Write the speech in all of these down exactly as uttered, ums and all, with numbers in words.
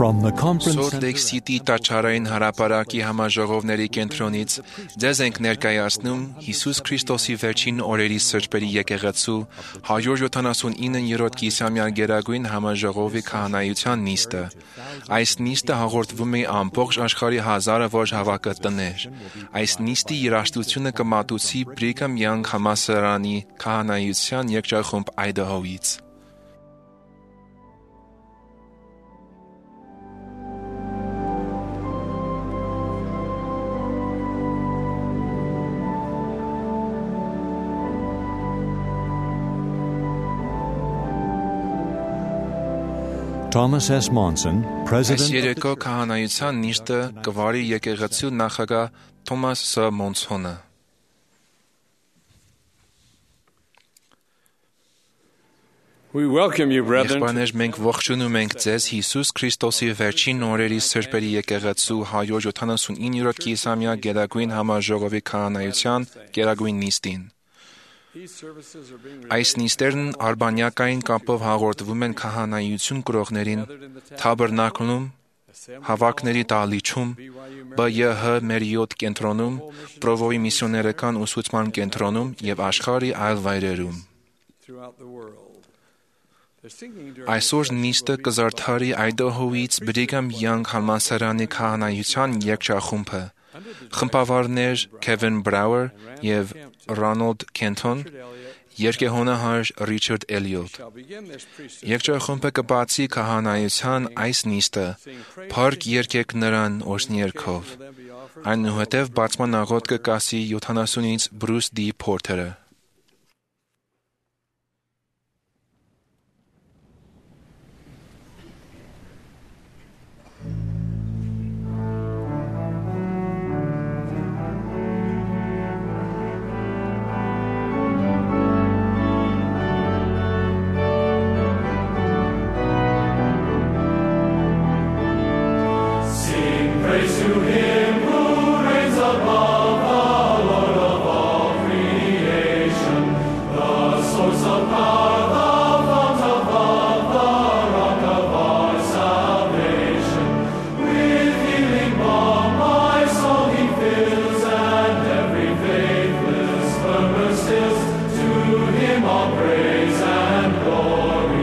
From the conference Salt Lake City տաճարային հարաբերակի համաժողովների կենտրոնից ձեզ ենք ներկայացնում Հիսուս Քրիստոսի վերջին օրերի սրբերի եկեղեցու հարյուր յոթանասունիններորդ կիսամյա գերագույն համաժողովի քահանայության նիստը։ Այս նիստը հաղորդվում է ամբողջ աշխարհի հազարավոր հավաքատներ։ Այս նիստի երաժշտությունը կմատուցի Brigham Young համալսարանի քահանայության երգչախումբ Idaho-ից։ Thomas S. Monson, Այս President երեկո քահանայության նիստը կվարի եկեղեցու նախագահ Թոմաս Ս. Մոնսոնը։ We welcome you, brethren. Եղբայրներ, մենք ողջունում ենք ձեզ Հիսուս Քրիստոսի վերջին օրերի սրբերի եկեղեցու հարյուր յոթանասունիններորդ կիսամյա գերագույն համաժողովի քահանայության գերագույն նիստին։ Այս նիստերն արբանյակային կապով հաղորդվում են քահանայություն կրողներին Թաբերնակլում, Հավաքների դահլիճում, B Y H Marriott կենտրոնում, Պրովոյի միսիոներական ուսուցման կենտրոնում և աշխարհի այլ վայրերում։ Այսօր նիստը կզարդարի Idaho-ից Brigham Young համալսարանի քահանայության երգչախումբը, խմբավարներ Քևին Բրաուեր և Ռոնալդ Քենթոն, երգեհոնահար Ռիչարդ Էլիոտ։ Երգչախումբը կբացի քահանայության այս նիստը, փառք երգեք նրան օրհնյերգով։ Այնուհետև բացման աղոթքը կասի յոթանասունից Բրուս D. Փորթերը։ Praise to him who reigns above, the Lord of all creation, the source of power, the fount of love, the rock of our salvation. With healing balm my soul he fills, and every faithless murmur stills. To him all praise and glory.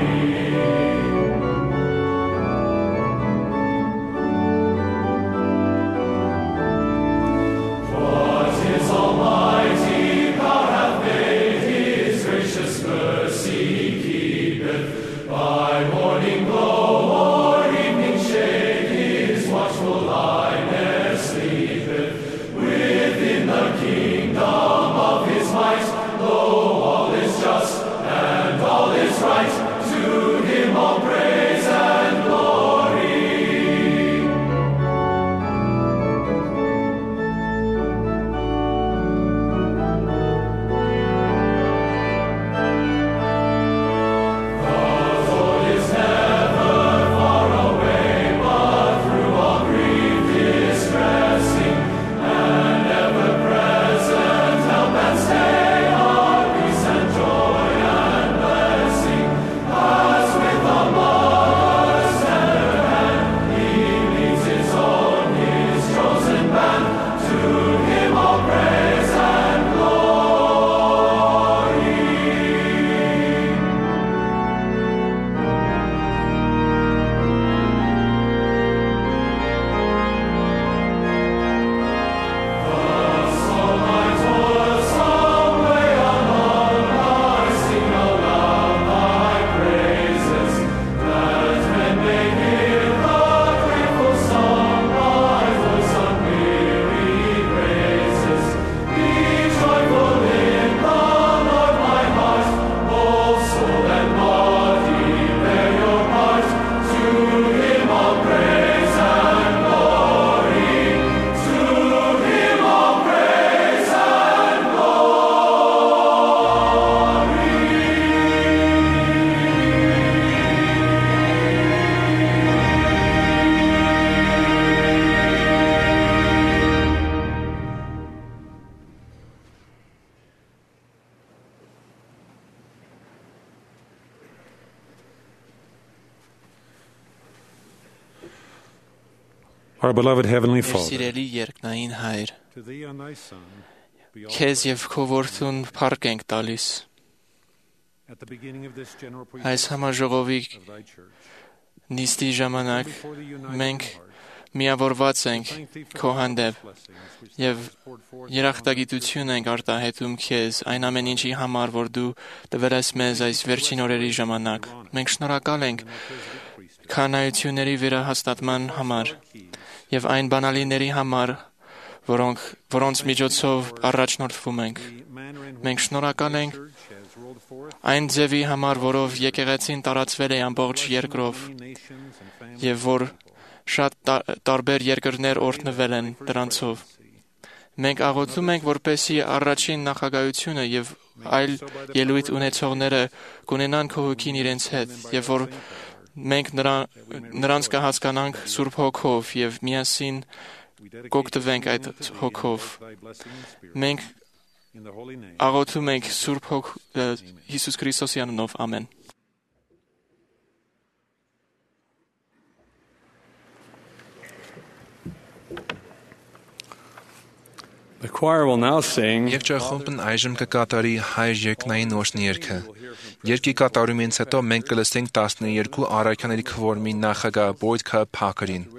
Our beloved Heavenly Մեր Father, սիրելի երկնային Հայր, to Thee and Thy Son, be all քեզ եւ քո որդուն փառք ենք տալիս at the beginning of this general այս presentation համաժողովի of Thy Church. նիստի ժամանակ Before the united մենք heart, միավորված ենք thank Thee for քո the հանդեպ blessings which Thou եւ hast poured forth երախտագիտություն ենք արտահայտում քեզ այն ամեն ինչի համար, որ դու տվել ես մեզ այս վերջին օրերի ժամանակ։ Մենք շնորհակալ ենք քանայությունների վերահաստատման համար եւ այն բանալիների համար, որոնք որոնց միջոցով առաջնորդվում ենք։ Մենք շնորհակալ ենք այն ձևի համար, որով եկեղեցին տարածվել է ամբողջ երկրով եւ որ շատ տարբեր երկրներ օրհնվել են դրանցով։ Մենք աղոթում ենք, որպեսզի առաջին նախագահությունը եւ այլ ելույթ ունեցողները կունենան քո հոգին իրենց հետ եւ որ մենք նրա, նրանց կհասկանանք Սուրբ Հոգով եւ միասին կօգտվենք այդ հոգով։ Մենք աղոթում ենք Սուրբ Հոգ Հիսուս Քրիստոսի անունով, ամեն։ The choir will now sing. Երգչախումբն այժմ կկատարի հայր երկնային նոշնի երգը։ Երգի կատարումից հետո մենք կլսենք տասներկու առաքյաների քվորմի նախագահ Բոյդ Փակերին։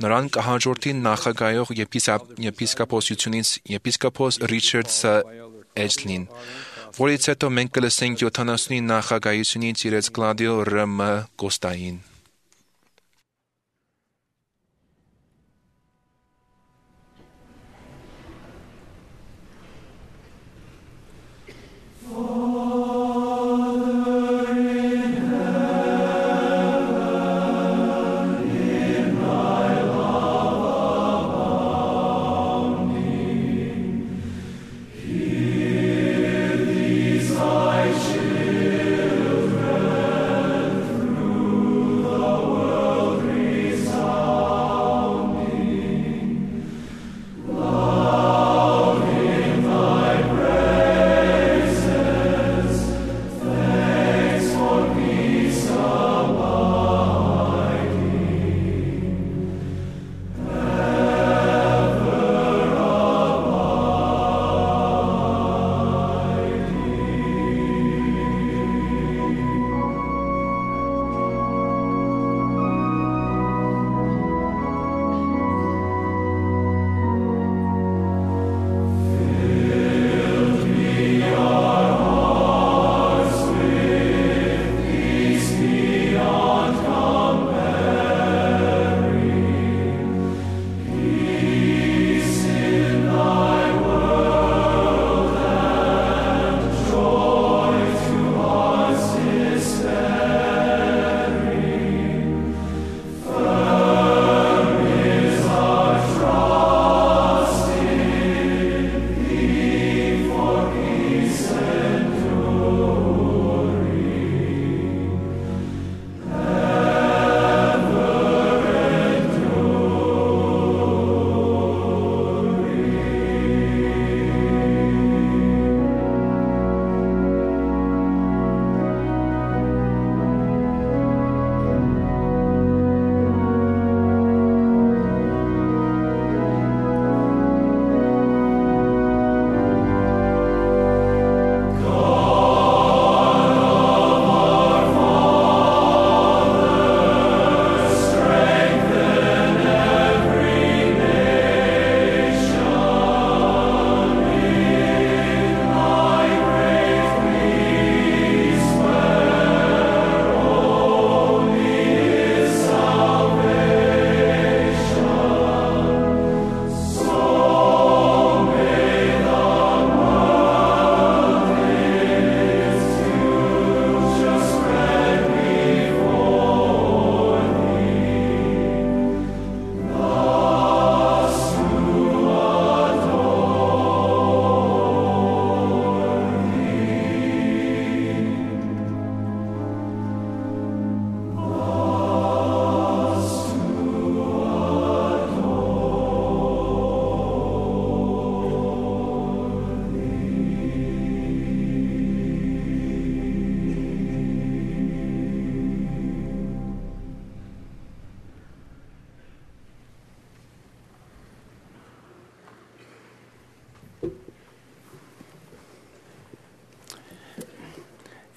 Նրան կհաջորդի նախագահող եպիսկոպոսությունից եպիսկոպոս Ռիչարդ Էջլին, որից հետո մենք կլսենք յոթանասունի նախագահությունից իրենց Կլադիո Ռ Մ Կոստային։ Thy children through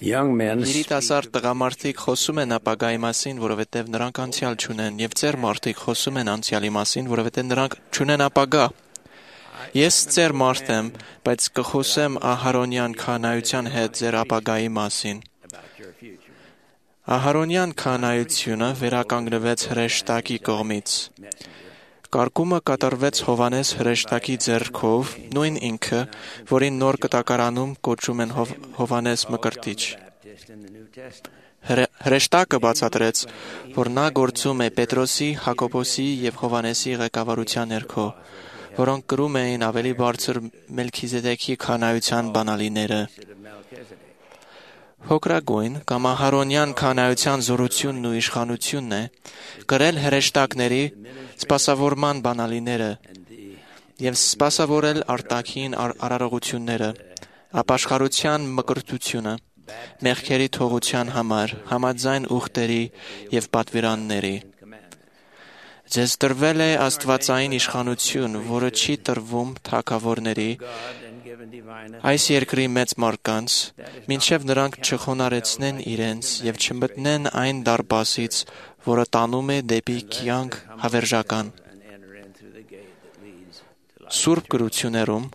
Երիտասարդ տղամարդիկ խոսում են ապագայի մասին, որովհետև նրանք անցյալ չունեն, եւ ծեր մարդիկ խոսում են անցյալի մասին, որովհետև նրանք չունեն ապագա։ Ես ծեր մարդ եմ, բայց կխոսեմ Ահարոնյան քահանայության հետ ձեր ապագայի մասին։ Ահարոնյան քահանայությունը վերականգնվեց հրեշտակի կողմից։ Կարգումը կատարվեց Հովանես հրեշտակի ձեռքով, նույն ինքը, որին նոր կտակարանում կոչում են Հով, Հովանես Մկրտիչ։ Հրեշտակը բացատրեց, որ նա գործում է Պետրոսի, Հակոբոսի եւ Հովանեսի ղեկավարության ներքո, որոնք կրում էին ավելի բարձր Մելքիզեդեքի քահանայության բանալիները։ Հոգրագույն կամ Ահարոնյան քահանայության զորությունն ու իշխանությունն է կրել հրեշտակների սպասավորման բանալիները եւ սպասավորել արտաքին արարողությունները, ապաշխարության մկրտությունը, մեղքերի թողության համար, համաձայն ուխտերի եւ պատվիրանների։ Ձեզ տրվել է աստվածային իշխանություն, որը չի տրվում թագավորների, այս երկրի մեծ մարդկանց, մինչև նրանք չխոնարեցնեն իրենց եւ չմտնեն այն դարպասից, որը տանում է դեպի կյանք հավերժական։ Սուրբ գրություններում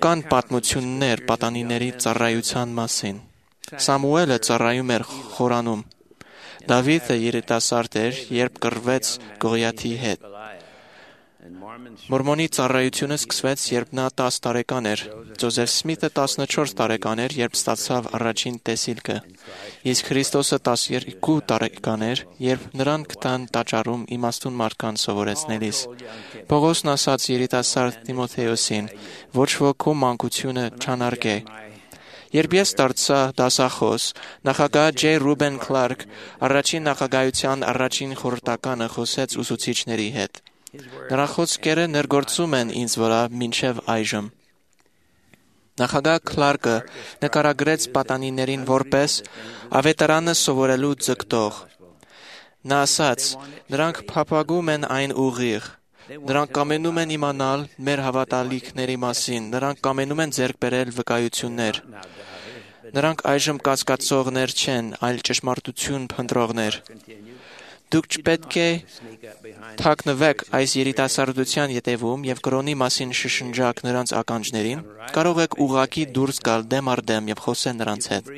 կան պատմություններ պատանիների ծառայության մասին։ Սամուելը ծառայում էր խորանում։ Դավիթը երիտասարդ էր, երբ կռվեց Գողիաթի հետ։ Մորմոնի ծառայությունը սկսվեց, երբ նա տասը տարեկան էր։ Ջոզեֆ Սմիթը տասնչորս տարեկան էր, երբ ստացավ առաջին տեսիլքը։ Իսկ Քրիստոսը տասներկու տարեկան էր, երբ նրան գտան տաճարում իմաստուն մարդկանց սովորեցնելիս։ Պողոսն ասաց երիտասարդ Տիմոթեոսին, ոչ ոք քո մանկությունը չանարգե։ Երբ ես դարձա դասախոս, նախագահ Ջեյ Ռուբեն Քլարկ առաջին նախագահության առաջին խորհրդականը խոսեց ուսուցիչների հետ։ Նրա խոսքերը ներգործում են ինձ վրա մինչև այժմ։ Նախագահ Քլարկը նկարագրեց պատանիներին որպես ավետարանը սովորելու ձգտող։ Նա ասաց. նրանք փափագում են այն ուղիղ։ Նրանք կամենում են իմանալ մեր հավատալիքների մասին, նրանք կամենում են ձեռք բերել վկայություններ։ Նրանք այժմ կասկածողներ չեն, այլ ճշմարտություն փնտրողներ։ Դուք չպետք է թաքնվեք այս երիտասարդության ետևում եւ կրոնի մասին շշնջաք նրանց ականջներին, կարող եք ուղղակի դուրս գալ դեմ առ դեմ եւ խոսել նրանց հետ։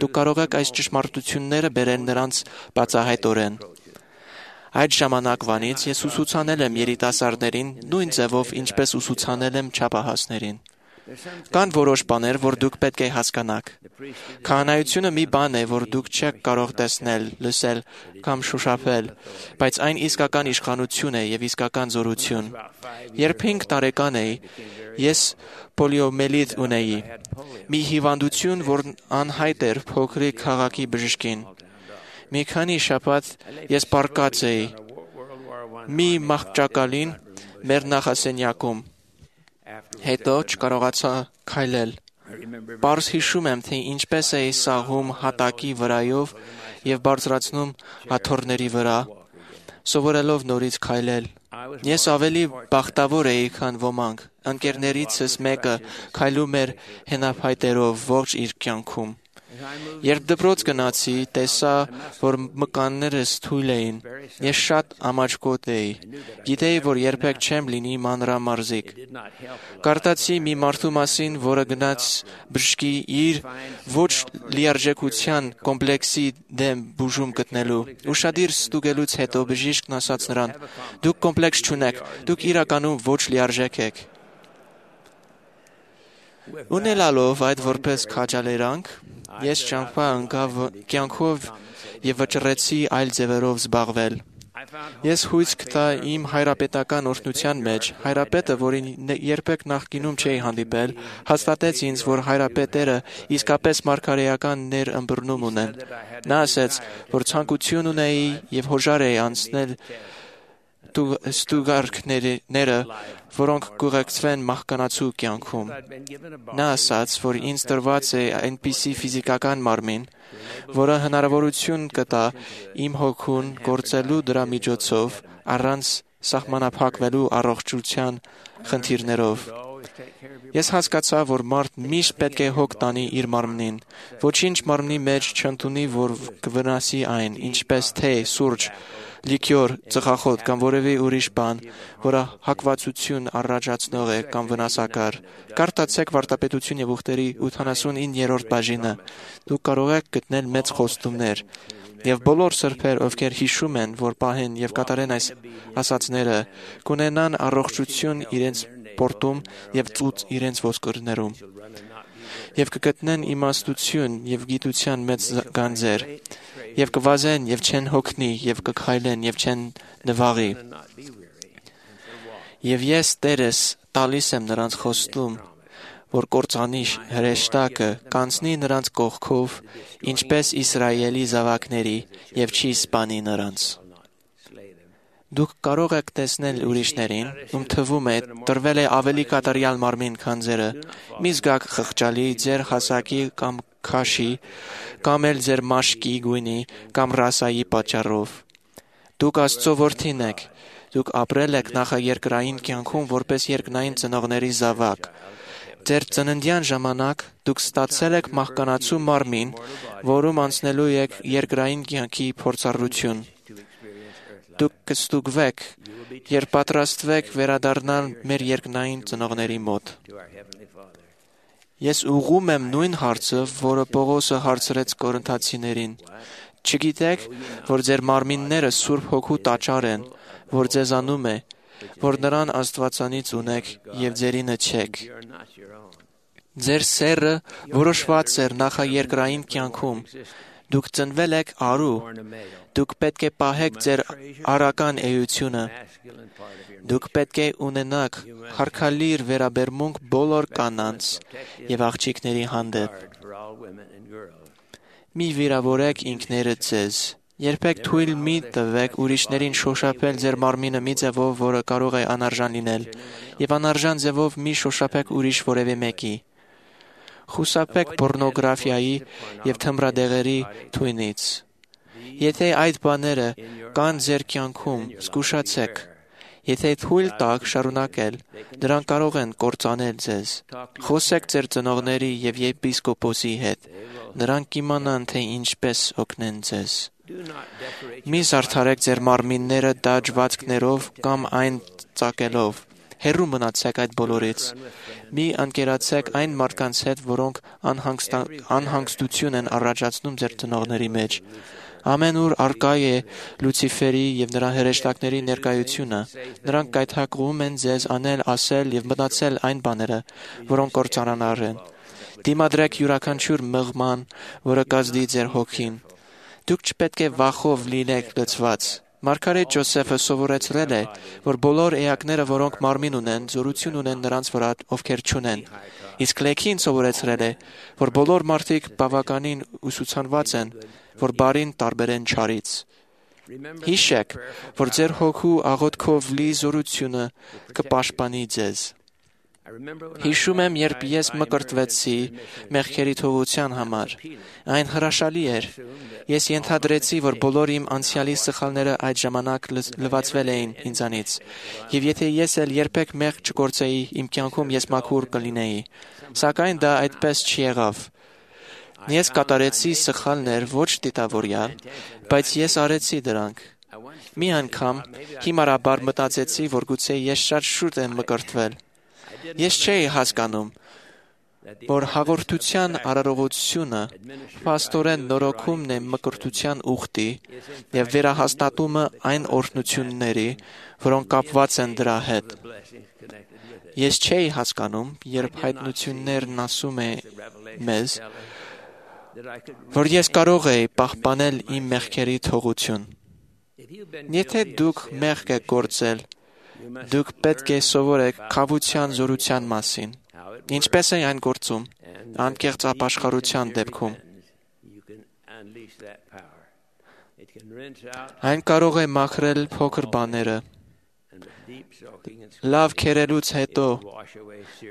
Դուք կարող եք այս ճշմարտությունները բերել նրանց բացահայտորեն։ Այդ ժամանակվանից ես ուսուցանել եմ երիտասարդներին նույն ձևով, ինչպես ուսուցանել եմ չափահասներին։ Կան որոշ բաներ, որ դուք պետք է հասկանաք։ Քահանայությունը մի բան է, որ դուք չեք կարող տեսնել, լսել կամ շոշափել, բայց այն իսկական իշխանություն է եւ իսկական զորություն։ Երբ հինգ տարեկան էի, ես պոլիոմելիտ ունեի, մի հիվանդություն, որն անհայտ էր փոքրիկ քաղաքի բժշկին։ Մի քանի շաբաթ ես պառկած էի մի մահճակալին մեր նախասենյակում։ Հետո չկարողացա քայլել։ Պարզ հիշում եմ, թե ինչպես էի սաղում հատակի վրայով եւ բարձրացնում աթոռների վրա, սովորելով նորից քայլել։ Ես ավելի բախտավոր էի, քան ոմանք։ Ընկերներիցս մեկը քայլում էր հենափայտերով ողջ իր կյանքում։ Երբ դպրոց գնացի, տեսա, որ մկաններս թույլ էին։ Ես շատ ամաչկոտ էի։ Գիտեի, որ երբեք չեմ լինի մանրամարզիկ։ Կարդացի մի մարդու մասին, որը գնաց բժշկի իր ոչ լիարժեքության կոմպլեքսի դեմ բուժում գտնելու։ Ուշադիր ստուգելուց հետո բժիշկն ասաց նրան. «Դուք կոմպլեքս չունեք, դուք իրականում ոչ լիարժեք եք»։ Ունենալով այդ որպես քաջալերանք, ես ճամփա ընկա կյանքով եւ վճռեցի այլ ձևերով զբաղվել։ Ես հույս գտա իմ հայրապետական օրհնության մեջ։ Հայրապետը, որին երբեք նախկինում չէի հանդիպել, հաստատեց ինձ, որ հայրապետերը իսկապես մարգարեական ներըմբռնում ունեն։ Նա ասաց, որ ցանկություն ունեի եւ հոժար էի անցնել ստուգարքները, որոնք կուղեկցվեն մահկանացու կյանքում։ Նա ասաց, որ ինձ տրված է այնպիսի ֆիզիկական մարմին, որը հնարավորություն կտա իմ հոգուն գործելու դրա միջոցով առանց սահմանափակվելու առողջության խնդիրներով։ Ես հասկացա, որ մարդ միշտ պետք է հոգ տանի իր մարմնին, ոչինչ մարմնի մեջ չընդունի, որ կվնասի այն, ինչպես թե, սուրճ, լիկյոր, ծխախոտ կամ որևէ ուրիշ բան, որը հակվածություն առաջացնող է կամ վնասակար։ Կարդացեք Վարդապետություն եւ ուխտերի ութանասունիններորդ բաժինը։ Դուք կարող եք գտնել մեծ խոստումներ։ Եվ բոլոր սրբեր, ովքեր հիշում են, որ պահեն եւ կատարեն այս ասացները, կունենան առողջություն իրենց պորտում եւ ծուծ իրենց ոսկորներում։ Եվ կգտնեն իմաստություն եւ գիտության մեծ գանձեր, եւ կվազեն եւ չեն հոգնի, եւ կքայլեն եւ չեն նվաղի։ Եվ ես Տերս տալիս եմ նրանց խոստում, որ կործանի հրեշտակը կանցնի նրանց կողքով, ինչպես Իսրայելի զավակների, եւ չի սպանի նրանց։ Դուք կարող եք տեսնել ուրիշներին, ում թվում է տրվել է ավելի կատարյալ մարմին, քան ձերը, մի զգաք խղճալի ձեր հասակի կամ քաշի, կամ էլ ձեր մաշկի գույնի կամ ռասայի պատճառով։ Դուք Աստծո որդին եք, դուք ապրել եք նախաերկրային կյանքում որպես երկնային ծնողների զավակ։ Ձեր ծննդյան ժամանակ դուք ստացել եք մահկանացու մարմին, որում անցնելու եք երկրային կյանքի փորձառություն։ Դուք կստուգվեք, երբ պատրաստվեք վերադառնալ մեր երկնային ծնողների մոտ։ Ես ուղղում եմ նույն հարցը, որը Պողոսը հարցրեց կորինթացիներին։ Չգիտեք, որ ձեր մարմինները Սուրբ Հոգու տաճար են, որ ձեզանում է, որ նրան Աստվածանից ունեք եւ ձերինը չեք։ Ձեր սերը որոշված էր նախաերկրային կյանքում։ Դուք ծնվել եք արու, դուք պետք է պահեք ձեր առական էությունը։ Դուք պետք է ունենաք հարգալիր վերաբերմունք բոլոր կանանց եւ աղջիկների հանդեպ։ Մի վիրավորեք ինքներդ ձեզ։ Երբեք թույլ մի տվեք ուրիշներին շոշափել ձեր մարմինը մի ձևով, որը կարող է անարժան լինել, եւ անարժան ձևով մի շոշափեք ուրիշ որևէ մեկի։ Խուսափեք պոռնոգրաֆիայի եւ թմրադեղերի թույնից։ Եթե այդ բաները կան ձեր կյանքում, զգուշացեք։ Եթե թույլ տաք շարունակել, դրանք կարող են կործանել ձեզ։ Խոսեք ձեր ծնողների եւ եպիսկոպոսի հետ։ Նրանք կիմանան, թե ինչպես օգնեն ձեզ։ Մի զարդարեք ձեր մարմինները դաջվածքներով կամ այն ծակելով։ Հեռու մնացեք այդ բոլորից։ Մի ընկերացեք այն մարդկանց հետ, որոնք անհանգստություն են առաջացնում ձեր ծնողների մեջ։ Ամենուր արկա է Լուցիֆերի եւ նրա հրեշտակների ներկայությունը։ Նրանք կայթակղում են ձեզ անել, ասել եւ մտածել այն բաները, որոնք կործանանար են։ Դիմադրեք յուրաքանչյուր մղման, որը կազդի ձեր հոգին։ Դուք չպետք է վախով լինեք լցված։ Մարգարետ Ջոսեֆը սովորեցրել է, որ բոլոր էակները, որոնք մարմին ունեն, զորություն ունեն նրանց վրա, ովքեր չունեն։ Իսկ Լեքին սովորեցրել է, որ բոլոր մարդիկ բավականին ուսուցանված են, որ բարին տարբերեն չարից։ Հիշեք, որ ձեր հոգու աղոթքով լի զորությունը կպաշտպանի ձեզ։ Հիշում եմ, երբ ես մկրտվեցի մեղքերի թողության համար։ Այն հրաշալի էր։ Ես ենթադրեցի, որ բոլոր իմ անցյալի սխալները այդ ժամանակ լվացվել էին ինձանից։ Եվ եթե ես էլ երբեք մեղք չգործեի, իմ կյանքում ես մաքուր կլինեի։ Սակայն դա այդպես չեղավ։ Ես կատարեցի սխալներ ոչ դիտավորյալ, բայց ես արեցի դրանք։ Մի անգամ հիմարաբար մտածեցի, որ գուցե ես շատ շուտ եմ մկրտվել։ Ես չէի հասկանում, որ հաղորդության արարողությունը փաստորեն նորոգումն է մկրտության ուխտի եւ վերահաստատումը այն օրհնությունների, որոնք կապված են դրա հետ։ Ես չէի հասկանում, երբ հայտնություններն ասում է մեզ, որ ես կարող էի պահպանել իմ մեղքերի թողություն։ Եթե դուք մեղք եք գործել, դուք պետք է սովորեք քավության զորության մասին։ Ինչպես է այն գործում, անկեղծ ապաշխարության դեպքում։ Այն կարող է մաքրել փոքր բաները։ Լավ քերելուց հետո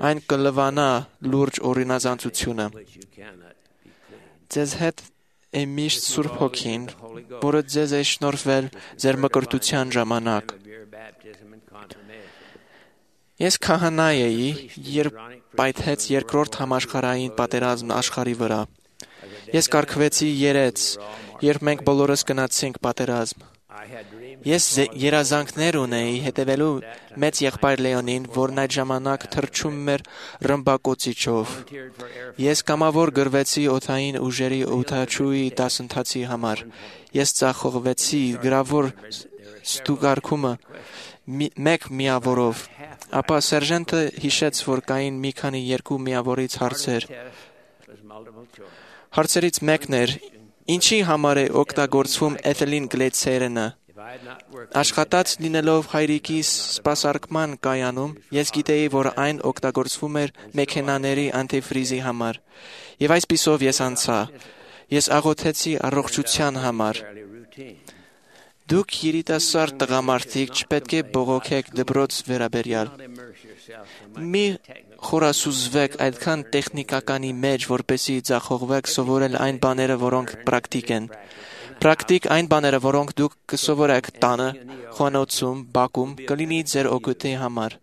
այն կլվանա լուրջ օրինազանցությունը։ Ձեզ հետ է միշտ Սուրբ Հոգին, որը ձեզ է շնորհվել ձեր մկրտության ժամանակ։ Ես քահանա էի, երբ պայթեց երկրորդ համաշխարհային պատերազմն աշխարհի վրա։ Ես կարգվեցի երեց, երբ մենք բոլորս գնացինք պատերազմ։ Ես երազանքներ ունեի հետևելու մեծ եղբայր Լեոնին, որն այդ ժամանակ թռչում էր ռմբակոծիչով։ Ես կամավոր գրվեցի օդային ուժերի օդաչուի դասընթացի համար։ Ես ծախողվեցի գրավոր ստուգարկումը մեկ միավորով։ Ապա սերժանտը հիշեց, որ կային մի քանի երկու միավորից հարցեր։ Հարցերից մեկն էր. ինչի համար է օգտագործվում էթիլին գլիցերինը։ Աշխատած լինելով հայրիկի սպասարկման կայանում, ես գիտեի, որ այն օգտագործվում էր մեքենաների անտիֆրիզի համար։ Եվ այսպիսով ես անցա։ Ես աղոթեցի առողջության համար։ Դուք երիտասարդ տղամարդիկ չպետք է բողոքեք դպրոց վերաբերյալ։ Մի խորասուզվեք այդքան տեխնիկականի մեջ, որպեսզի ձախողվեք սովորել այն բաները, որոնք պրակտիկ են։ Պրակտիկ այն բաները, որոնք դուք կսովորեք տանը, խոհանոցում, բակում, կլինի ձեր օգուտի համար։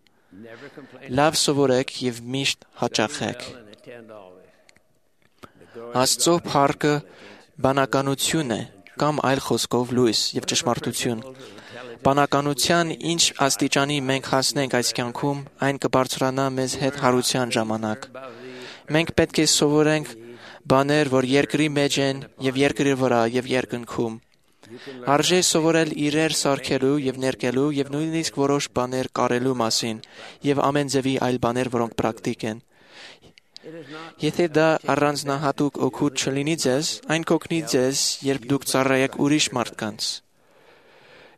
Լավ սովորեք եւ միշտ հաճախեք։ Աստծո փառքը բանականություն է, կամ այլ խոսքով լույս եւ ճշմարտություն։ Բանականության ինչ աստիճանի մենք հասնենք այս կյանքում, այն կբարձրանա մեզ հետ հարության ժամանակ։ Մենք պետք է սովորենք բաներ, որ երկրի մեջ են եւ երկրի վրա եւ երկնքում։ Արժե սովորել իրեր սարքելու եւ ներկելու եւ նույնիսկ որոշ բաներ կարելու մասին եւ ամեն ձևի այլ բաներ, որոնք պրակտիկ են։ Եթե դա առանձնահատուկ օգուտ չլինի ձեզ, այն կօգնի ձեզ, երբ դուք ծառայեք ուրիշ մարդկանց։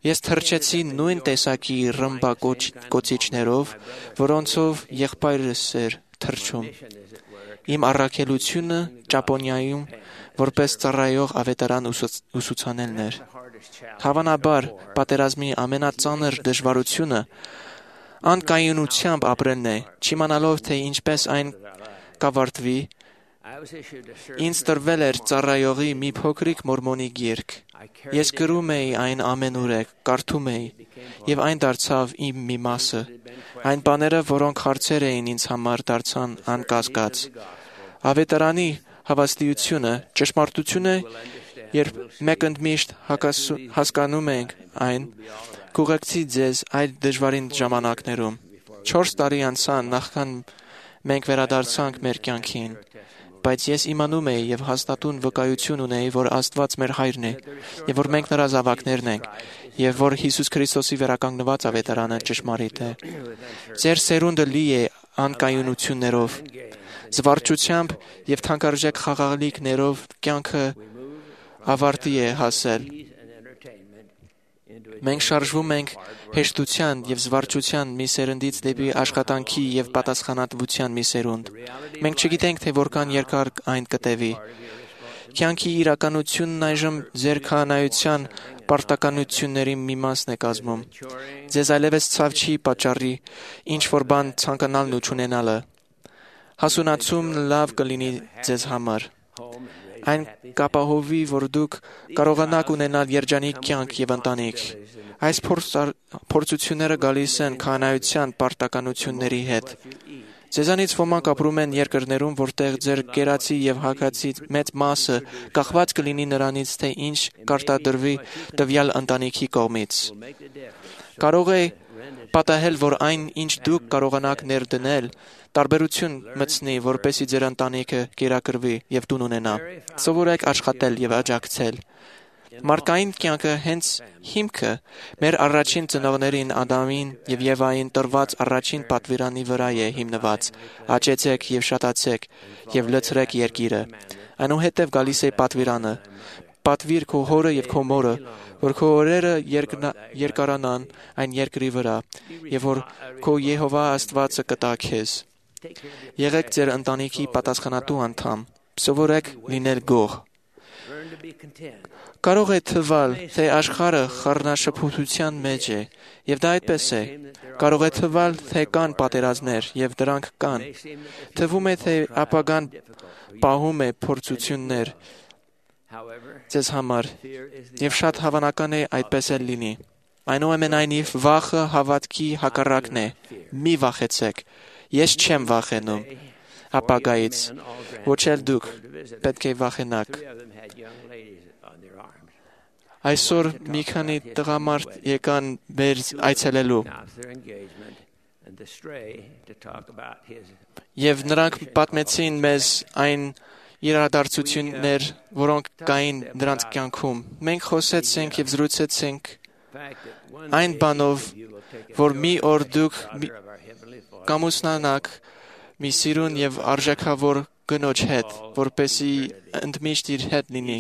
Ես թռչեցի նույն տեսակի ռմբակոծիչներով, որոնցով եղբայրս էր թռչում։ Իմ առաքելությունը Ճապոնիայում որպես ծառայող ավետարան ուսուցանելն էր։ Հավանաբար, պատերազմի ամենածանր դժվարությունը անկայունությամբ ապրելն է, չիմանալով, թե ինչպես այն կավարտվի։ Ինձ տրվել էր ծառայողի մի փոքրիկ մորմոնի գիրք։ Ես գրում էի այն ամենուրեք, կարդում էի, եւ այն դարձավ իմ մի մասը։ Այն բաները, որոնք հարցեր էին ինձ համար, դարձան անկասկած։ Ավետարանի հավաստիությունը ճշմարտություն է, երբ մեկ ընդմիշտ հասկանում ենք այն, կուղեկցի ձեզ այդ դժվարին ժամանակներում։ Չորս տարի անցան նախքան մենք վերադարձանք մեր կյանքին, բայց ես իմանում էի եւ հաստատուն վկայություն ունեի, որ Աստված մեր հայրն է, եւ որ մենք նրա զավակներն ենք, եւ որ Հիսուս Քրիստոսի վերականգնված ավետարանը ճշմարիտ է։ Ձեր սերունդը լի է անկայունություններով, զվարճությամբ եւ թանկարժեք խաղաղալիքներով կյանքը ավարտի է հասել։ Մենք շարժվում ենք հեշտության եւ զվարճության մի սերնդից դեպի աշխատանքի եւ պատասխանատվության մի սերունդ։ Մենք չգիտենք, թե որքան երկար այն կտևի։ Կյանքի իրականությունն այժմ ձեր քահանայության պարտականությունների մի մասն է կազմում։ Ձեզ այլևս ցավ չի պատճառի ինչ որ բան ցանկանալն ու չունենալը։ Հասունացումն լավ կլինի ձեզ համար։ Այն կապահովի, որ դուք կարողանաք ունենալ երջանիկ կյանք եւ ընտանիք։ Այս փորձությունները գալիս են քահանայության պարտականությունների հետ։ Ձեզանից ոմանք ապրում են երկրներում, որտեղ ձեր կերացի եւ հագացի մեծ մասը կախված կլինի նրանից, թե ինչ կարտադրվի տվյալ ընտանիքի կողմից։ Կարող է պատահել, որ այն, ինչ դուք կարողանաք ներդնել, տարբերություն մտցնի, որպեսզի ձեր ընտանիքը կերակրվի եւ տուն ունենա։ Սովորեք աշխատել եւ աջակցել։ Մարդկային կյանքը հենց հիմքը մեր առաջին ծնողներին Ադամին եւ Եվային տրված առաջին պատվիրանի վրա է հիմնված. Աճեցեք եւ շատացեք եւ լցրեք երկիրը։ Այնուհետև գալիս է պատվիրանը. Պատվիր քո հորը եւ քո մորը, որ քո օրերը երկարանան այն երկրի վրա եւ որ քո Եհովա Աստվածը կտա քեզ։ Եղեք ձեր ընտանիքի պատասխանատու անդամ։ Սովորեք լինել գող։ Կարող է թվալ, թե աշխարհը խառնաշփոթության մեջ է, եւ դա այդպես է։ Կարող է թվալ, թե կան պատերազմներ, եւ դրանք կան։ Թվում է, թե ապագան պահում է փորձություններ ձեզ համար, եւ շատ հավանական է այդպես էլ լինի։ Այնուամենայնիվ վախը հավատքի հակառակն է։ Մի վախեցեք։ Ես չեմ վախենում ապագայից, ոչ էլ դուք պետք է վախենաք։ Այսօր մի քանի տղամարդ եկան մեր այցելելու։ Եվ նրանք պատմեցին մեզ այն իրադարձություններ, որոնք կային նրանց կյանքում։ Մենք խոսեցինք եւ զրուցեցինք այն բանով, որ մի օր դուք կամուսնանաք մի սիրուն եւ արժեքավոր կնոջ հետ, որպեսի ընդմիշտ իր հետ լինի։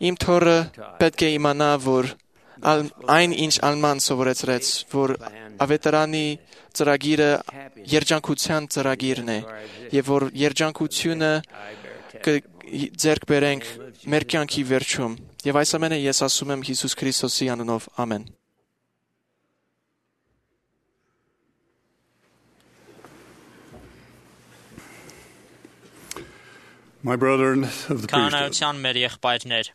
Իմ թոռը պետք է իմանա, որ այն ինչ Ալման սովորեցրեց, որ ավետարանի ծրագիրը երջանկության ծրագիրն է, եւ որ երջանկությունը կձեռք բերենք մեր կյանքի վերջում։ Եվ այս ամենը ես ասում եմ Հիսուս Քրիստոսի անունով, ամեն։ My brethren of the priesthood. Քահանայության մեր եղբայրներ,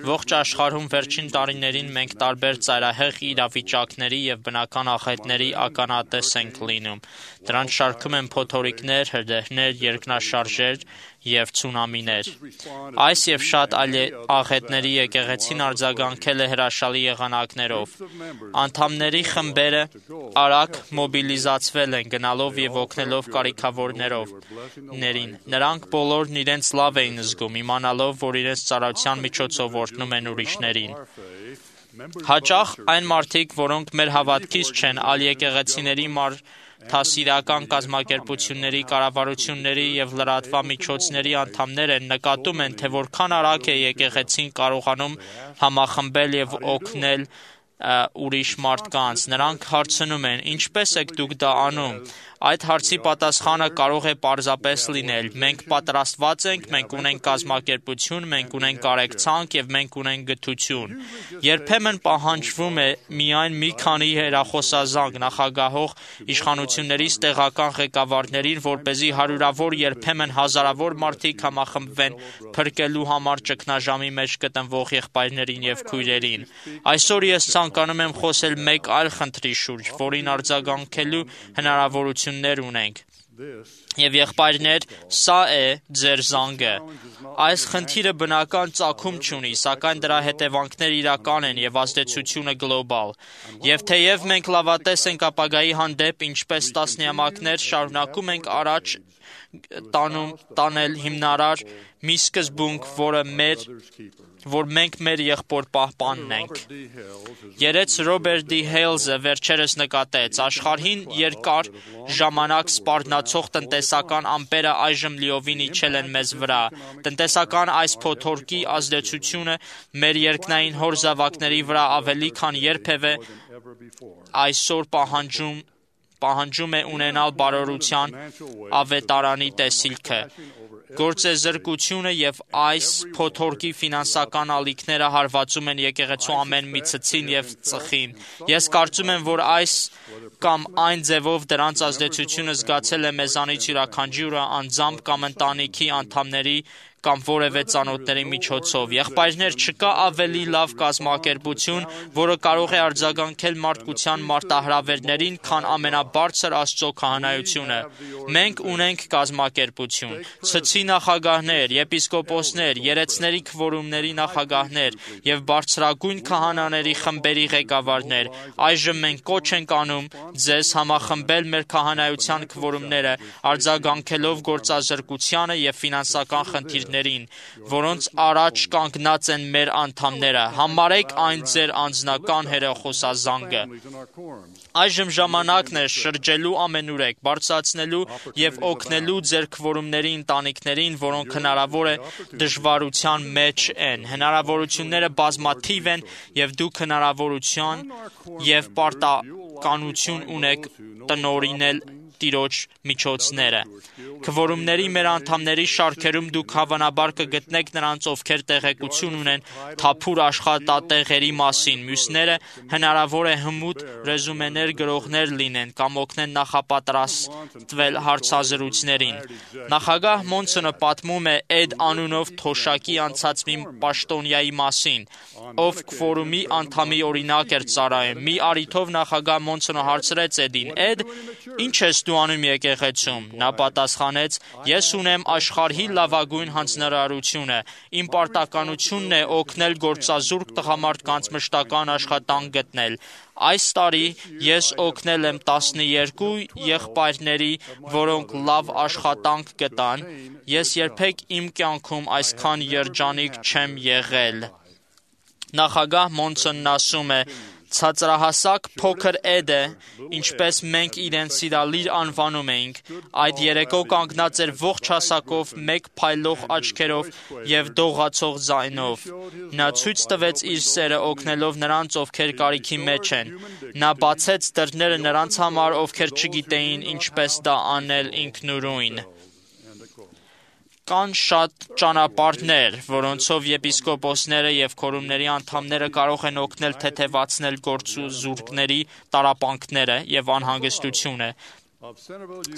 ողջ աշխարհում վերջին տարիներին մենք տարբեր ծայրահեղ իրավիճակների եւ բնական աղետների ականատես ենք լինում։ Դրանց շարքում են փոթորիկներ, հրդեհներ, երկնաշարժեր եւ ցունամիներ։ Այս եւ շատ այլ աղետների եկեղեցին արձագանքել է հրաշալի եղանակներով։ Անդամների խմբերը արագ մոբիլիզացվել են գնալով եւ օգնելով կարիքավորներով ներին։ Նրանք բոլորն իրենց լավ էին զգում, իմանալով, որ իրենց ծառայության միջոցով օրհնում են ուրիշներին։ Հաճախ այն մարդիկ, որոնք մեր հավատքից չեն, այլ եկեղեցիների մարդասիրական կազմակերպությունների, կառավարությունների եւ լրատվամիջոցների անդամներ են, նկատում են, թե որքան արագ է եկեղեցին կարողանում համախմբել եւ օգնել ուրիշ մարդկանց։ Նրանք հարցնում են. ինչպես եք դուք դա անում։ Այդ հարցի պատասխանը կարող է պարզապես լինել. մենք պատրաստված ենք, մենք ունենք կազմակերպություն, մենք ունենք կարեկցանք եւ մենք ունենք գթություն։ Երբեմն պահանջվում է միայն մի քանի հեռախոսազանգ նախագահող իշխանություններից տեղական ղեկավարներին, որպեսզի հարյուրավոր, երբեմն հազարավոր մարդիկ համախմբվեն փրկելու համար ճգնաժամի մեջ գտնվող եղբայրներին եւ քույրերին։ Այսօր ես ցանկանում եմ խոսել մեկ այլ խնդրի շուրջ, որին արձագանքելու հնարավորություն ունենք։ Եվ եղբայրներ, սա է ձեր զանգը։ Այս խնդիրը բնական ծագում չունի, սակայն դրա հետևանքները իրական են եւ ազդեցությունը գլոբալ։ Եվ թեև մենք լավատես ենք ապագայի հանդեպ, ինչպես տասնամյակներ շարունակում ենք առաջ տանում տանել հիմնարար մի սկզբունք, որը մեր որ մենք մեր եղբոր պահպանն ենք։ Երեց Ռոբերտ Դի Հեյլզը վերջերս նկատեց. աշխարհին երկար ժամանակ սպառնացող տնտեսական ամպերը այժմ լիովին իջել են մեզ վրա։ Տնտեսական այս փոթորկի ազդեցությունը մեր երկնային հոր զավակների վրա ավելի քան երբևէ այսօր պահանջում պահանջում է ունենալ բարօրության ավետարանի տեսիլքը։ Գործեզրկությունը եւ այս փոթորկի ֆինանսական ալիքները հարվածում են եկեղեցու ամեն մի ցցին եւ ծխին։ Ես կարծում եմ, որ այս կամ այն ձևով դրանց ազդեցությունը զգացել է մեզանից յուրաքանչյուրը անձամբ կամ ընտանիքի անդամների կամ որևէ ծանոթների միջոցով։ Եղբայրներ, չկա ավելի լավ կազմակերպություն, որը կարող է արձագանքել մարդկության մարտահրավերներին, քան ամենաբարձր Աստծո քահանայությունը։ Մենք ունենք կազմակերպություն, ցցի նախագահներ, եպիսկոպոսներ, երեցների քվորումների նախագահներ եւ բարձրագույն քահանաների խմբերի ղեկավարներ։ Այժմ մենք կոչ ենք անում ձեզ համախմբել մեր քահանայության քվորումները, արձագանքելով գործազրկությանը եւ ֆինանսական խնդիրներին, որոնց առաջ կանգնած են մեր անդամները։ Համարեք այն ձեր անձնական հեռախոսազանգը։ Այժմ ժամանակն է շրջելու ամենուրեք, բարձրացնելու եւ օգնելու ձեր քվորումների ընտանիքներին, որոնք հնարավոր է դժվարության մեջ են։ Հնարավորությունները բազմաթիվ են եւ դուք հնարավորություն եւ պարտականություն ունեք տնօրինել տիրոջ միջոցները։ Քվորումների մեր անդամների շարքերում դուք հավանաբար կգտնեք նրանց, ովքեր տեղեկություն ունեն թափուր աշխատատեղերի մասին, մյուսները հնարավոր է հմուտ ռեզումեներ գրողներ լինեն կամ օգնեն նախապատրաստվել հարցազրույցներին։ Նախագահ Մոնսոնը պատմում է Էդ անունով թոշակի անցած մի պաշտոնյայի մասին, ով քվորումի անդամի օրինակ էր ծառայում։ Մի առիթով նախագահ Մոնսոնը հարցրեց Էդին. «Էդ, ի՞նչ ես դու անում եկեղեցում»։ Նա պատասխանեց. «Ես ունեմ աշխարհի լավագույն հանձնարարությունը։ Իմ պարտականությունն է օգնել գործազուրկ տղամարդկանց մշտական աշխատանք գտնել։ Այս տարի ես օգնել եմ տասներկու եղբայրների, որոնք լավ աշխատանք գտան։ Ես երբեք իմ կյանքում այսքան երջանիկ չեմ եղել»։ Նախագահ Մոնսոնն ասում է. «Ցածրահասակ փոքր Էդը, ինչպես մենք իրեն սիրալիր անվանում էինք, այդ երեկո կանգնած էր ողջ հասակով, մեկ փայլող աչքերով և դողացող ձայնով։ Նա ցույց տվեց իր սերը օգնելով նրանց, ովքեր կարիքի մեջ են։ Նա բացեց դռները նրանց համար, ովքեր չգիտեին ինչպես դա անել ինքնուրույն»։ Կան շատ ճանապարհներ, որոնցով եպիսկոպոսները և քորումների անդամները կարող են օգնել թեթևացնել գործազուրկների տառապանքները և անհանգստությունը։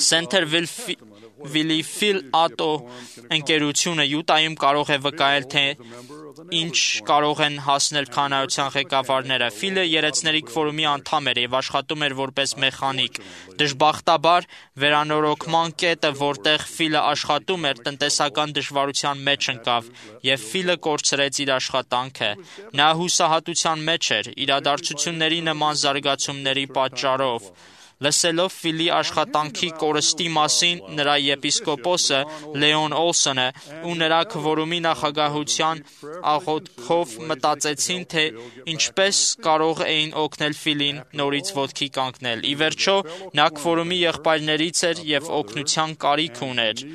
Սենթերվիլի Ֆիլ Ատո ընկերությունը Յուտայում կարող է վկայել, թե ինչ կարող են հասնել քահանայության ղեկավարները։ Ֆիլը երեցների քվորումի անդամ էր և աշխատում էր որպես մեխանիկ։ Դժբախտաբար, վերանորոգման կետը, որտեղ Ֆիլը աշխատում էր, տնտեսական դժվարության մեջ ընկավ, և Ֆիլը կորցրեց իր աշխատանքը։ Նա հուսահատության մեջ էր իրադարձությունների նման զարգացումների պատճառով։ Լսելով Ֆիլի աշխատանքի կորստի մասին, նրա եպիսկոպոսը Լեոն Օլսոնը ու նրա քվորումի նախագահության աղոթքով մտածեցին, թե ինչպես կարող էին օգնել Ֆիլին նորից ոտքի կանգնել։ Ի վերջո, նա քվորումի եղբայրներից էր և օգնության կարիք ուներ։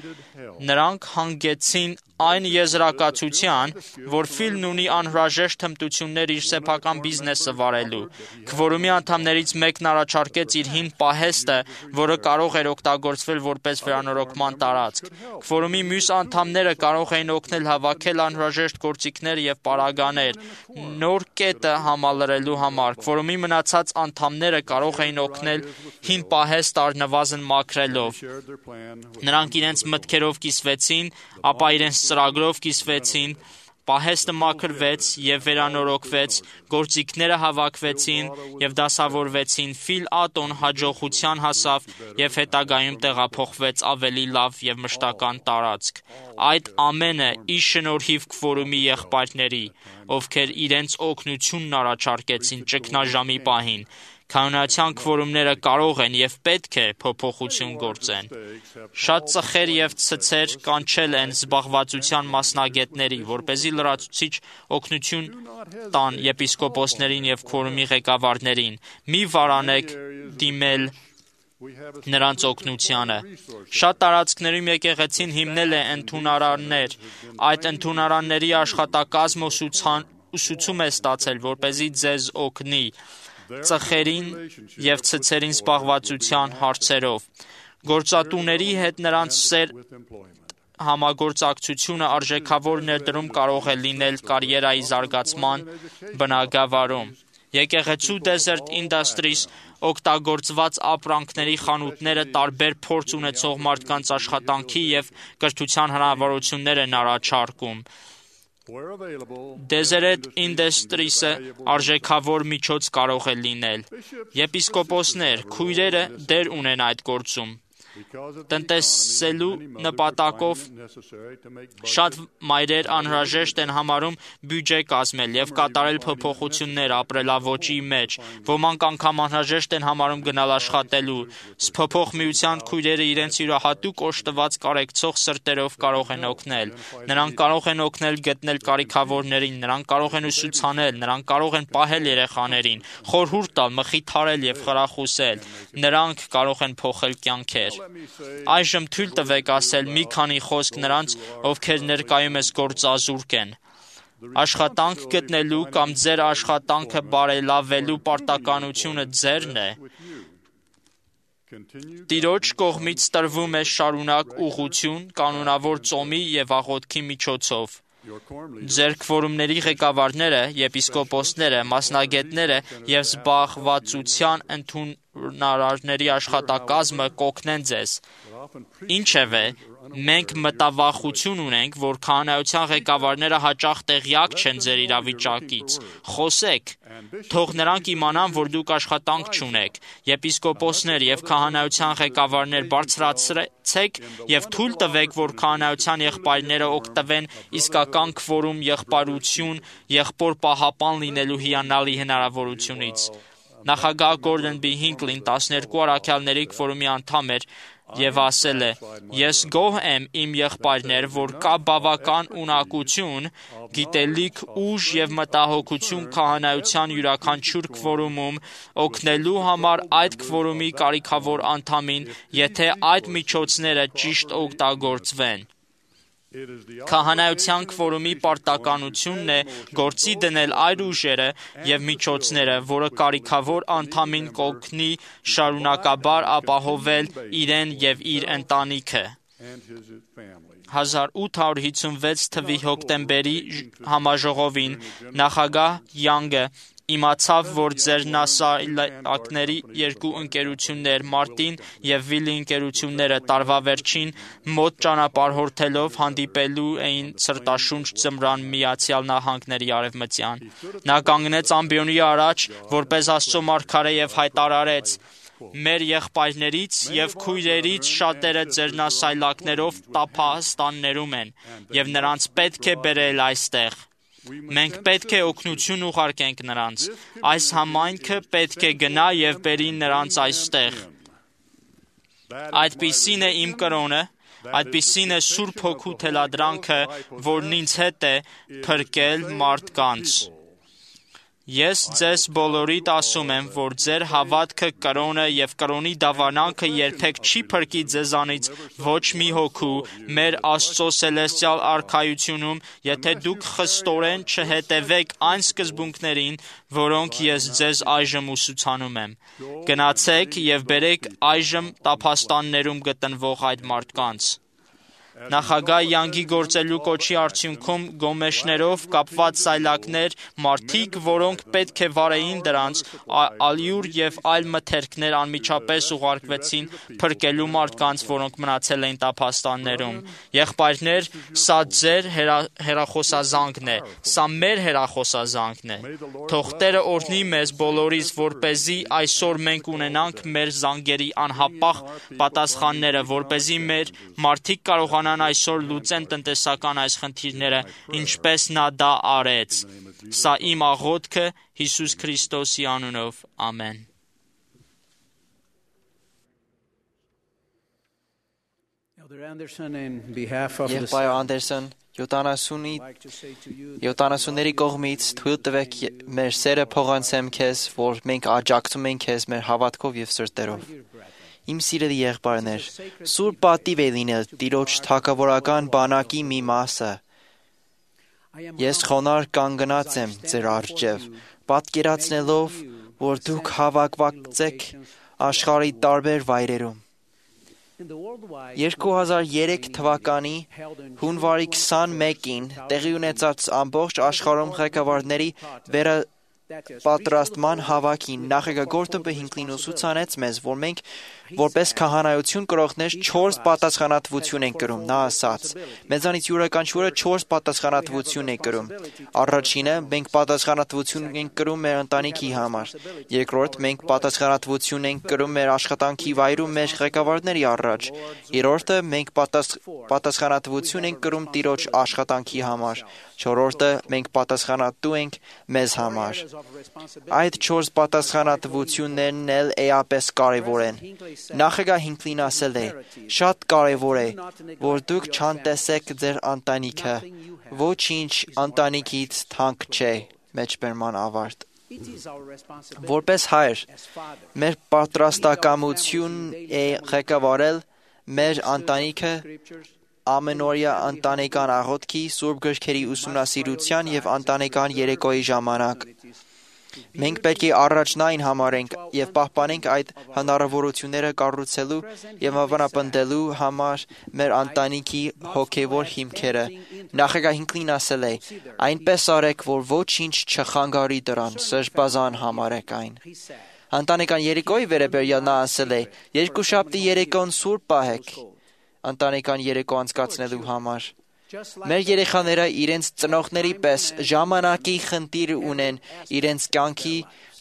Նրանք հանգեցին այն եզրակացության, որ Ֆիլն ունի անհրաժեշտ հմտություններ իր սեփական բիզնեսը վարելու։ Քվորումի անդամներից մեկն առաջարկեց իր հին պահեստը, որը կարող էր օգտագործվել որպես վերանորոգման տարածք։ Քվորումի մյուս անդամները կարող էին օգնել հավաքել անհրաժեշտ գործիքներ և պարագաներ նոր կետը համալրելու համար։ Քվորումի մնացած անդամները կարող էին օգնել հին պահեստ առնվազն մաքրելով։ Նրանք իրենց մտքերով կիսվեցին, ապա իրենց ծրագրով կիսվեցին, պահեստը մաքրվեց և վերանորոգվեց, գործիքները հավաքվեցին և դասավորվեցին։ Ֆիլ Ատոն հաջողության հասավ և հետագայում տեղափոխվեց ավելի լավ և մշտական տարածք։ Այդ ամենը ի շնորհիվ քվորումի եղբայրների, ովքեր իրենց օգնությունն առաջարկեցին ճգնաժամի պահին։ Քահանայության քվորումները կարող են և պետք է փոփոխություն գործեն։ Շատ ծխեր և ցցեր կանչել են զբաղվածության մասնագետների, որպեսզի լրացուցիչ օգնություն տան եպիսկոպոսներին և քվորումի ղեկավարներին։ Մի վարանեք դիմել նրանց օգնությանը։ Շատ տարածքներում եկեղեցին հիմնել է ընդունարաններ։ Այդ ընդունարանների աշխատակազմը ուսուցում է ստացել, որպեսզի ձեզ օգնի ծխերին և ցցերին զբաղվածության հարցերով։ Գործատուների հետ նրանց սեր համագործակցությունը արժեքավոր ներդրում կարող է լինել կարիերայի զարգացման բնագավառում։ Եկեղեցու Desert Industries օգտագործված ապրանքների խանութները տարբեր փորձ ունեցող մարդկանց աշխատանքի և կրթության հնարավորություններ են առաջարկում։ Desert Industries-ը արժեքավոր միջոց կարող է լինել։ Եպիսկոպոսներ, քույրերը դեր ունեն այդ գործում։ Տնտեսելու նպատակով շատ մայրեր անհրաժեշտ են համարում բյուջե կազմել և կատարել փոփոխություններ ապրելաոճի մեջ։ Ոմանք անգամ անհրաժեշտ են համարում գնալ աշխատելու։ Սփոփող միության քույրերը իրենց յուրահատուկ օժտված կարեկցող սրտերով կարող են օգնել։ Նրանք կարող են օգնել գտնել կարիքավորներին, նրանք կարող են ուսուցանել, նրանք կարող են պահել երեխաներին, խորհուրդ տալ, մխիթարել և խրախուսել։ Նրանք կարող են փոխել կյանքեր։ Այժմ թույլ տվեք ասել մի քանի խոսք նրանց, ովքեր ներկայումս գործազուրկ են։ Աշխատանք գտնելու կամ ձեր աշխատանքը բարելավելու պարտականությունը ձերն է։ Տիրոջ կողմից տրվում է շարունակ ուղղություն կանոնավոր ծոմի եւ աղոթքի միջոցով։ Ձեր քվորումների ղեկավարները, եպիսկոպոսները, մասնագետները եւ զբաղվածության ընդունարարների աշխատակազմը կօգնեն ձեզ։ Ինչևէ, մենք մտավախություն ունենք, որ քահանայության ղեկավարները հաճախ տեղյակ չեն ձեր իրավիճակից։ Խոսեք, թող նրանք իմանան, որ դուք աշխատանք չունեք։ Եպիսկոպոսներ եւ քահանայության ղեկավարներ բարձրացրեք եւ թույլ տվեք, որ քահանայության եղբայրները օգտվեն իսկական քվորում եղբայրություն, եղբոր պահապան լինելու հիանալի հնարավորությունից։ Նախագահ Գորդոն B. Հինքլին տասներկու առաքյալների քվորումի անդամ էր եւ ասել է. «Ես գոհ եմ, իմ եղբայրներ, որ կա բավական ունակություն, գիտելիք, ուժ եւ մտահոգություն քահանայության յուրաքանչյուր քվորումում օգնելու համար այդ քվորումի կարիքավոր անդամին, եթե այդ միջոցները ճիշտ օգտագործվեն»։ Քահանայության քվորումի պարտականությունն է գործի դնել այն ուժերը եւ միջոցները, որը կարիքավոր անդամին կօգնի շարունակաբար ապահովել իրեն եւ իր ընտանիքը։ հազար ութ հարյուր հիսունվեց թվականի հոկտեմբերի համաժողովին նախագահ Յանգը իմացավ, որ ձեր նասայլակների երկու ընկերություններ Մարտին եւ Վիլի ընկերությունները տարվա վերջին մոտ ճանապարհորդելով հանդիպելու էին սրտաշունչ ձմռան Միացյալ Նահանգների արևմտյան։ Նա կանգնեց ամբիոնի առաջ, որպես Աստծո մարգարե եւ հայտարարեց. «Մեր եղբայրներից եւ քույրերից շատերը ձեր նասայլակներով տափաստաններում են եւ նրանց պետք է բերել այստեղ։ Մենք պետք է օգնություն ուղարկենք նրանց։ Այս համայնքը պետք է գնա եւ բերի նրանց այստեղ։ Այդպիսին է իմ կրոնը, այդպիսին է Սուրբ Հոգու թելադրանքը, որն ինձ հետ է փրկել մարդկանց։ Ես ձեզ բոլորիդ ասում եմ, որ ձեր հավատքը կրոնը եւ կրոնի դավանանքը երբեք չի փրկի ձեզանից ոչ մի հոգու մեր Աստծո սելեստիալ արքայությունում, եթե դուք խստորեն չհետևեք այն սկզբունքներին, որոնք ես ձեզ այժմ ուսուցանում եմ։ Գնացեք եւ բերեք այժմ տափաստաններում գտնվող այդ մարդկանց։ Նախագահ Յանգի գործելու կոչի արդյունքում գոմեշներով կապված սայլակներ, մարդիկ, որոնք պետք է վարեին դրանց, ալյուր եւ այլ մթերքներ անմիջապես ուղարկվեցին փրկելու մարդկանց, որոնք մնացել էին տափաստաններում։ Եղբայրներ, սա ձեր հեռախոսազանգն է, սա մեր հեռախոսազանգն է։ Թող Տերը օրհնի մեզ բոլորիս, որպեսզի այսօր մենք ունենանք մեր զանգերի անհապաղ պատասխանները, որպեսզի մեր մարդիկ կարողանան այսօր լուծեն տնտեսական այս խնդիրները, ինչպես նա դա արեց։ Սա իմ աղոթքը Հիսուս Քրիստոսի անունով։ Ամեն։ Եղբայր Անդերսոն, յոթանասունների կողմից թույլ տվեք մեր սերը փոխանցեմ քեզ, որ մենք աջակցում ենք քեզ մեր հավատքով եւ սրտերով։ Իմ սիրելի եղբայրներ, սուրբ պատիվ է լինել Տիրոջ թագավորական բանակի մի մասը։ Ես խոնարհ կանգնած եմ ձեր առջև, պատկերացնելով, որ դուք հավաքված եք աշխարհի տարբեր վայրերում։ երկու հազար երեք թվականի հունվարի քսանմեկին տեղի ունեցած ամբողջ աշխարհում ղեկավարների վերը պատրաստման հավաքին նախագահ Գորդոն B. Հինքլին ուսուցանեց մեզ, որ մենք որպես քահանայություն կրողներ չորս պատասխանատվություն ենք կրում։ Նա ասաց. մեզանից յուրաքանչյուրը չորս պատասխանատվություն է կրում։ Առաջինը, մենք պատասխանատվություն ենք կրում մեր ընտանիքի համար։ Երկրորդ, մենք պատասխանատվություն ենք կրում մեր աշխատանքի վայրում մեր ղեկավարների առաջ։ Երրորդը, մենք պատասխանատվություն ենք կրում Տիրոջ աշխատանքի համար։ Չորրորդը, մենք պատասխանատու ենք մեզ համար։ Այդ չորս պատասխանատվություններն էլ էապես կարևոր են։ Նախագահ Հինքլին ասել է. շատ կարևոր է, որ դուք չանտեսեք ձեր ընտանիքը, ոչինչ ընտանիքից թանկ չէ։ Մեջբերման ավարտ։ Որպես հայր, մեր պատրաստակամությունն է ղեկավարել մեր ընտանիքը ամենօրյա ընտանեկան աղոթքի, սուրբ գրքերի ուսումնասիրության եւ ընտանեկան երեկոյի ժամանակ։ Մենք պետք է առաջնային համարենք եւ պահպանենք այդ հնարավորությունները կառուցելու եւ ավանապնդելու համար մեր ընտանիքի հոգեվոր հիմքերը։ Նախագահ Հինքլին ասել է. «Այնպես արեք, որ ոչինչ չխանգարի դրան, սրբազան համարեք այն»։ Ընտանեկան երեկոյի վերաբերյալ նա ասել է. «Երկուշաբթի երեկոն սուրբ պահեք ընտանեկան երեկո անցկացնելու համար»։ Մեր երեխաները իրենց ծնողների պես ժամանակի խնդիր ունեն իրենց կյանքի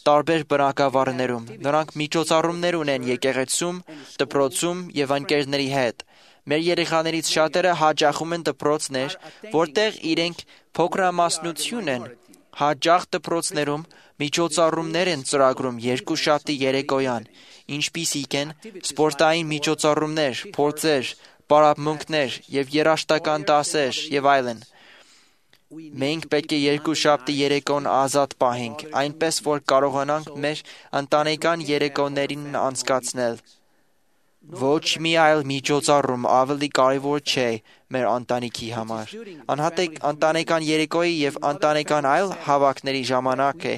տարբեր բնակավարներում։ Նրանք միջոցառումներ ունեն եկեղեցում, դպրոցում եւ ընկերների հետ։ Մեր երեխաներից շատերը հաճախում են դպրոցներ, որտեղ իրենք փոքրամասնություն են։ Հաճախ դպրոցներում միջոցառումներ են ծրագրում երկուշաբթի երեկոյան, ինչպիսիք են սպորտային միջոցառումներ, փորձեր, պարապմունքներ եւ երաժշտական դասեր եւ այլն։ Մենք պետք է երկուշաբթի երեկոն ազատ պահենք, այնպես որ կարողանանք մեր ընտանեկան երեկոներին անցկացնել։ Ոչ մի այլ միջոցառում ավելի կարևոր չէ մեր ընտանիքի համար։ Անհատիկ ընտանեկան երեկոյի եւ ընտանեկան այլ հավաքների ժամանակ է,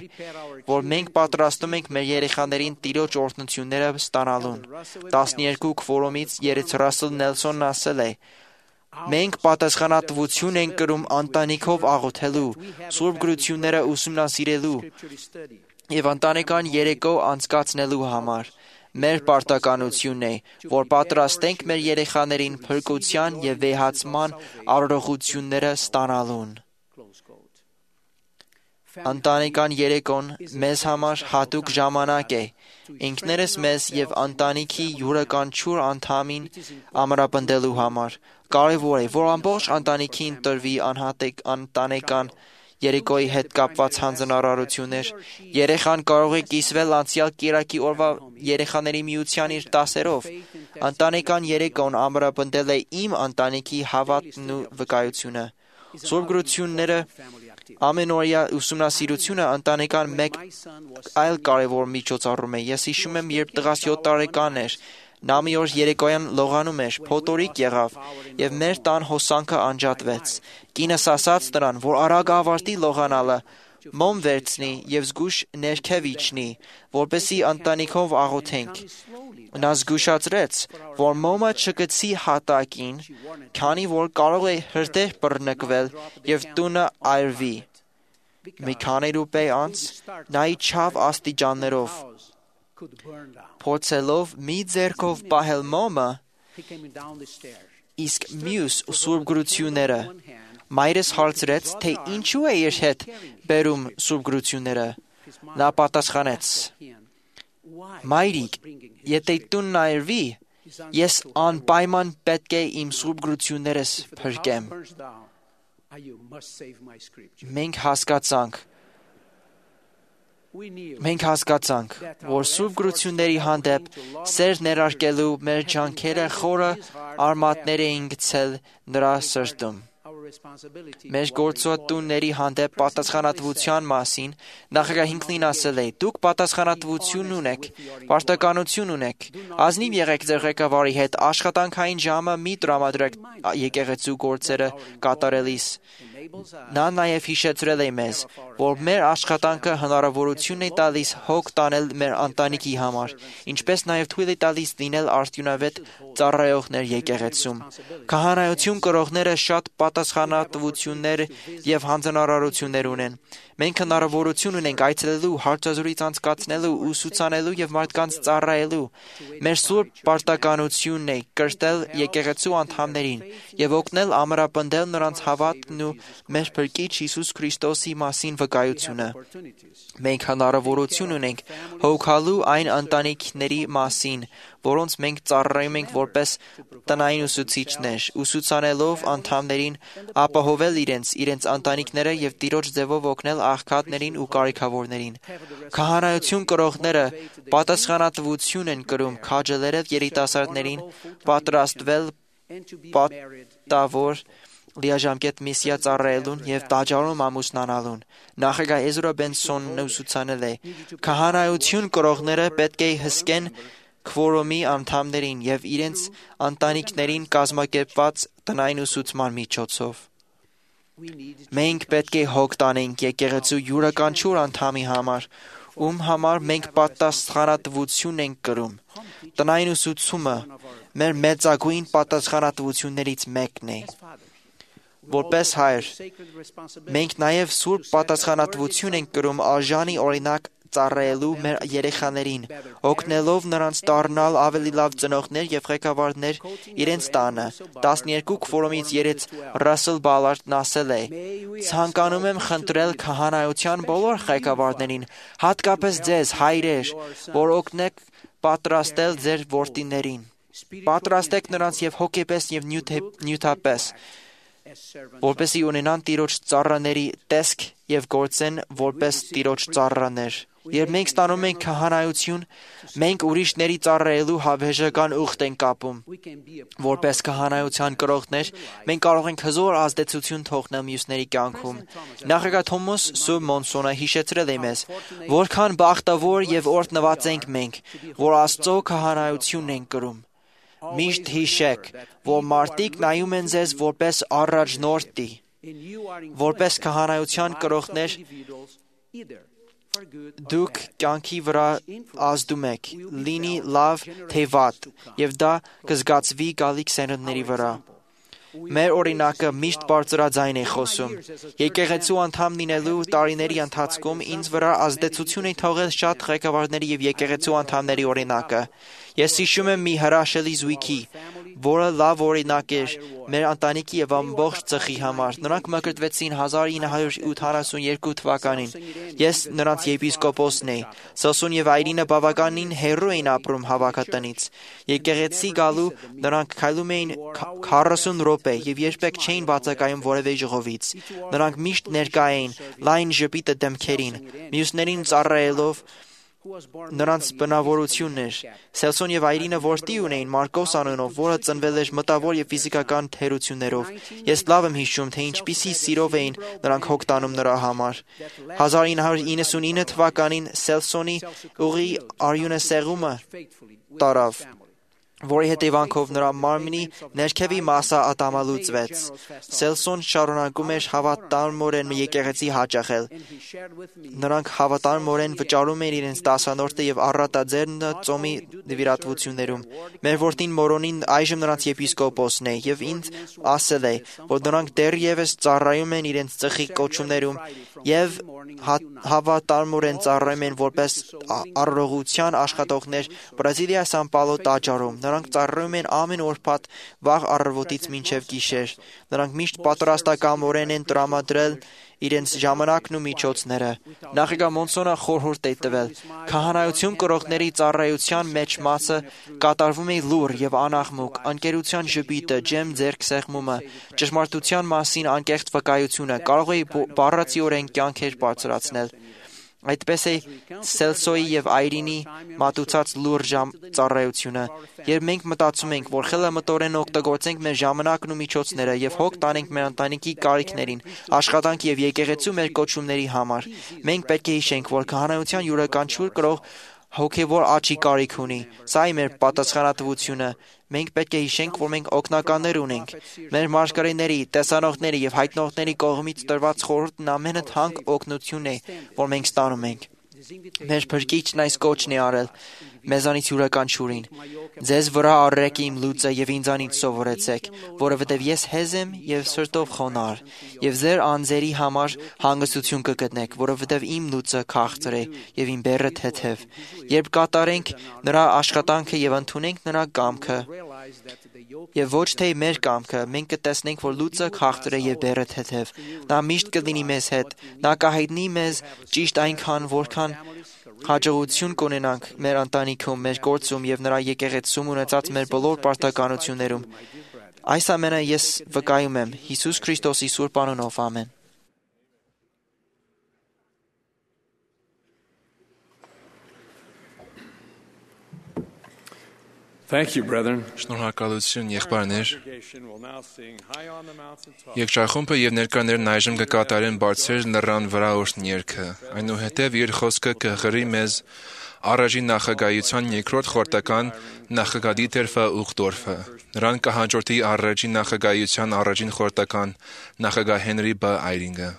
որ մենք պատրաստում ենք մեր երեխաներին տիրոջ օրհնությունները ստանալուն։ տասներկու քվորոմից երեց Ռասել Նելսոնն ասել է. «Մենք պատասխանատվություն ենք կրում ընտանիքով աղոթելու, սուրբ գրությունները ուսումնասիրելու եւ ընտանեկան երեկո անցկացնելու համար։ Մեր պարտականությունն է, որ պատրաստենք մեր երեխաներին փրկության եւ վեհացման արարողությունները ստանալուն»։ Ընտանեկան երեկոն մեզ համար հատուկ ժամանակ է։ Ինքներս մեզ եւ ընտանիքի յուրաքանչյուր անդամին ամրապնդելու համար։ Կարևոր է, որ ամբողջ ընտանիքին տրվի անհատիկ ընտանեկան երեկոյի հետ կապված հանձնարարություններ։ Երեխան կարող է կիսվել անցյալ կիրակի օրվա երեխաների միության իր դասերով։ Ընտանեկան երեկոն ամրապնդել է իմ ընտանիքի հավատն ու վկայությունը։ Սուրբ գրությունները ամենօրյա ուսումնասիրությունը ընտանեկան մեկ այլ կարևոր միջոցառում է։ Ես հիշում եմ, երբ տղաս յոթ տարեկան էր, նա մի օր երեկոյան լողանում էր, փոթորիկ եղավ եւ մեր տան հոսանքը անջատվեց։ Կինս ասաց նրան, որ արագ ավարտի լողանալը, մոմ վերցնի եւ զգուշ ներքև իջնի, որպեսզի ընտանիքով աղոթենք։ Նա զգուշացրեց, որ մոմը չգցի հատակին, քանի որ կարող է հրդեհ բռնկվել եւ տունը այրվի։ Մի քանի րոպե անց նա իջավ աստիճաններով։ Փորձելով մի ձեռքով պահել մոմը, իսկ մյուս սուրբ գրությունները, մայրս հարցրեց, թե ինչու է իր հետ բերում սուրբ գրությունները։ Նա պատասխանեց. «Մայրիկ, եթե տունն այրվի, ես անպայման պետք է իմ սուրբ գրություններս փրկեմ»։ Մենք հասկացանք, Մենք հասկացանք, որ սուրբ գրությունների հանդեպ սեր ներարկելու մեր ջանքերը խորը արմատներ էին գցել նրա սրտում։ Մեր գործատուների հանդեպ պատասխանատվության մասին նախագահ Հինքլին ասել է. «Դուք պատասխանատվություն ունեք, պարտականություն ունեք։ Ազնիվ եղեք ձեր ղեկավարի հետ, աշխատանքային ժամը մի տրամադրեք եկեղեցու գործերը կատարելիս»։ Նա նաև հիշեցրել է մեզ, որ մեր աշխատանքը հնարավորություն է տալիս հոգ տանել մեր ընտանիքի համար, ինչպես նաև թույլ է տալիս լինել արդյունավետ ծառայողներ եկեղեցում։ Քահանայություն կրողները շատ պատասխանատվություններ եւ հանձնարարություններ ունեն։ Մենք հնարավորություն ունենք այցելելու, հարցազրույց անցկացնելու, ուսուցանելու եւ մարդկանց ծառայելու։ Մեր սուրբ պարտականությունն է կրտել եկեղեցու անդամներին եւ օգնել ամրապնդել նրանց հավատն ու մեր Փրկիչ Հիսուս Քրիստոսի մասին վկայությունը։ Մենք հնարավորություն ունենք հոգալու այն ընտանիքների մասին, որոնց մենք ծառայում ենք որպես տնային ուսուցիչներ, ուսուցանելով անդամներին ապահովել իրենց, իրենց ընտանիքները եւ տիրոջ ձևով օգնել աղքատներին ու կարիքավորներին։ Քահանայություն կրողները պատասխանատվություն են կրում քաջալերել երիտասարդներին պատրաստվել պատավոր լիաժամկետ միսիա ծառայելուն եւ տաճարում ամուսնանալուն։ Նախագահ Էզրա Բենսոնն ուսուցանել է. «Քահանայություն կրողները պետք է հսկեն քվորոմի անդամներին եւ իրենց ընտանիքներին կազմակերպված տնային ուսուցման միջոցով»։ Մենք պետք է հոգ տանենք եկեղեցու յուրաքանչյուր անդամի համար, ում համար մենք պատասխանատվություն ենք կրում։ Տնային ուսուցումը մեր մեծագույն պատասխանատվություններից մեկն է։ Որպես հայր, մենք նաև սուրբ պատասխանատվություն ենք կրում արժանի օրինակ ծառայելու մեր երեխաներին, օգնելով նրանց դառնալ ավելի լավ ծնողներ եւ ղեկավարներ իրենց տանը։ տասներկու քվորումից երեց Ռասել Բալարդն ասել է. «Ցանկանում եմ խնդրել քահանայության բոլոր ղեկավարներին, հատկապես ձեզ, հայրեր, որ օգնեք պատրաստել ձեր որդիներին։ Պատրաստեք նրանց եւ հոգեպես եւ նյութապես, որպեսզի ունենան Տիրոջ ծառաների տեսք եւ գործեն որպես Տիրոջ ծառաներ»։ Երբ մենք ստանում ենք քահանայություն, մենք ուրիշների ծառայելու հավերժական ուխտ ենք կապում։ Որպես քահանայության կրողներ, մենք կարող ենք հզոր ազդեցություն թողնել մյուսների կյանքում։ Նախագահ Թոմաս Սու Մոնսոնը հիշեցրել է մեզ, որքան բախտավոր եւ օրհնված ենք մենք, որ Աստծո քահանայությունն ենք կրում։ Միշտ հիշեք, որ մարդիկ նայում են ձեզ որպես առաջնորդի, որպես քահանայության կրողներ, դուք կյանքի վրա ազդում եք, լինի լավ թե վատ, եւ դա կզգացվի գալիք սերունդների վրա։ Մեր օրինակը միշտ բարձրաձայն է խոսում։ Եկեղեցու անդամ լինելու տարիների ընթացքում ինձ վրա ազդեցություն է թողել շատ ղեկավարների եւ եկեղեցու անդամների օրինակը։ Ես հիշում եմ մի հրաշալի զույգի, որը լավ օրինակ էր մեր ընտանիքի եւ ամբողջ ծխի համար։ Նրանք մկրտվեցին հազար ինը հարյուր ութանասունյոթ թվականին։ Ես նրանց եպիսկոպոսն էի։ Սոսուն եւ Այրինը բավականին հեռու էին ապրում հավաքատնից։ Եկեղեցի գալու նրանք քայլում էին քառասուն րոպե եւ երբեք չէին բացակայում որևէ ժողովից։ Նրանք միշտ ներկա էին, լայն ժպիտը դեմքերին, մյուսներին ծառայելով նրանց բնավորությունն էր։ Սելսոն եւ Այրինը որդի ունեին Մարկոս անունով, որը ծնվել էր մտավոր եւ ֆիզիկական թերություններով։ Ես լավ եմ հիշում, թե ինչպիսի սիրով էին նրանք հոգ տանում նրա համար։ հազար ինը հարյուր իննսունինը թվականին Սելսոնի ուղի արյունասեղումը տարավ, որի հետևանքով նրա մարմնի ներքևի մասը ատամալուծվեց։ Սելսոն շարունակում էր հավատարմորեն եկեղեցի հաճախել։ Նրանք հավատարմորեն վճարում էին իրենց տասանորդը եւ առատաձեռնը ծոմի նվիրատվություններում։ Մեր որդին Մորոնին այժմ նրանց եպիսկոպոսն է եւ ինձ ասել է, որ նրանք դեռևս ծառայում են իրենց ծխի կոչումներում եւ հավատարմորեն ծառայում են որպես առողջության աշխատողներ Բրազիլիա Սան Պաուլո տաճարում։ Նրանք ծառայում են ամեն ուրբաթ վաղ առավոտից մինչև գիշեր։ Նրանք միշտ պատրաստակամորեն են տրամադրել իրենց ժամանակն ու միջոցները։ Նախագահ Մոնսոնը խորհուրդ է տվել. քահանայություն կրողների ծառայության մեջ մասը կատարվում է լուռ եւ անաղմուկ, ընկերության ժպիտը, ջեմ ձեռքսեղմումը, ճշմարտության մասին անկեղծ վկայությունը կարող է բառացիորեն կյանքեր բարձրացնել։ Այդպես է Սելսոյի եւ Այրինի մատուցած լուրջ ծառայությունը։ Երբ մենք մտածում ենք, որ խելամտորեն օգտագործենք մեր ժամանակն ու միջոցները եւ հոգ տանենք մեր ընտանիքի կարիքներին, աշխատանք եւ եկեղեցու մեր կոչումների համար, մենք պետք է հիշենք, որ քահանայության յուրաքանչյուր կրող հոգևոր աճի կարիք ունի։ Սա է մեր պատասխանատվությունը։ Մենք պետք է հիշենք, որ մենք օգնականներ ունենք։ Մեր մարգարեների, տեսանողների եւ հայտնողների կողմից տրված խորհուրդն ամենաթանկ օգնությունն է, որ մենք ստանում ենք։ Մեր Փրկիչն այս կոչն է արել մեզանից յուրաքանչյուրին. «Ձեզ վրա առեք իմ լուծը եւ ինձանից սովորեցեք, որովհետեւ ես հեզ եմ եւ սրտով խոնարհ, եւ ձեր անձերի համար հանգստություն կգտնեք, որովհետեւ իմ լուծը քաղցր է եւ իմ բեռը թեթև»։ Երբ կատարենք նրա աշխատանքը եւ ընդունենք նրա կամքը, եւ ոչ թե մեր կամքը, մենք կտեսնենք, որ լուծը քաղցր է եւ բեռը թեթև։ Նա միշտ կլինի մեզ հետ։ Նա կհայտնի մեզ ճիշտ այնքան, որքան հաջողություն կունենանք մեր ընտանիքում, մեր գործում եւ նրա եկեղեցում ունեցած մեր բոլոր պարտականություններում։ Այս ամենը ես վկայում եմ Հիսուս Քրիստոսի սուրբ անունով, ամեն։ Thank you, brethren. Շնորհակալություն, եղբայրներ։ Congregation will now sing High on the Mountaintop. Եկչախումբը եւ ներկաներն այժմ կկատարեն բարձր լեռան վրա օրհն երգը։ Այնուհետև իր խոսքը կհղրի մեզ առաջին նախագահության երկրորդ խորտական նախագահի Տերֆը Ուխտորֆը։ Նրան կհաջորդի առաջին նախագահության առաջին խորտական նախագահ Հենրի Բ. Այրինգը։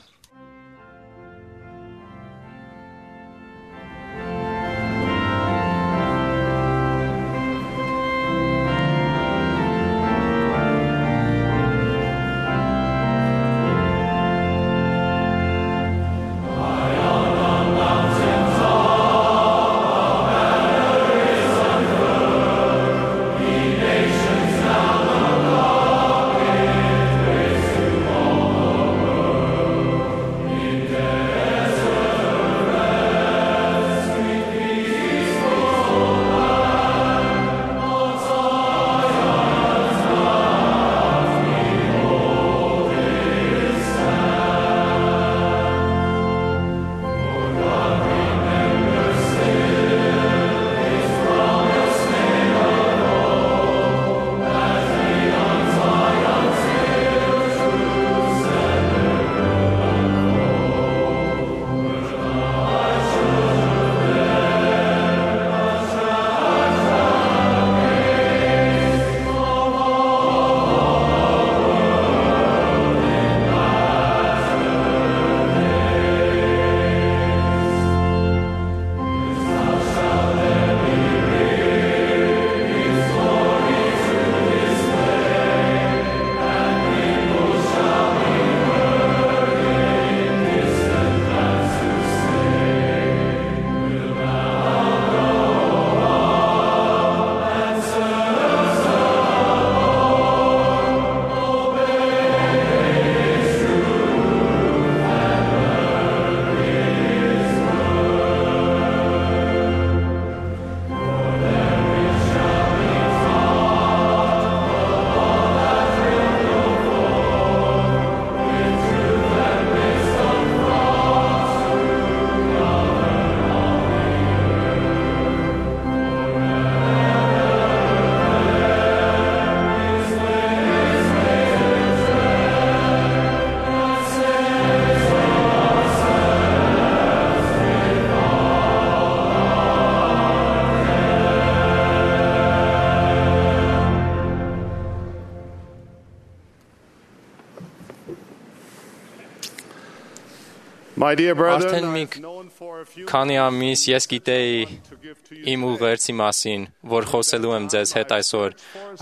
My dear brethren, Արդեն մի I've known for a few քանի ամիս ես գիտեի to give to you իմ ուղերձի մասին, որ խոսելու եմ ձեզ հետ այսօր։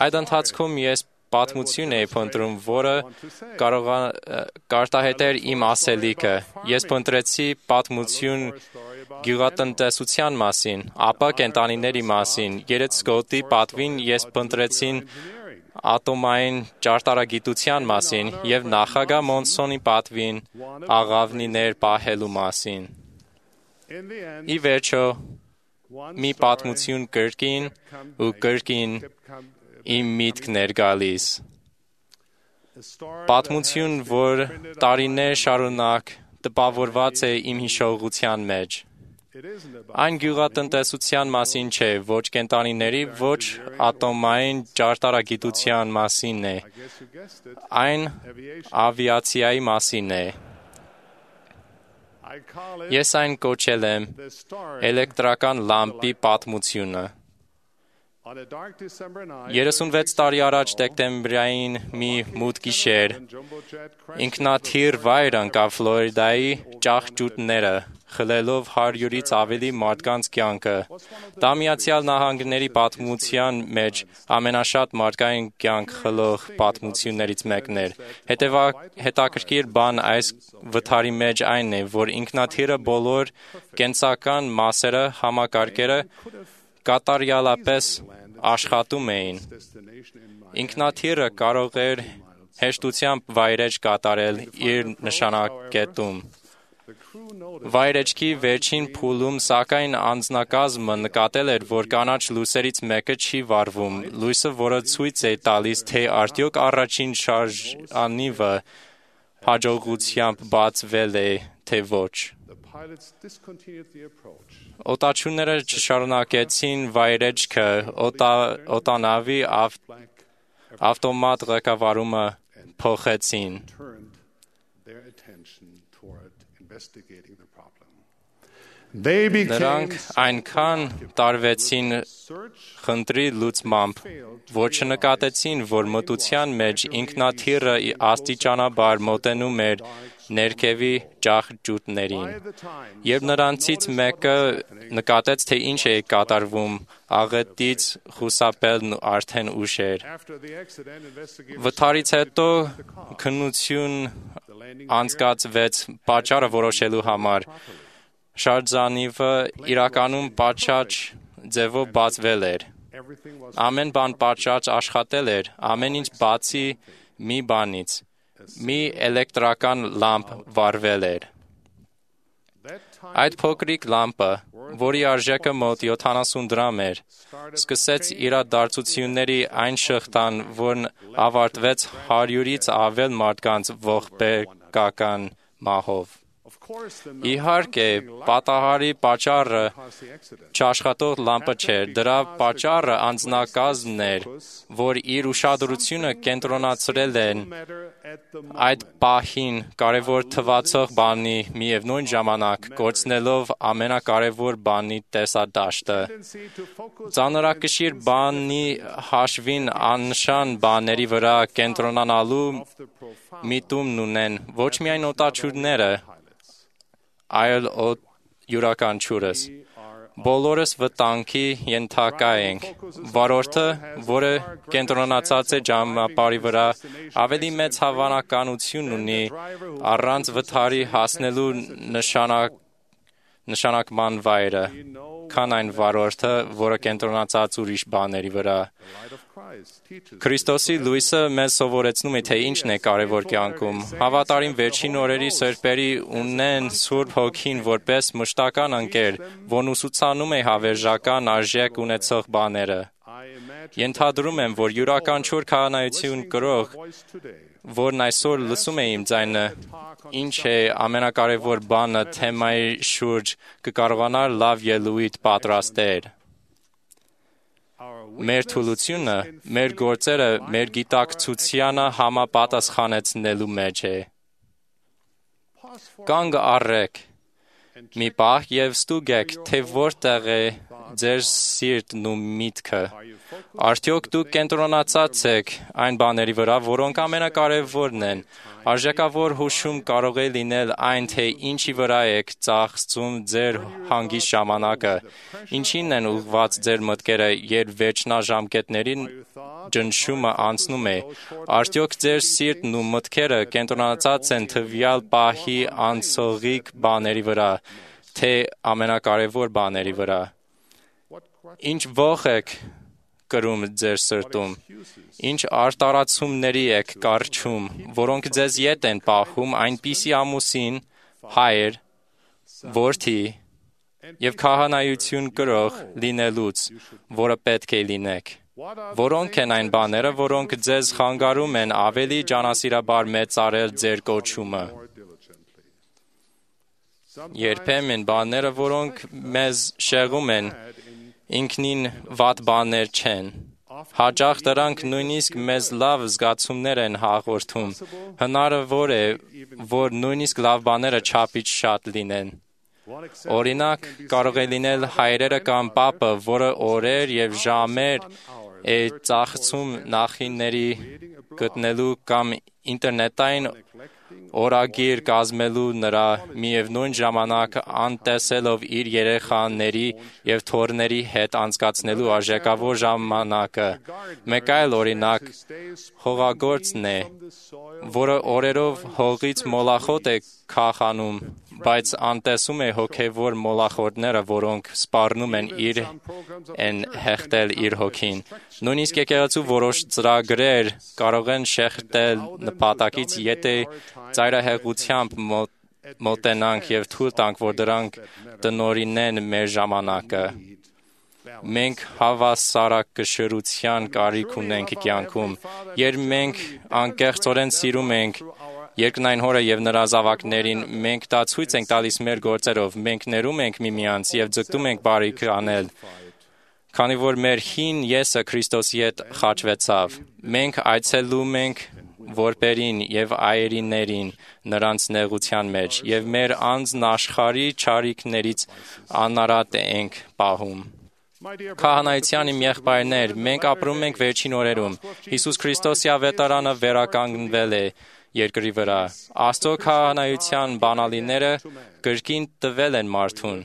Այդ ընթացքում ես պատմություն էի փնտրում, որը կարող է կարտահայտեր իմ ասելիքը։ Ես փնտրեցի պատմություն գյուղատնտեսության մասին, ապա կենդանիների մասին։ Երեցկոտի պատվին ես փնտրեցին ատոմային ճարտարագիտության մասին եւ նախագահ Մոնսոնի պատվին աղավնիներ պահելու մասին։ in the end, Ի վերջո, one մի պատմություն կրկին ու կրկին իմ միտքն էր գալիս։ Պատմություն, որ տարիներ շարունակ տպավորված է իմ հիշողության մեջ։ Այն գյուղատնտեսության մասին չէ, ոչ կենդանիների, ոչ ատոմային ճարտարագիտության մասին է։ Այն ավիացիայի մասին է։ I call it Ես այն կոչել եմ the story էլեկտրական լամպի պատմությունը։ on a dark December night. երեսունվեց տարի առաջ դեկտեմբերային մի մութ գիշեր Jumbojet crashed ինքնաթիռ վայր ընկավ Ֆլորիդայի ճահճուտները, խլելով հարյուրից ավելի մարդկանց կյանքը։ Դա Միացյալ Նահանգների պատմության մեջ ամենաշատ մարդկային կյանք խլող պատմություններից մեկն էր։ Հետևա հետաքրքիր բան այս վթարի մեջ այն է, որ ինքնաթիռը բոլոր կենսական մասերը համակարգերը կատարյալապես աշխատում էին։ Ինքնաթիռը կարող էր հեշտությամբ վայրեջ կատարել իր նշանակետում։ Վայրեջքի վերջին փուլում, սակայն անձնակազմը նկատել էր, որ կանաչ լույսերից մեկը չի վառվում, լույսը, որը ցույց է տալիս, թե արդյոք առաջին շարժանիվը հաջողությամբ բացվել է, թե ոչ։ Օտաչուները չշարունակեցին վայրեջքը, օտանավի ավտոմատ ղեկավարումը փոխեցին։ Նրանք այնքան տարվեցին խնդրի լուծմամբ, որ չնկատեցին, որ մտության մեջ ինքնաթիռը աստիճանաբար մոտենում էր ներքևի ճահճուտներին։ Երբ նրանցից մեկը նկատեց, թե ինչ է կատարվում, աղետից խուսափելն արդեն ուշ էր։ Վթարից հետո քննություն անցկացվեց պատճառը որոշելու համար։ Շարժանիվը իրականում պատշաճ ձևով բացվել էր։ Ամեն բան պատշաճ աշխատել էր, ամեն ինչ բացի մի բանից։ Մի էլեկտրական լամպ վառվել էր։ Այդ փոքրիկ լամպը, որի արժեքը մոտ յոթանասուն դրամ էր, սկսեց իրադարձությունների այն շղթան, որն ավարտվեց հարյուրից ավել մարդկանց ողբերգական մահով։ Իհարկե, պատահարի պատճառը չաշխատող լամպը չէր, դրա պատճառը անձնակազմն էր, որ իր ուշադրությունը կենտրոնացրել են այդ պահին կարևոր թվացող բանի միևնույն ժամանակ կորցնելով ամենակարևոր բանի տեսադաշտը։ Ծանրակշիռ բանի հաշվին աննշան բաների վրա կենտրոնանալու միտումն ունեն ոչ միայն օտաչուները, այլ յուրաքանչյուրս։ Բոլորս վտանգի ենթակա ենք։ Վարորդը, որը կենտրոնացած է ճանապարհի վրա, ավելի մեծ հավանականություն ունի առանց վթարի հասնելու նշանակ նշանակման վայրը, քան այն վարորդը, որը կենտրոնացած ուրիշ բաների վրա։ Քրիստոսի լույսը մեզ սովորեցնում է, թե ինչն է կարևոր կյանքում։ Հավատարիմ վերջին օրերի սրբերի ունեն Սուրբ Հոգին որպես մշտական ընկեր, որն ուսուցանում է հավերժական արժեք ունեցող բաները։ Ենթադրում եմ, որ յուրաքանչյուր քահանայություն կրող, որն այսօր լսում է իմ ձայնը, ինչ է ամենակարևոր բանը թեմայի շուրջ կկարողանար լավ ելույթ պատրաստել։ Մեր թուլությունը, մեր գործերը, մեր գիտակցությանը համապատասխանեցնելու մեջ է։ Կանգ առեք, մի պահ և ստուգեք, թե որտեղ է ձեր սիրտն ու միտքը։ Արդյոք դուք կենտրոնացած եք այն բաների վրա, որոնք ամենակարևորն են։ Արժեքավոր հուշում կարող է լինել այն, թե ինչի վրա եք ծախսում ձեր հանգիստ ժամանակը, ինչին են ուղղված ձեր մտքերը, երբ վերջնաժամկետների ճնշումը անցնում է։ Արդյոք ձեր սիրտն ու մտքերը կենտրոնացած են տվյալ պահի անցողիկ բաների վրա, թե ամենակարևոր բաների վրա։ Ինչ ոխ եք կրում ձեր սրտում, ինչ արտարացումների եք կառչում, որոնք ձեզ ետ են պահում այնպիսի ամուսին, հայր, որդի և քահանայություն կրող լինելուց, որը պետք է լինեք։ Որոնք են այն բաները, որոնք ձեզ խանգարում են ավելի ջանասիրաբար մեծարել ձեր կոչումը։ Երբեմն բաները, որոնք մեզ շեղում են, ինքնին վատ բաներ չեն։ Հաճախ դրանք նույնիսկ մեզ լավ զգացումներ են հաղորդում։ Հնարավոր է, որ նույնիսկ լավ բաները չափից շատ լինեն։ Օրինակ, կարող է լինել հայրերը կամ պապը, որը օրեր և ժամեր է ծախսում նախինների գտնելու կամ ինտերնետային օրագիր կազմելու նրա միևնույն ժամանակ անտեսելով իր երեխաների և թոռների հետ անցկացնելու արժեքավոր ժամանակը։ Մեկ այլ օրինակ հողագործն է, որը օրերով հողից մոլախոտ է քաղանում, բայց անտեսում է հոգևոր մոլախոտները, որոնք սպառնում են իր են հեղտել իր հոգին։ Նույնիսկ եկեղեցու որոշ ծրագրեր կարող են շեղտել նպատակից, եթե ծայրահեղությամբ մոտենանք և թույլ տանք, որ դրանք տնօրինեն մեր ժամանակը։ Մենք հավասարակշռության կարիք ունենք կյանքում, երբ մենք անկեղծորեն սիրում ենք երկնային հորը եւ նրա զավակներին, մենք դա ցույց ենք տալիս մեր գործերով, մենք ներում ենք միմյանց եւ ձգտում ենք բարիք անել, քանի որ մեր հին եսը Քրիստոսի հետ խաչվեցավ։ Մենք այցելում ենք որբերին եւ այրիներին նրանց նեղության մեջ եւ մեր անձն աշխարհի չարիքներից անարատ ենք պահում։ Քահանայության իմ եղբայրներ, մենք ապրում ենք վերջին օրերում։ Հիսուս Քրիստոսի ավետարանը վերականգնվել է երկրի վրա։ Աստծո քահանայության բանալիները կրկին տվել են մարդուն։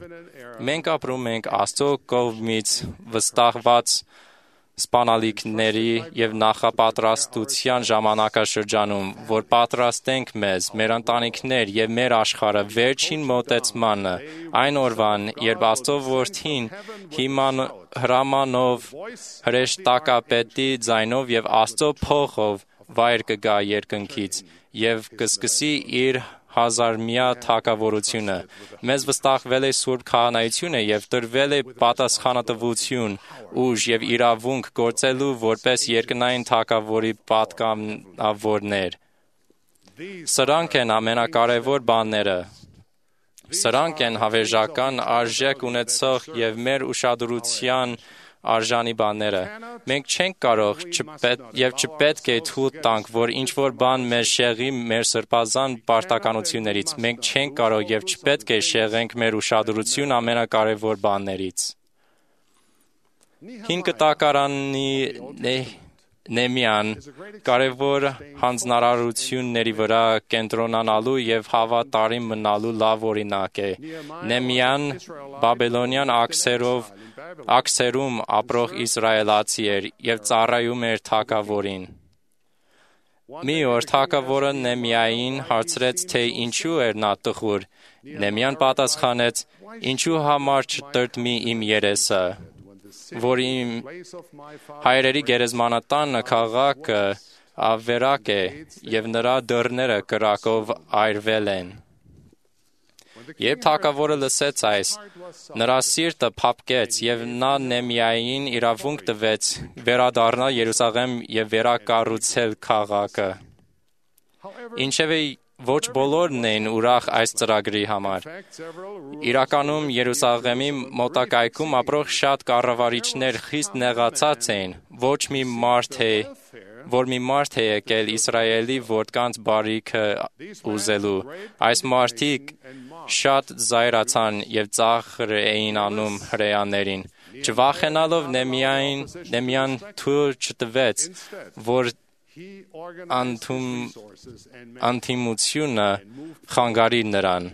Մենք ապրում ենք Աստծո կողմից վստահված սպանալիքների եւ նախապատրաստության ժամանակաշրջանում, որ պատրաստենք մեզ, մեր ընտանիքներ եւ մեր աշխարհը վերջին մոտեցմանը, այն օրվան, երբ Աստծո որդին հիման հրամանով, հրեշտակապետի ձայնով եւ Աստծո փոխով վայր կգա երկնքից եւ կսկսի իր հազարմյա թագավորությունը։ Մեզ վստահվել է Սուրբ քահանայությունը եւ տրվել է պատասխանատվություն, ուժ եւ իրավունք գործելու որպես երկնային թագավորի պատգամավորներ։ Սրանք են ամենակարևոր բաները։ Սրանք են հավերժական արժեք ունեցող եւ մեր ուշադրության արժանի բաները։ Մենք չենք կարող չպետ, եւ չպետք է թույլ տանք, որ ինչ-որ բան մեզ շեղի մեր սրբազան պարտականություններից։ Մենք չենք կարող եւ չպետք է շեղենք մեր ուշադրություն ամենակարևոր բաներից։ Հին կտակարանի Նեմիան կարևոր հանձնարարությունների վրա կենտրոնանալու եւ հավատարիմ մնալու լավ օրինակ է։ Նեմիան Բաբելոնյան աքսերով աքսերում ապրող իսրայելացի էր եւ ծառայում էր թագավորին։ Մի օր թագավորը Նեմիային հարցրեց, թե ինչու էր նա տխուր։ Նեմիան պատասխանեց. «Ինչու համար չտրտմի իմ երեսը, որ իմ հայրերի գերեզմանատանը քաղաքը ավերակ է եւ նրա դռները կրակով այրվել են»։ Երբ թագավորը լսեց այս, նրա սիրտը փափկեց եւ նա Նեմիային իրավունք տվեց վերադառնալ Երուսաղեմ եւ վերակառուցել քաղաքը։ Ինչևէ, ոչ բոլորն էին ուրախ այս ծրագրի համար։ Իրականում Երուսաղեմի մոտակայքում ապրող շատ կառավարիչներ խիստ նեղացած էին։ Ոչ մի մարդ է, որ մի մարդ է եկել Իսրայելի որդկանց բարիքը ուզելու։ Այս մարդիկ շատ զայրացան եւ ծաղր էին անում հրեաներին։ Չվախենալով Նեմիային, Նեմիան թույլ չտվեց, որ անդում անթիմությունը խանգարի նրան։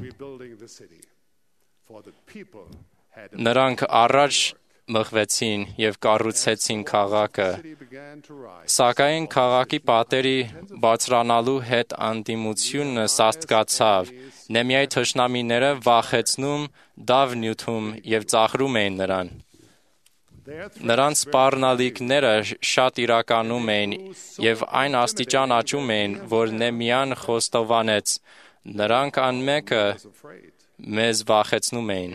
Նրանք առաջ մղվեցին եւ կառուցեցին քաղաքը։ Սակայն քաղաքի պատերի բարձրանալու հետ անդիմությունը սաստկացավ։ Նեմիայի թշնամիները վախեցնում, դավ նյութում եւ ծաղրում էին նրան։ Նրանց սպառնալիքները շատ իրականում էին եւ այն աստիճան աճում էին, որ Նեմիան խոստովանեց. նրանք անմեկը մեզ վախեցնում էին։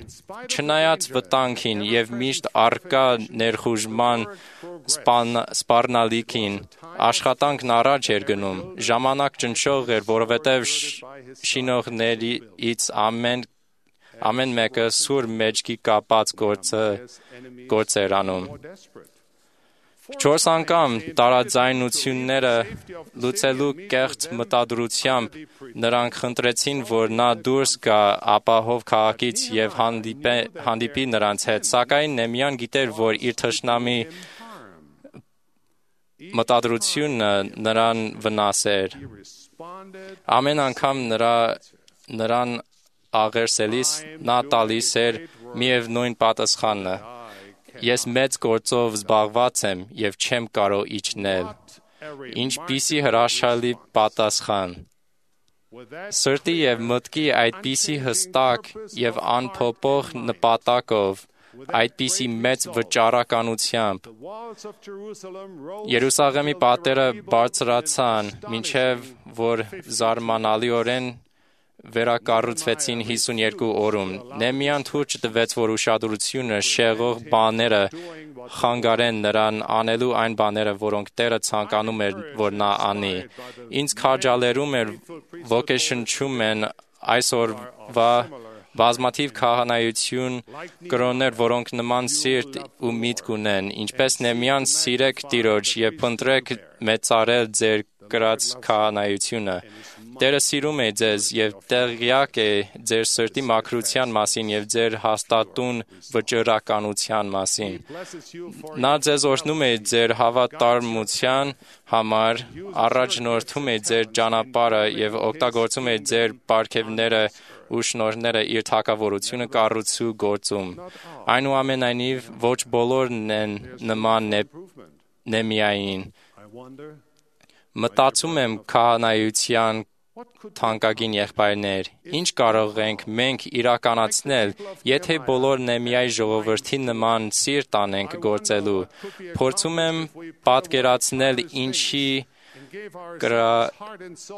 Չնայած վտանգին եւ միշտ առկա ներխուժման սպառնալիքին, աշխատանքն առաջ էր գնում։ Ժամանակ ճնշող էր, որովհետեւ շինողներից ամեն ամեն մեկը սուր մեջքի կապած գործը գործ էր անում։ Չորս անգամ տարաձայնությունները լուծելու կեղծ մտադրությամբ նրանք խնդրեցին, որ նա դուրս գա ապահով քաղաքից եւ հանդիպե, հանդիպի նրանց հետ, սակայն Նեմիան գիտեր, որ իր թշնամի մտադրությունը նրան վնասեր։ Ամեն անգամ նրա նրան աղերսելիս նա տալիս էր միևնույն պատասխանը. «Ես մեծ գործով զբաղված եմ եւ չեմ կարող իջնել»։ Ինչպիսի հրաշալի պատասխան։ Սրտի եւ մտքի այդպիսի հստակ եւ անփոփոխ նպատակով, այդպիսի մեծ վճարականությամբ Երուսաղեմի պատերը բարձրացան, մինչև որ զարմանալիորեն վերակառուցվեցին հիսունյոթ օրում։ Նեհեմիան թույլ չտվեց, որ ուշադրությունը շեղող բաները խանգարեն նրան անելու այն բաները, որոնք Տերը ցանկանում էր, որ նա անի։ Ինձ քաջալերում էր ոգեշնչում են այսօրվա բազմաթիվ քահանայություն կրոններ, որոնք նման սիրտ ու միտք ունեն, ինչպես Նեհեմիան սիրեք Տիրոջ եւ փնտրեք մեծարել ձեր կրած քահանայությունը։ Տերը սիրում է ձեզ եւ տեղյակ է ձեր սրտի մաքրության մասին եւ ձեր հաստատուն վճռականության մասին։ Նա ձեզ օրհնում է ձեր հավատարմության համար, առաջնորդում է ձեր ճանապարհը եւ օգտագործում է ձեր պարգևները ու շնորհները իր թագավորությունը կառուցու գործում։ Այնուամենայնիվ, ոչ բոլորն են նման Նեհեմիային։ Մտածում եմ քահանայության թանկագին եղբայրներ, ինչ կարող ենք մենք իրականացնել, եթե բոլոր Նեհեմիայի ժողովրդի նման սիրտ անենք գործելու։ Փորձում եմ պատկերացնել ինչի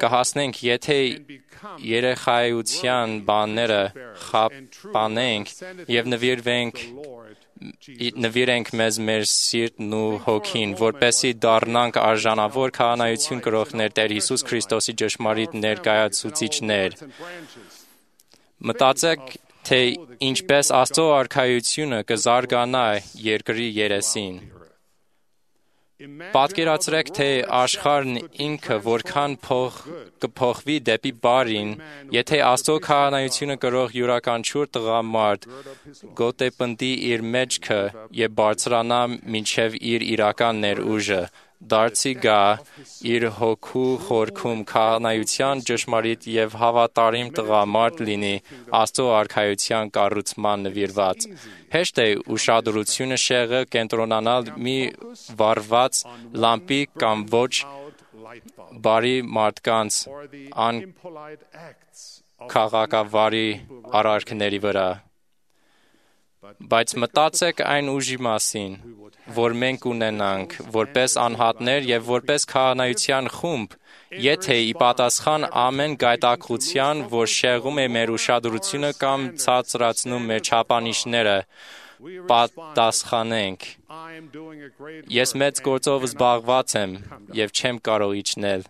կհասնենք, եթե երեխայության բաները խափանենք եւ նվիրվենք նվիրենք մեզ մեր սիրտն ու հոգին, որպեսզի դառնանք արժանավոր քահանայություն կրողներ Տեր Հիսուս Քրիստոսի ճշմարիտ ներկայացուցիչներ։ Մտածեք, թե ինչպես Աստծո արքայությունը կզարգանա երկրի երեսին։ Պատկերացրեք, թե աշխարհն ինքը որքան փող կփոխվի դեպի բարին, եթե Աստծո քահանայությունը կրող յուրաքանչյուր տղամարդ գոտեպնդի իր մեջքը եւ բարձրանա մինչեւ իր իրական ներուժը, դարձի գա իր հոգու խորքում քահանայության ճշմարիտ եւ հավատարիմ տղամարդ լինի Աստծո արքայության կառուցման նվիրված։ Հեշտ է ուշադրությունը շեղը կենտրոնանալ մի վառված լամպի կամ ոչ բարի մարդկանց անքաղաքավարի արարքների վրա։ Բայց մտածեք այն ուժի մասին, որ մենք ունենանք որպես անհատներ եւ որպես քահանայության խումբ, եթե ի պատասխան ամեն գայթակղության, որ շեղում է մեր ուշադրությունը կամ ցածրացնում մեր չափանիշները, պատասխանենք. Ես մեծ գործով զբաղված եմ եւ չեմ կարող իջնել։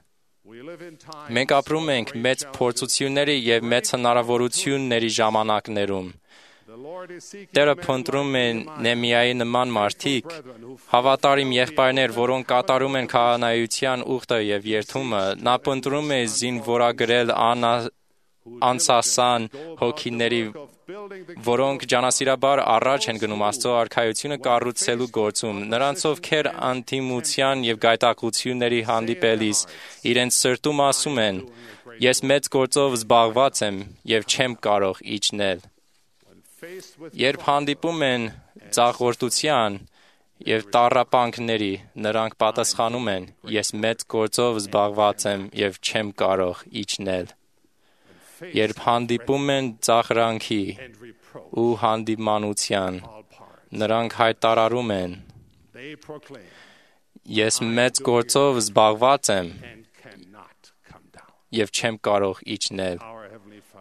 Մենք ապրում ենք մեծ փորձությունների եւ մեծ հնարավորությունների ժամանակներում։ Տերը փնտրում է Նեհեմիայի նման մարդիկ, հավատարիմ եղբայրներ, որոնք կատարում են քահանայության ուխտը եւ երդումը։ Նա փնտրում է զինվորագրել անսասան հոգիների, որոնք ջանասիրաբար առաջ են գնում Աստծո արքայությունը կառուցելու գործում։ Նրանց, ովքեր անդիմության եւ գայթակղությունների հանդիպելիս իրենց սրտում ասում են. Ես մեծ գործով զբաղված եմ եւ չեմ կարող իջնել։ Երբ հանդիպում են ծաղրտության եւ տառապանքների, նրանք պատասխանում են. Ես մեծ գործով զբաղված եմ եւ չեմ կարող իջնել։ Երբ հանդիպում են ծաղրանքի ու հանդիմանության, նրանք հայտարարում են. Ես մեծ գործով զբաղված եմ եւ չեմ կարող իջնել։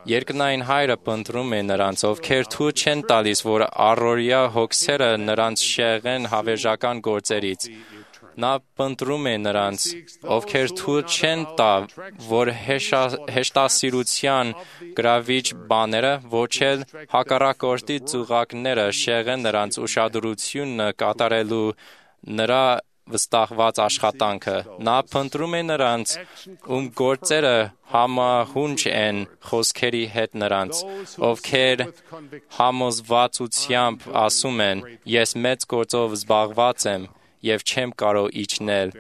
Երկնային Հայրը փնտրում է նրանց, ովքեր թույլ չեն տալիս, որ առօրյա հոգսերը նրանց շեղեն հավերժական գործերից։ Նա փնտրում է նրանց, ովքեր թույլ չեն տա, որ հեշտասիրության գրավիչ բաները, ոչ էլ հակառակորդի ծուղակները շեղեն նրանց ուշադրությունը կատարելու նրա վստահված աշխատանքը։ Նա փնտրում է նրանց, ում գործերը համահունչ են խոսքերի հետ նրանց, ովքեր համոզվածությամբ ասում են. Ես մեծ գործով զբաղված եմ եւ չեմ կարող իջնել։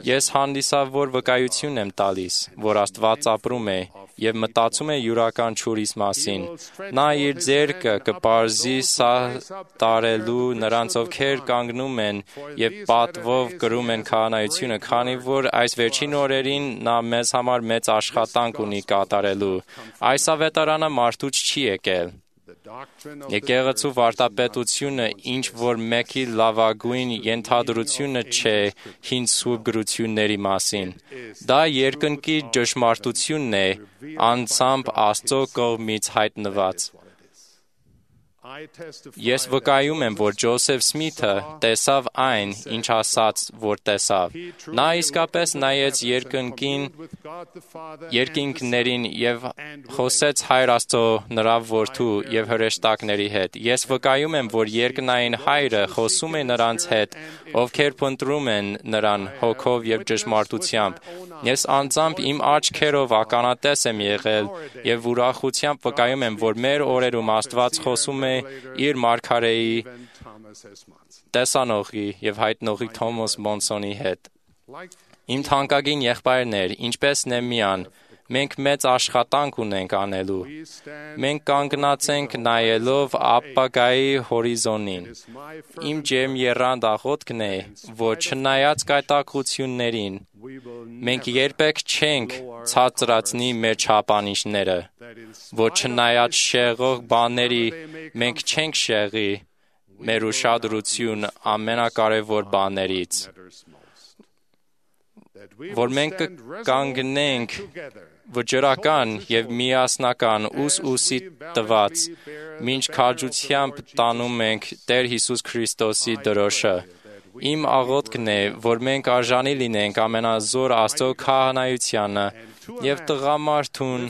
Ես հանդիսավոր վկայություն եմ տալիս, որ Աստված ապրում է եւ մտածում է յուրաքանչյուրիս մասին։ Նա իր ձեռքը կպարզի սատարելու նրանց, ովքեր կանգնում են եւ պատվով կրում են քահանայությունը, քանի որ այս վերջին օրերին նա մեզ համար մեծ աշխատանք ունի կատարելու։ Այս ավետարանը մարդուց չի եկել։ Եկեղեցու վարդապետությունը ինչ որ մեկի լավագույն ենթադրությունը չէ հին սուրբ գրությունների մասին։ Դա երկնքի ճշմարտությունն է, անձամբ Աստծո կողմից հայտնված։ Ես վկայում եմ, որ Ջոսեֆ Սմիթը տեսավ այն, ինչ ասաց, որ տեսավ։ Նա իսկապես նայեց երկնքին, երկինքներին և խոսեց Հայր Աստծո, նրա որդու և հրեշտակների հետ։ Ես վկայում եմ, որ երկնային Հայրը խոսում է նրանց հետ, ովքեր փնտրում են նրան հոգով և ճշմարտությամբ։ Ես անձամբ իմ աչքերով ականատես եմ եղել և ուրախությամբ վկայում եմ, որ մեր օրերում Աստված խոսում է իր մարգարեի տեսանողի և հայտնողի Թոմաս Մոնսոնի հետ։ Իմ թանկագին եղբայրներ, ինչպես Նեմիան, մենք մեծ աշխատանք ունենք անելու։ Մենք կանգնած ենք նայելով ապագայի հորիզոնին։ Իմ ջերմ եռանդ աղոթքն է, որ չնայած կայտակղություններին, մենք երբեք չենք ցածրացնի մեր չափանիշները, որ չնայած շեղող բաների, մենք չենք շեղի մեր ուշադրություն ամենակարևոր բաներից, որ մենք կանգնենք վճռական և միասնական ուս ուսի տված, մինչ քաջությամբ տանում ենք Տեր Հիսուս Քրիստոսի դրոշը։ Իմ աղոթքն է, որ մենք արժանի լինենք ամենազոր Աստծո քահանայությանը և տղամարդուն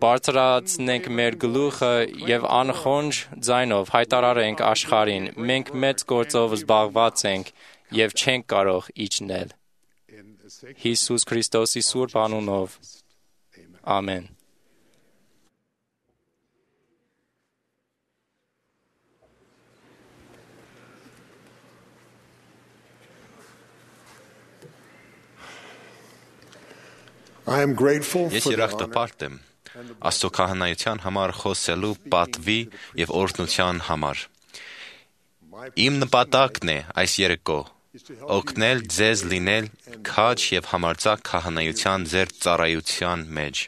բարձրացնենք մեր գլուխը և անխոնջ ձայնով հայտարարենք աշխարհին. մենք մեծ գործով զբաղված ենք և չենք կարող իջնել։ Հիսուս Քրիստոսի սուրբ անունով, ամեն։ Ես երախտապարտ եմ Աստծո քահանայության համար խոսելու պատվի և օրհնության համար։ Իմ նպատակն է այս երեկո օգնել ձեզ լինել քաջ և համարձակ քահանայության ձեր ծառայության մեջ։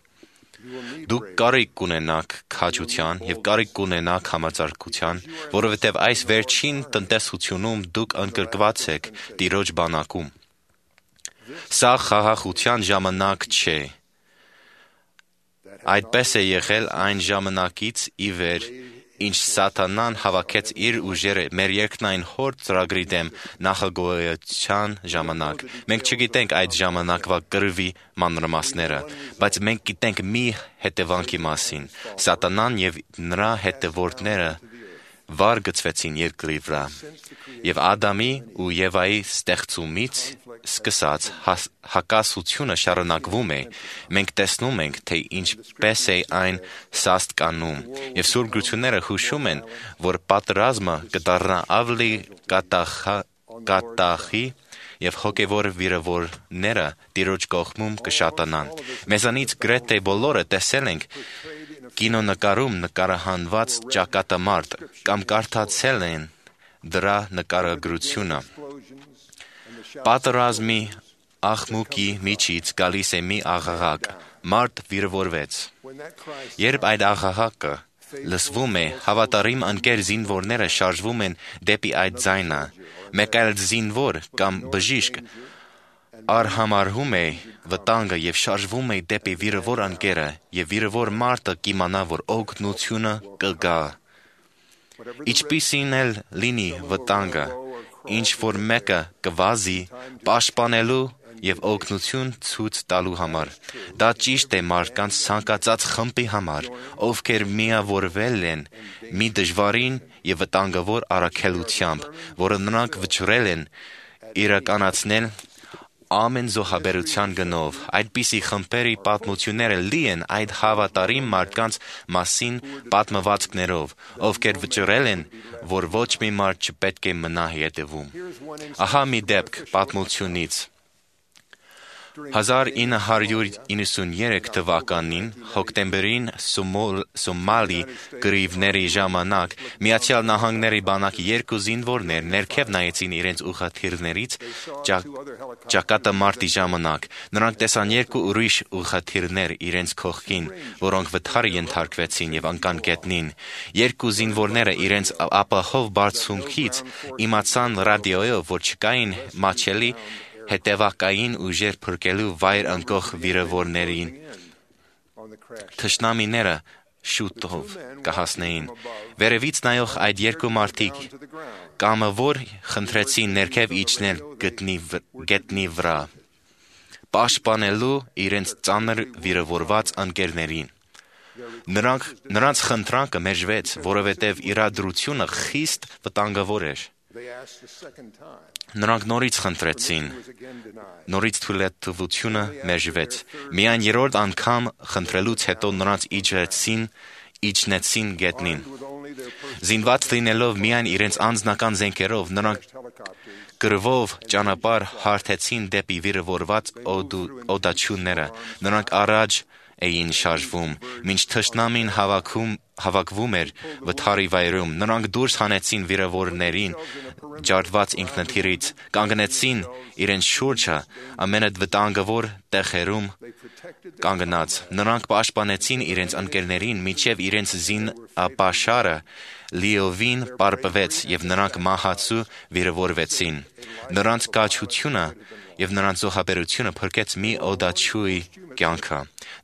Դուք կարիք կունենաք քաջության և կարիք կունենաք համարձակության, որովհետև այս վերջին տնտեսությունում դուք ընկրկված եք Տիրոջ բանակում։ Սա խաղաղության ժամանակ չէ։ Այդպես է եղել այն ժամանակից ի վեր, ինչ Սատանան հավաքեց իր ուժերը մեր երկնային Հոր ծրագրի դեմ նախագոյության ժամանակ։ Մենք չգիտենք այդ ժամանակվա կռվի մանրամասները, բայց մենք գիտենք մի հետևանքի մասին. Սատանան և նրա հետևորդները վար գցվեցին երկրի վրա, և Ադամի ու Եվայի ստեղծումից սկսած հակասությունը շարունակվում է։ Մենք տեսնում ենք, թե ինչպես է այն սաստկանում, և Սուրբ Գրությունները հուշում են, որ պատերազմը կդառնա ավելի կատաղի և հոգևոր վիրավորները Տիրոջ կողմում կշատանան։ Մեզանից գրեթե բոլորը տեսել ենք կինոնկարում նկարահանված ճակատամարտ կամ կարդացել են դրա նկարագրությունը։ Պատերազմի աղմուկի միջից գալիս է մի աղաղակ. մարդ վիրավորվեց։ Երբ այդ աղաղակը լսվում է, հավատարիմ ընկեր զինվորները շարժվում են դեպի այդ ձայնը։ Մեկ այլ զինվոր կամ բժիշկ արհամարհում է վտանգը և շարժվում է դեպի վիրավոր ընկերը, և վիրավոր մարդը կիմանա, որ օգնությունը կգա։ Ինչպիսին էլ լինի վտանգը, ինչ որ մեկը կվազի պաշտպանելու և օգնություն ցույց տալու համար։ Դա ճիշտ է մարդկանց ցանկացած խմբի համար, ովքեր միավորվել են մի դժվարին և վտանգավոր առաքելությամբ, որը նրանք վճռել են իրականացնել ամեն զոհաբերության գնով։ Այդպիսի խմբերի պատմությունները լի են այդ հավատարիմ մարդկանց մասին պատմվածքներով, ովքեր վճռել են, որ ոչ մի մարդ չպետք է մնա հետևում։ Ահա մի դեպք պատմությունից։ հազար ինը հարյուր իննսուններեք թվականին հոկտեմբերին Սոմալի գրիվների ժամանակ Միացյալ Նահանգների բանակի երկու զինվորներ ներքև նայեցին իրենց ուղղաթիռներից ճակատամարտի ժամանակ։ Նրանք տեսան երկու ուրիշ ուղղաթիռներ իրենց կողքին, որոնք վթարի ենթարկվեցին եւ անկան գետնին։ Երկու զինվորները իրենց ապահով բարձունքից իմացան ռադիոյով, որ չկային մաչելի հետևակային ուժեր փրկելու վայր ընկող վիրավորներին։ Թշնամիները շուտով կհասնեին։ Վերևից նայող այդ երկու մարդիկ կամավոր խնդրեցին ներքև իջնել գետնի վրա, պաշտպանելու իրենց ծանր վիրավորված ընկերներին։ Նրանք, նրանց խնդրանքը մերժվեց, որովհետև իրադրությունը խիստ վտանգավոր էր։ Նրանք նորից խնդրեցին, նորից թույլատվությունը մերժվեց։ Միայն երրորդ անգամ խնդրելուց հետո նրանց իջեցին, իջնեցին գետնին։ Զինված լինելով միայն իրենց անձնական զենքերով, նրանք կրվով ճանապարհ հարթեցին դեպի վիրավորված օդաչուները։ Նրանք առաջ էին շարժվում, մինչ թշնամին հավաքում, հավաքվում էր վթարի վայրում։ Նրանք դուրս հանեցին վիրավորներին ջարդված ինքնաթիռից, կանգնեցին իրենց շուրջը ամենավտանգավոր տեղերում կանգնած։ Նրանք պաշտպանեցին իրենց ընկերներին, մինչև իրենց զինապաշարը լիովին պարպվեց եւ նրանք մահացու վիրավորվեցին։ Նրանց կաչությունը եւ նրանց զոհաբերությունը փրկեց մի օդաչուի կյանքը։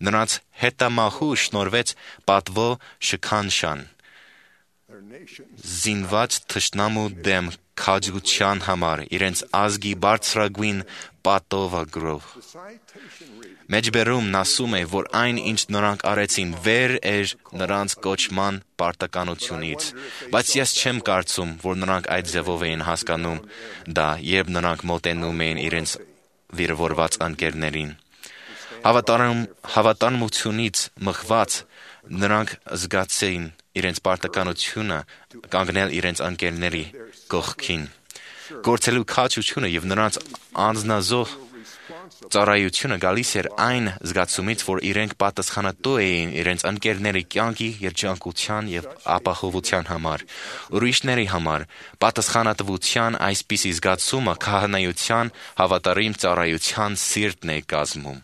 Նրանց հետամահու շնորհվեց պատվո շքանշան։ Զինված թշնամու դեմ քաջության համար իրենց ազգի բարձրագույն պատովագրով։ Մեջբերումն ասում է, որ այն, ինչ նրանք արեցին, վեր էր նրանց կոչման պարտականությունից, բայց ես չեմ կարծում, որ նրանք այդ ձևով էին հասկանում դա, երբ նրանք մոտենում էին իրենց վիրավորված ընկերներին։ Հավատարմ, հավատարմությունից մղված նրանք զգացեին իրենց պարտականությունը կանգնել իրենց ընկերների կողքին։ Գործելու քաջությունը եւ նրանց անձնազոհ ծառայությունը գալիս էր այն զգացումից, որ իրենք պատասխանատու էին իրենց ընկերների կյանքի, երջանկության եւ ապահովության համար։ Ուրիշների համար պատասխանատվության այսպիսի զգացումը քահանայության հավատարիմ ծառայության սիրտն է կազմում։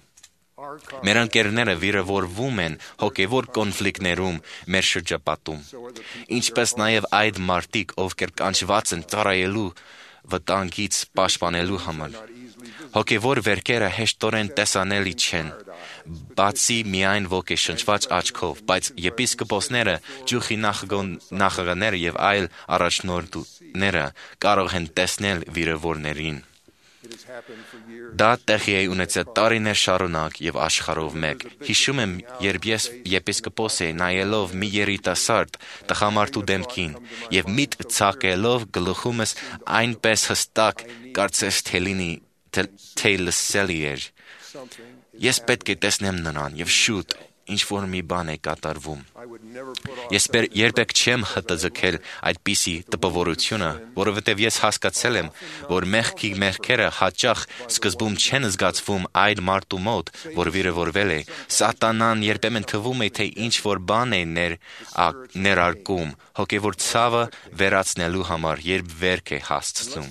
Մեր ընկերները վիրավորվում են հոգևոր կոնֆլիկտներում մեր շրջապատում, ինչպես նաև այդ մարդիկ, ովքեր կանչված են ծառայելու վտանգից պաշտպանելու համար։ Հոգևոր վերքերը հեշտորեն տեսանելի չեն, բացի միայն ոգեշնչված աչքով, բայց եպիսկոպոսները, ճյուղի նախագահները եւ այլ առաջնորդները կարող են տեսնել վիրավորներին։ Դա տեղի է ունեցել տարիներ շարունակ եւ աշխարհով մեկ։ Հիշում եմ, երբ ես եպիսկոպոս էի, նայելով մի երիտասարդ տղամարդու դեմքին եւ միտք ցակելով գլխումս այնպես հստակ կարծես թե լինի թե լսելի էր։ Ես պետք է տեսնեմ նրան եւ շուտ ինչ որ մի բան է կատարվում։ Ես երբեք չեմ հտձգել այդպիսի տպավորությունը, որովհետև ես հասկացել եմ, որ մեղքի մեղքերը հաճախ սկզբում չեն զգացվում այդ մարդու մոտ, որ վիրավորվել է։ Սատանան երբեմն թվում է, թե ինչ որ բան է ներ, ներարկում, հոգևոր ցավը վերացնելու համար, երբ վերք է հասցնում։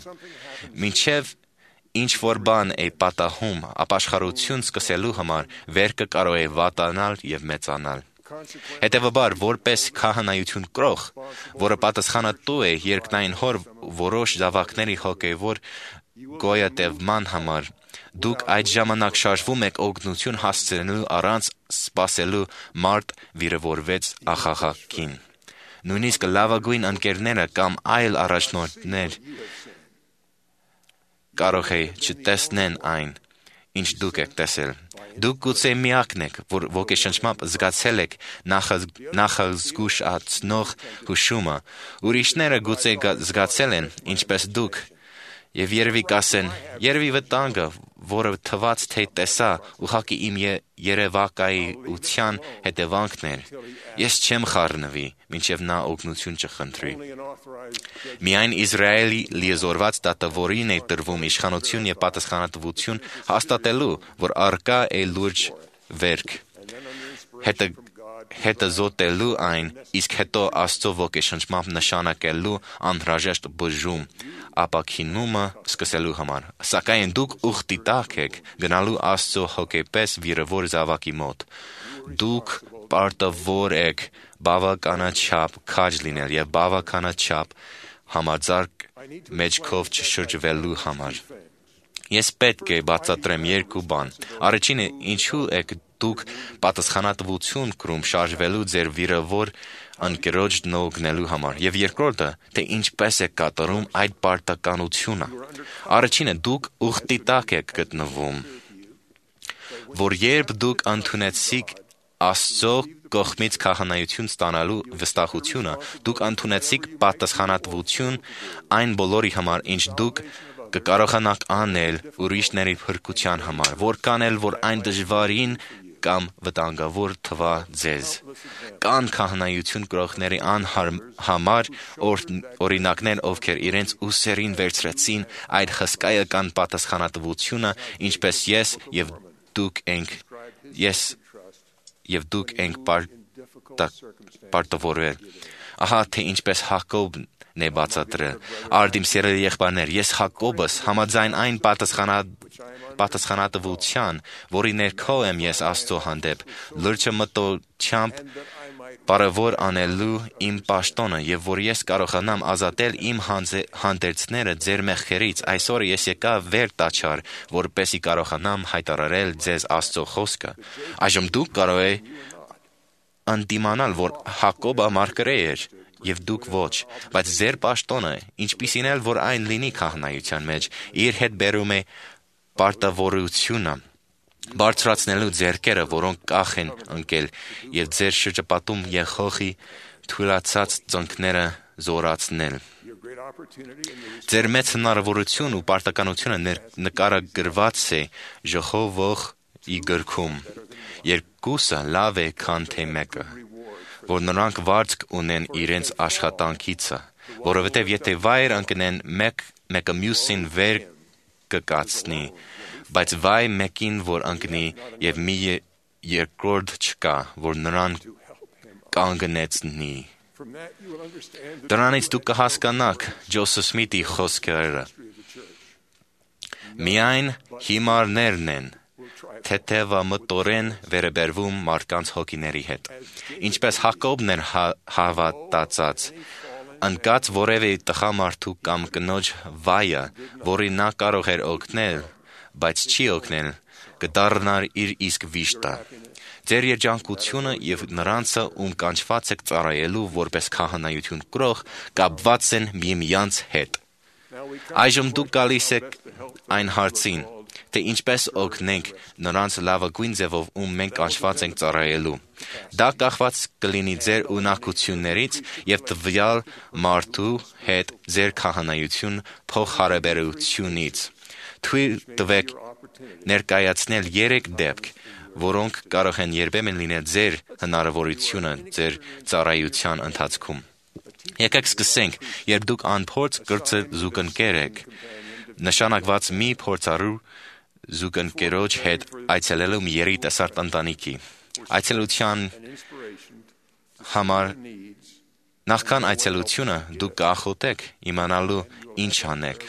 Մինչև ինչ որ բան է պատահում, ապաշխարություն սկսելու համար, վերքը կարող է վատանալ եւ մեծանալ։ Հետևաբար, որպես քահանայություն կրող, որը պատասխանատու է երկնային հոր որոշ զավակների հոգևոր գոյատևման համար, դուք այդ ժամանակ շարժվում եք օգնություն հասցնելու առանց սպասելու մարդ վիրավորվեց աղաղակին։ Նույնիսկ լավագույն ընկերները կամ այլ առաջնորդներ կարող է չտեսնեն այն, ինչ դուք եք տեսել։ Դուք գուցե միակն եք, որ ոգեշնչմամբ զգացել եք նախազգուշացնող հուշումը, ուրիշները գուցե զգացել են, ինչպես դուք, եւ երևի կասեն, երևի վտանգը, որը թված թե տեսա, ուղղակի իմ երևակայության հետևանքն էր։ Ես չեմ խառնվի, մինչև նա օգնություն չխնդրի։ Միայն Իսրայելի լիեզորված դատավորին է տրվում իշխանություն եւ պատասխանատվություն հաստատելու, որ առկա է լուրջ վերք, հետը հետը զոտելու այն, իսկ հետո Աստծո ոգեշնչմամբ նշանակելու անհրաժեշտ բժում, ապաքինումը սկսելու համար։ Սակայն դուք ուխտի տակ եք գնալու Աստծո հոգեպես վիրավոր զավակի մոտ։ Դուք պարտավոր եք բավականաչափ քաջ լինել եւ բավականաչափ համաձարկ մեջքով չշրջվելու համար։ Ես պետք է բացատրեմ երկու բան։ Առաջինը, ինչու եք դուք պատասխանատվություն կրում շարժվելու ձեր վիրավոր ընկերոջ նողնելու համար, եւ երկրորդը, թե ինչպես եք կատարում այդ պարտականությունը։ Առաջինը, դուք ուխտի տակ եք գտնվում, որ երբ դուք ընդունեցիք Աստծո կողմից քահանայություն ստանալու վստահությունը, դուք ընդունեցիք պատասխանատվություն այն բոլորի համար, ինչ դուք կկարողանաք անել ուրիշների փրկության համար, որքան էլ որ այն դժվարին կամ վտանգավոր թվա ձեզ։ Կան քահանայություն կրողների անհամար օրինակներ, ովքեր իրենց ուսերին վերցրեցին այդ հսկայական պատասխանատվությունը, ինչպես ես եւ դուք ենք ես եւ դուք ենք պարտավորվել։ Ահա թե ինչպես Հակոբն է բացատրել. Արդիմ սիրելի եղբայրներ, ես Հակոբս համաձայն այն պատասխանատվության, որի ներքո եմ ես Աստծո հանդեպ, լրջը մտությամբ բարևոր անելու իմ պաշտոնը, եւ որ ես կարողանամ ազատել իմ հանդերձները ձեր մեղքերից, այսօր ես եկա վեր տաչար, որպեսզի կարողանամ հայտարարել ձեզ Աստծո խոսքը։ Այժմ դուք կարող եք ընդդիմանալ, որ Հակոբը մարգարե էր, եւ դուք ոչ, բայց ձեր պաշտոնը, ինչպիսին էլ որ այն լինի քահանայության մեջ, իր հետ բերում է պարտավորությունը, բարձրացնելու ձեռքերը, որոնք կախ են ընկել, եւ ձեր շրջապատում եղողի թույլացած ծնկները զորացնել։ Ձեր մեծ հնարավորություն ու պարտականությունը նկարագրված է Ժողովողի գրքում։ Երկուսը լավ է, քան թե մեկը, որ նրանք վարձք ունեն իրենց աշխատանքիցը, որովհետև եթե վայր ընկնեն, մեկ, մեկը մյուսին վեր կկացնի, բայց վայ մեկին, որ ընկնի, և մի երկրորդ չկա, որ նրան կանգնեցնի։ Դրանից դուք կհասկանաք Ջոսեֆ Սմիթի խոսքերը։ Միայն հիմարներն են թեթևամտորեն վերաբերվում մարդկանց հոգիների հետ։ Ինչպես Հակոբն էր հավատացած, ընկած որևէ տղամարդու կամ կնոջ վայը, որի նա կարող էր օգնել, բայց չի օգնել, կդառնար իր իսկ վիշտը։ Ձեր երջանկությունը եւ նրանցը, ում կանչված եք ծառայելու որպես քահանայություն կրող, կապված են միմյանց հետ։ Այժմ դուք գալիս եք այն հարցին, թե ինչպես օգնենք նրանց լավագույն ձևով, ում մենք կանչված ենք ծառայելու։ Դա կախված կլինի ձեր ունակություններից եւ տվյալ մարդու հետ ձեր քահանայություն փոխհարաբերությունից։ Թույլ տվեք ներկայացնել երեք դեպք, որոնք կարող են երբեմն լինել ձեր հնարավորությունը ձեր ծառայության ընթացքում։ Եկեք սկսենք, երբ դուք անփորձ կրծը զուգընկեր եք, նշանակված մի փորձառու զուգընկերոջ հետ այցելելու մի երիտասարդ ընտանիքի։ Այցելության համար նախքան այցելությունը դուք կախոտեք իմանալու ինչ անեք։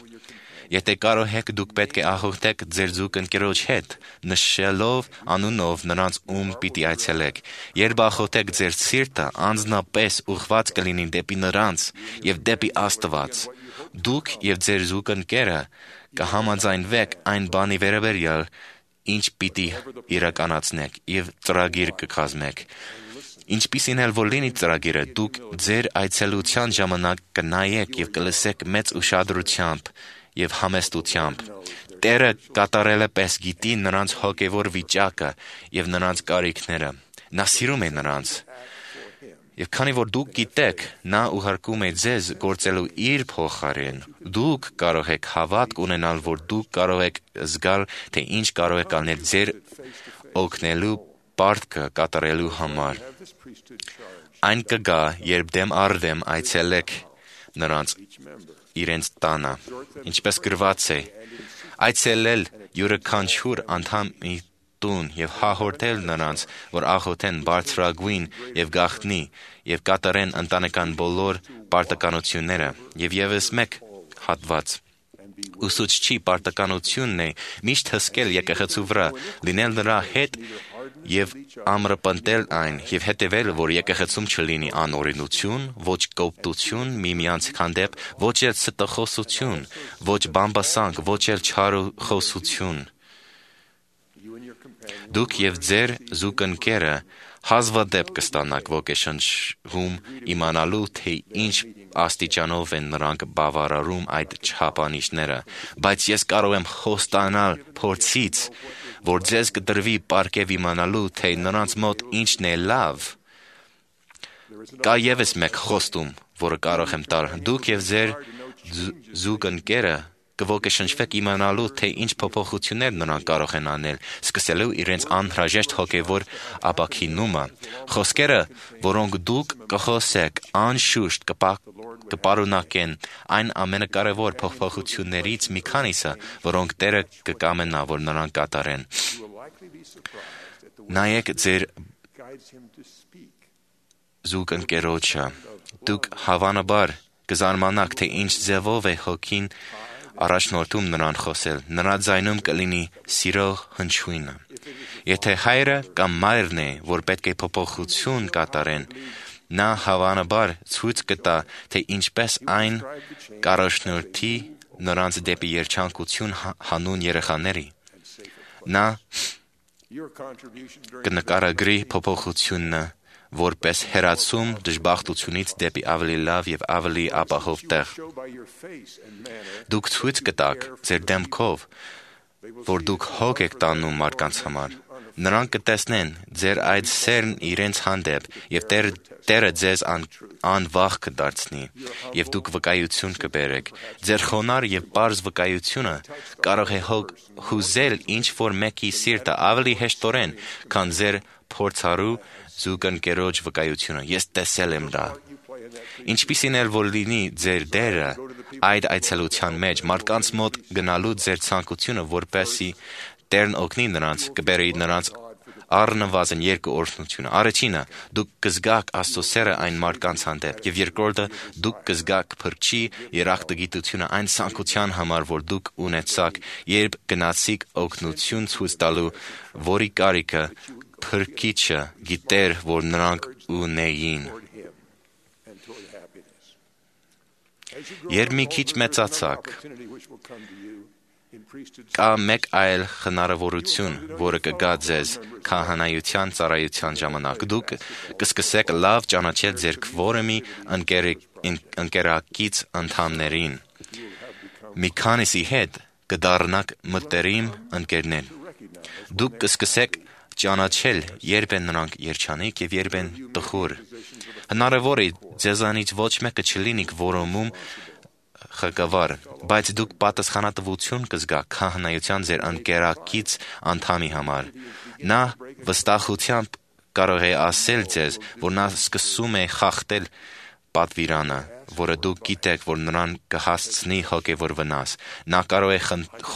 Եթե կարող եք, դուք պետք է ախոթեք ձեր զուգընկերոջ հետ, նշելով անունով նրանց, ում պիտի այցելեք։ Երբ ախոթեք, ձեր սիրտը անձնապես ուղղված կլինի դեպի նրանց եւ դեպի Աստված։ Դուք եւ ձեր զուգընկերը կհամաձայնվեք այն բանի վերաբերյալ, ինչ պիտի իրականացնեք եւ ծրագիր կկազմեք։ Ինչպիսին էլ որ լինի ծրագիրը, դուք ձեր այցելության ժամանակ կնայեք եւ կլսեք մեծ ուշադրությամբ եւ համեստությամբ։ Տերը կատարելը պես գիտի նրանց հոգևոր վիճակը եւ նրանց կարիքները։ Նա սիրում է նրանց։ Եվ քանի որ դուք գիտեք, նա ուղարկում է ձեզ գործելու իր փոխարեն, դուք կարող եք հավատք ունենալ, որ դուք կարող եք զգալ, թե ինչ կարող եք անել ձեր օգնելու պարտքը կատարելու համար։ Այն կգա, երբ դեմ առ դեմ այցելեք նրանց իրենց տանը, ինչպես գրված է, այցելել յուրաքանչյուր անդամի տուն եւ հաղորդել նրանց, որ աղոթեն բարձրագույն եւ գաղտնի եւ կատարեն ընտանեկան բոլոր պարտականությունները։ Եվ եւս մեկ հատված ուսուցչի պարտականությունն է միշտ հսկել եկեղեցու վրա, լինել նրա հետ եւ ամրապնդել այն եւ հետեւել, որ եկեղեցում չլինի անօրենություն, ոչ կոպտություն միմյանց հանդեպ, ոչ էլ ստախոսություն, ոչ բամբասանք, ոչ էլ չարախոսություն։ Դուք եւ ձեր զուգընկերը հազվադեպ կստանաք ոգեշնչում իմանալու, թե ինչ աստիճանով են նրանք բավարարում այդ չափանիշները, բայց ես կարող եմ խոստանալ փորձից, որ ձեզ կդրվի պարգև իմանալու, թե նրանց մոտ ինչն է լավ։ Կա եւս մեկ խոստում, որը կարող եմ տալ, դուք եւ ձեր զուգընկերը կոգեշնչվեք իմանալու, թե ինչ փոփոխություններ նրանք կարող են անել, սկսելու իրենց անհրաժեշտ հոգևոր ապաքինումը։ Խոսքերը, որոնք դուք կխոսեք, անշուշտ կպարունակեն այն ամենակարևոր փոփոխություններից մի քանիսը, որոնք Տերը կկամենա, որ նրանք կատարեն։ Նայեք ձեր զուգընկերոջը, դուք հավանաբար կզարմանաք, թե ինչ ձևով է հոգին առաջնորդում նրան խոսել, նրա ձայնում կլինի սիրո հնչյունը։ Եթե հայրը կամ մայրն է, որ պետք է փոփոխություն կատարեն, նա հավանաբար ցույց կտա, թե ինչպես այն կառաջնորդի նրանց դեպի երջանկություն հանուն երեխաների։ Նա կնկարագրի փոփոխությունը որպես հեռացում դժբախտությունից դեպի ավելի լավ եւ ավելի ապահով տեղ։ Դուք ցույց կտաք ձեր դեմքով, որ դուք հոգ եք տանում մարդկանց համար։ Նրանք կտեսնեն ձեր այդ սերն իրենց հանդեպ եւ Տեր, Տերը ձեզ ան, անվախ կդարձնի եւ դուք վկայություն կբերեք։ Ձեր խոնար եւ պարզ վկայությունը կարող է հոգ հուզել ինչ որ մեկի սիրտը ավելի հեշտորեն, քան ձեր փորձառու զուգընկերոջ վկայությունը։ Ես տեսել եմ դա։ Ինչպիսին էլ որ լինի ձեր դերը այդ այցելության մեջ, մարդկանց մոտ գնալու ձեր ցանկությունը, որպեսզի Տերն օգնի նրանց, կբերի նրանց առնվազն երկու օրհնությունը։ Առաջինը, դուք կզգաք Աստծո սերը այն մարդկանց հանդեպ, եւ երկրորդը, դուք կզգաք Փրկչի երախտագիտությունը այն ցանկության համար, որ դուք ունեցաք, երբ գնացիք օգնություն ցույց տալու, որի կարիքը Փրկիչը գիտեր, որ նրանք ունեին։ Երբ մի քիչ մեծացաք, կա մեկ այլ հնարավորություն, որը կգա ձեզ քահանայության ծառայության ժամանակ։ Դուք կսկսեք լավ ճանաչել ձեր քվորոմի ընկերակից անդամներին։ Մի քանիսի հետ կդառնաք մտերիմ ընկերներ։ Դուք կսկսեք ճանաչել, երբ են նրանք երջանիկ եւ երբ են տխուր։ Հնարավոր է ձեզանից ոչ մեկը չլինի քվորոմում ղեկավար, բայց դուք պատասխանատվություն կզգաք քահանայության ձեր ընկերակից անդամի համար։ Նա վստահությամբ կարող է ասել ձեզ, որ նա սկսում է խախտել պատվիրանը, որը դուք գիտեք, որ նրան կհասցնի հոգևոր վնաս։ Նա կարող է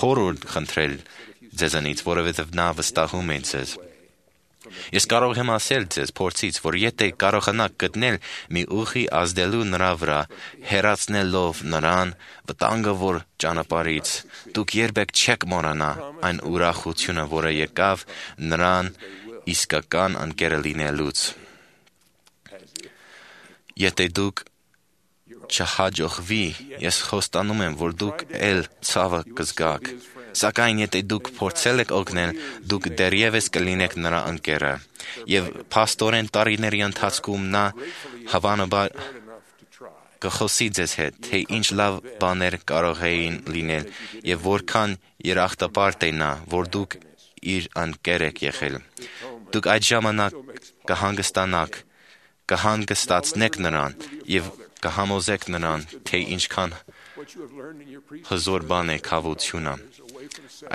խորհուրդ խնդրել ձեզանից, որովհետև նա վստահում է ձեզ։ Ես կարող եմ ասել ձեզ փորձից, որ եթե կարողանաք գտնել մի ուղի ազդելու նրա վրա, հեռացնելով նրան վտանգավոր ճանապարհից, դուք երբեք չեք մոռանա այն ուրախությունը, որը եկավ նրան իսկական ընկերը լինելուց։ Եթե դուք չհաջողվի, ես խոստանում եմ, որ դուք էլ ցավը կզգաք։ Սակայն եթե դուք փորձել եք օգնել, դուք դեռևս կլինեք նրա ընկերը։ Եվ փաստորեն տարիների ընթացքում նա հավանաբար կխոսի ձեզ հետ, թե ինչ լավ բաներ կարող էին լինել եւ որքան երախտապարտ է նա, որ դուք իր ընկեր եք եղել։ Դուք այդ ժամանակ կհանգստանաք, կհանգստացնեք նրան եւ կհամոզեք նրան, թե ինչքան հզոր բան է քավությունը։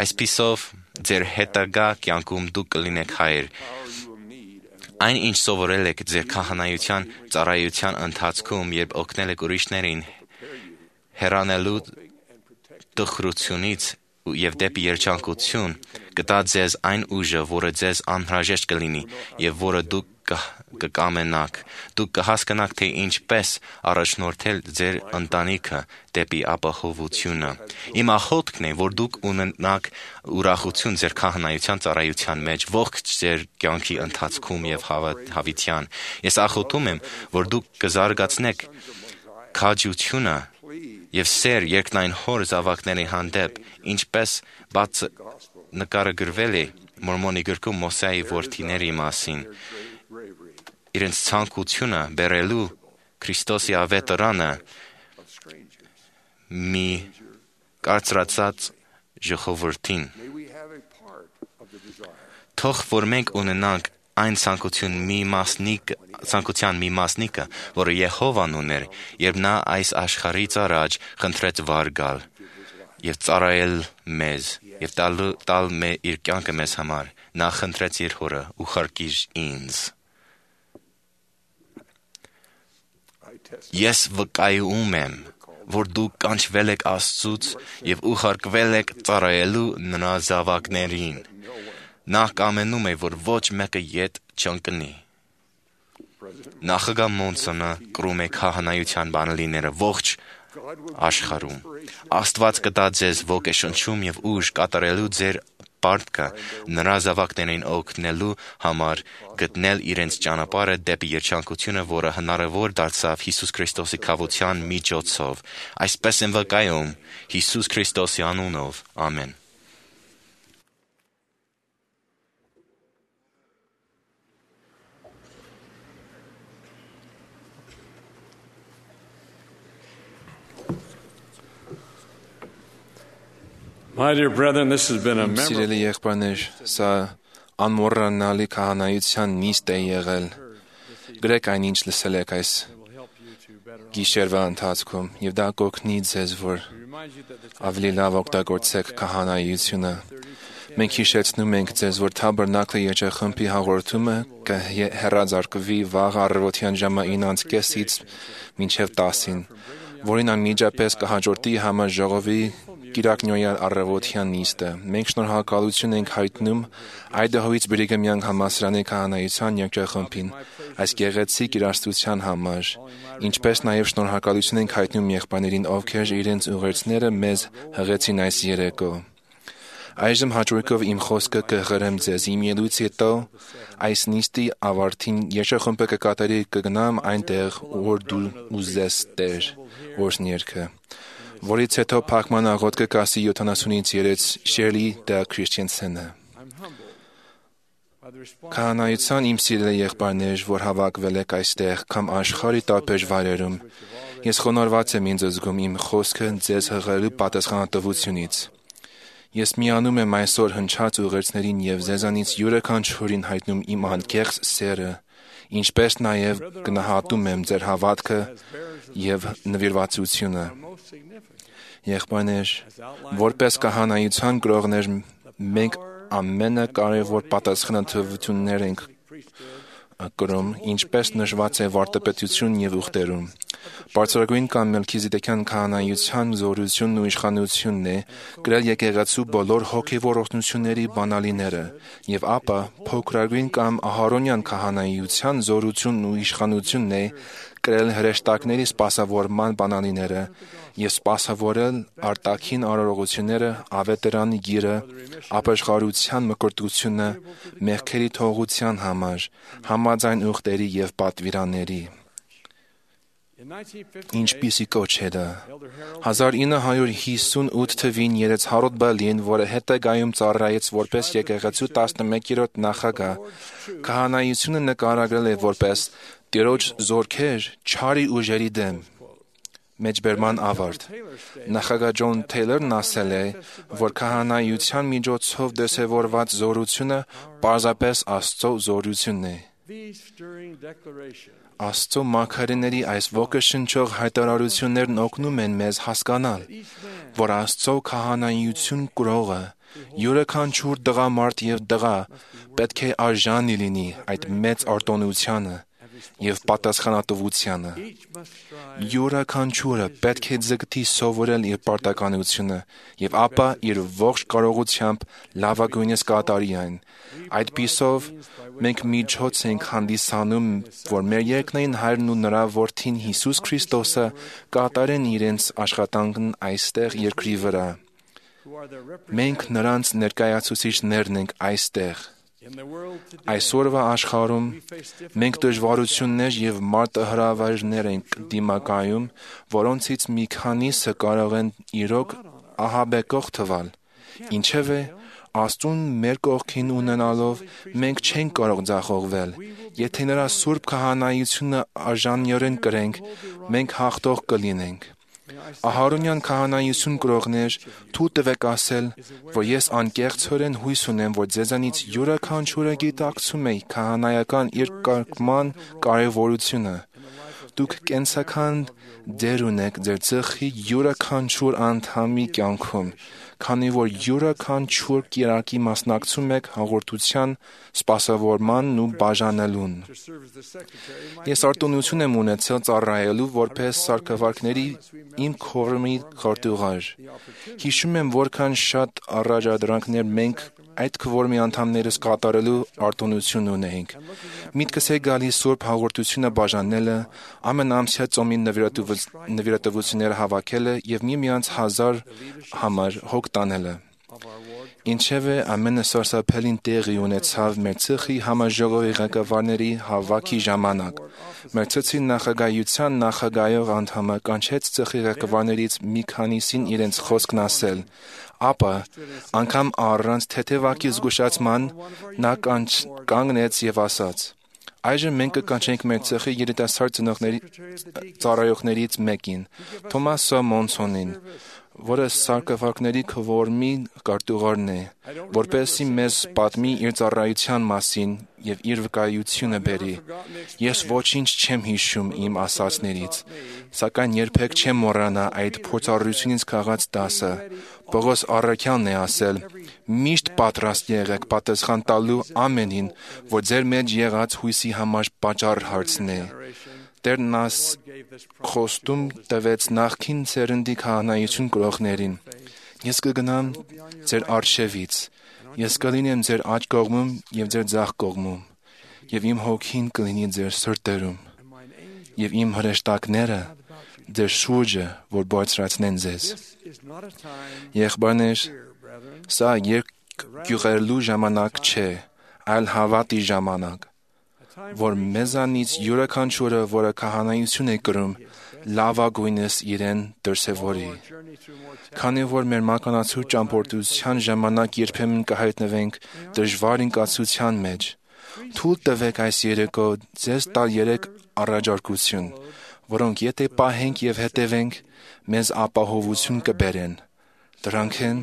Այսպիսով ձեր հետագա կյանքում դուք կլինեք հայր։ Այն ինչ սովորել եք ձեր քահանայության ծառայության ընթացքում, երբ օգնել եք ուրիշներին հեռանալու տխրությունից եւ դեպի երջանկություն, կտա ձեզ այն ուժը, որը ձեզ անհրաժեշտ կլինի եւ որը դուք կկամենաք։ Դուք կհասկանաք, թե ինչպես առաջնորդել ձեր ընտանիքը դեպի ապահովությունը։ Իմ աղոթքն է, որ դուք ունենաք ուրախություն ձեր քահանայության ծառայության մեջ ողջ ձեր կյանքի ընթացքում եւ հավիտյան։ Ես աղոթում եմ, որ դուք կզարգացնեք քաջությունը եւ սեր երկնային հոր զավակների հանդեպ, ինչպես բաց նկարագրվել է Մորմոնի գրքում Մոսեի որդիների մասին, իրենց ցանկությունը բերելու Քրիստոսի ավետարանը մի կարծրացած ժողովրդին։ Թող որ մենք ունենանք այն ցանկություն մի մասնիկ ցանկության մի մասնիկը, որը Եհովան ուներ, երբ նա այս աշխարհից առաջ խնդրեց վար գալ եւ ծառայել մեզ եւ տալ տալ մե իր կյանքը մեզ համար, նա խնդրեց իր հորը՝ ուղարկիր ինձ։ Ես վկայում եմ, որ դուք կանչվել եք Աստծուց եւ ուղարկվել եք ծառայելու նրա զավակներին։ Նա կամենում է, որ ոչ մեկը ետ չընկնի։ Նախագահ Մոնսոնը կրում է քահանայության բանալիները ողջ աշխարհում։ Աստված կտա ձեզ ոգեշնչում եւ ուժ կատարելու ձեր պարտքը նրա զավակներին օգնելու համար գտնել իրենց ճանապարհը դեպի երջանկությունը, որը հնարավոր դարձավ Հիսուս Քրիստոսի քավության միջոցով։ Այսպես եմ վկայում Հիսուս Քրիստոսի անունով։ Ամեն։ My dear brethren, this has been a Սիրելի եղբայրներ, սա անմոռանալի քահանայության նիստ է եղել։ Գրեք այն, ինչ լսել եք այս գիշերվա ընթացքում, եւ դա կօգնի ձեզ, որ ավելի լավ օգտագործեք քահանայությունը։ Մենք հիշեցնում ենք ձեզ, որ Թաբերնակլի երջախմբի հաղորդումը կհեռարձակվի վաղ առավոտյան ժամը ինը կեսից մինչև տասին, որին անմիջապես կհաջորդի համաժողովի Կիրակնյոյալ առավոտյան նիստը։ Մենք շնորհակալություն ենք հայտնում Այդահոյից Բրիգամյան համալսարանի քահանայության երջախմբին այս գեղեցիկ իրադարձության համար, ինչպես նաև շնորհակալություն ենք հայտնում եղբայրներին, ովքեր իրենց ուղերձները մեզ հղեցին այս երեկո։ Այժմ հաջորդով իմ խոսքը կհղերեմ ձեզ։ Իմ ելույթից հետո այս նիստի ավարտին երջախմբը կկատարի կգնամ այնտեղ, որ դու ուզես Տեր, օրհներքը, որից հետո փակման աղոթքը կասի յոթանասունից երեք Շերլի Դա Քրիստիանսենը։ Քահանայության իմ սիրելի եղբայրներ, որ հավաքվել եք այստեղ կամ աշխարհի տարբեր վայրերում, ես խոնարհված եմ ինձ զգում իմ խոսքը ձեզ հղելու պատասխանատվությունից։ Ես միանում եմ այսօր հնչած ուղերձներին եւ ձեզանից յուրաքանչյուրին հայտնում իմ անկեղծ սերը, ինչպես նաև գնահատում եմ ձեր հավատքը եւ նվիրվածությունը։ Եղբայրներ, որպես քահանայության գրողներ, մենք ամենակարևոր պատասխանատվություններ ենք կրում, ինչպես նշված է վարդապետություն եւ ուխտերում։ Բարձրագույն կամ Մելքիզեդեկյան քահանայության զորությունն ու իշխանությունն է գրել եկեղեցու բոլոր հոգևոր օրհնությունների բանալիները, եւ ապա փոքրագույն կամ Ահարոնյան քահանայության զորությունն ու իշխանությունն է գրել հրեշտակների սպասավորման բանալիները եւ սպասավորել արտաքին արարողությունները, ավետարանի գիրը, ապաշխարության մկրտությունը, մեղքերի թողության համար, համաձայն ուխտերի եւ պատվիրանների։ Ինչպիսի կոչ է դա։ հազար ինը հարյուր հիսունութ թվին Երեցհարոտ Բալին, որը հետագայում ծառայեց որպես եկեղեցու տասնմեկերորդ նախագահ, քահանայությունը նկարագրել է որպես Տիրոջ զորքեր չարի ուժերի դեմ։ Մեջբերման ավարտ։ Նախագահ Ջոն Թեյլորն ասել է, որ քահանայության միջոցով դրսևորված զորությունը պարզապես Աստծո զորությունն է։ Աստծո մարգարեների այս ոգեշնչող հայտարարություններն օգնում են մեզ հասկանալ, որ Աստծո քահանայություն կրողը յուրաքանչյուր տղամարդ եւ տղա պետք է արժանի լինի այդ մեծ արտոնությանը եւ պատասխանատվությանը։ Յուրաքանչյուրը պետք է ձգտի սովորել իր պարտականությունը եւ ապա իր ողջ կարողությամբ լավագույնս կատարի այն։ Այդպիսով մենք միջոց ենք հանդիսանում, որ մեր երկնային Հայրն ու նրա Որդին Հիսուս Քրիստոսը կատարեն իրենց աշխատանքն այստեղ երկրի վրա։ Մենք նրանց ներկայացուցիչներն ենք այստեղ։ Այսօրվա աշխարհում մենք դժվարություններ եւ մարտահրավերներ ենք դիմակայում, որոնցից մի քանիսը կարող են իրոք ահաբեկող թվալ։ Ինչևէ, Աստծուն մեր կողքին ունենալով մենք չենք կարող ձախողվել։ Եթե նրա սուրբ քահանայությունը արժանյորեն կրենք, մենք հաղթող կլինենք։ Ահարոնյան քահանայություն կրողներ, թույլ տվեք ասել, որ ես անկեղծորեն հույս ունեմ, որ ձեզանից յուրաքանչյուրը գիտակցում է քահանայական իր կարգման կարևորությունը։ Դուք կենսական դեր ունեք ձեր ծխի յուրաքանչյուր անդամի կյանքում, քանի որ յուրաքանչյուր կիրակի մասնակցում եք հաղորդության սպասավորմանն ու բաժանելուն։ Ես արտոնություն եմ ունեցել ծառայելու որպես սարքավարկների իմ քորմի քարտուղար։ Հիշում եմ, որքան շատ առաջադրանքներ մենք այդ քվորմի անդամներս կատարելու արտոնություն ունեինք։ Միտքս է գալիս Սուրբ հաղորդությունը բաժանելը, ամենամսյա ծոմի նվիրատվությունները հավաքելը եւ միմյանց հազար համար հոգ տանելը։ Ինչևէ, ամենը սարսափելին տեղի ունեցավ մեր ծխի համաժողովի ղեկավարների հավաքի ժամանակ։ Մեր ծխի նախագահության նախագահող անդամը կանչեց ծխի ղեկավարներից մի քանիսին իրենց խոսքն ասել, ապա անգամ առանց թեթևակի զգուշացման նա կանգնեց եւ ասաց. Այժմ մենք կկանչենք մեր ծխի երիտասարդ ծնողների ծառայողներից մեկին, Թոմաս Մոնսոնին, որը սարքավարկների քվորմի կարտուղարն է, որպեսզի մեզ պատմի իր ծառայության մասին եւ իր վկայությունը բերի։ Ես ոչինչ չեմ հիշում իմ ասածներից, սակայն երբեք չեմ մոռանա այդ փորձառությունից քաղած դասը։ Պողոս առաքյալն է ասել. «Միշտ պատրաստ եղեք պատասխան տալու ամենին, որ ձեր մեջ եղած հույսի համար պատճառ հարցնի»։ Տերն աս խոստում տվեց նախքին սերնդի քահանայություն կրողներին. «Ես կգնամ ձեր առջևից, ես կլինեմ ձեր աջ կողմում եւ ձեր ձախ կողմում, եւ իմ հոգին կլինի ձեր սրտերում, եւ իմ հրեշտակները ձեր շուրջը, որ բարձրացնեն ձեզ»։ Եղբայրներ, սա երկյուղերլու ժամանակ չէ, այլ հավատի ժամանակ, որ մեզանից յուրաքանչյուրը, որը քահանայություն է կրում, լավագույնս իրեն դրսևորի։ Քանի որ մեր մականացու ճամփորդության ժամանակ երբեմն կհայտնվենք դժվար ընկացության մեջ, թույլ տվեք այս երեկո ձեզ տալ երեք առաջարկություն, որոնք եթե պահենք եւ հետևենք, մեզ ապահովություն կբերեն։ Դրանք են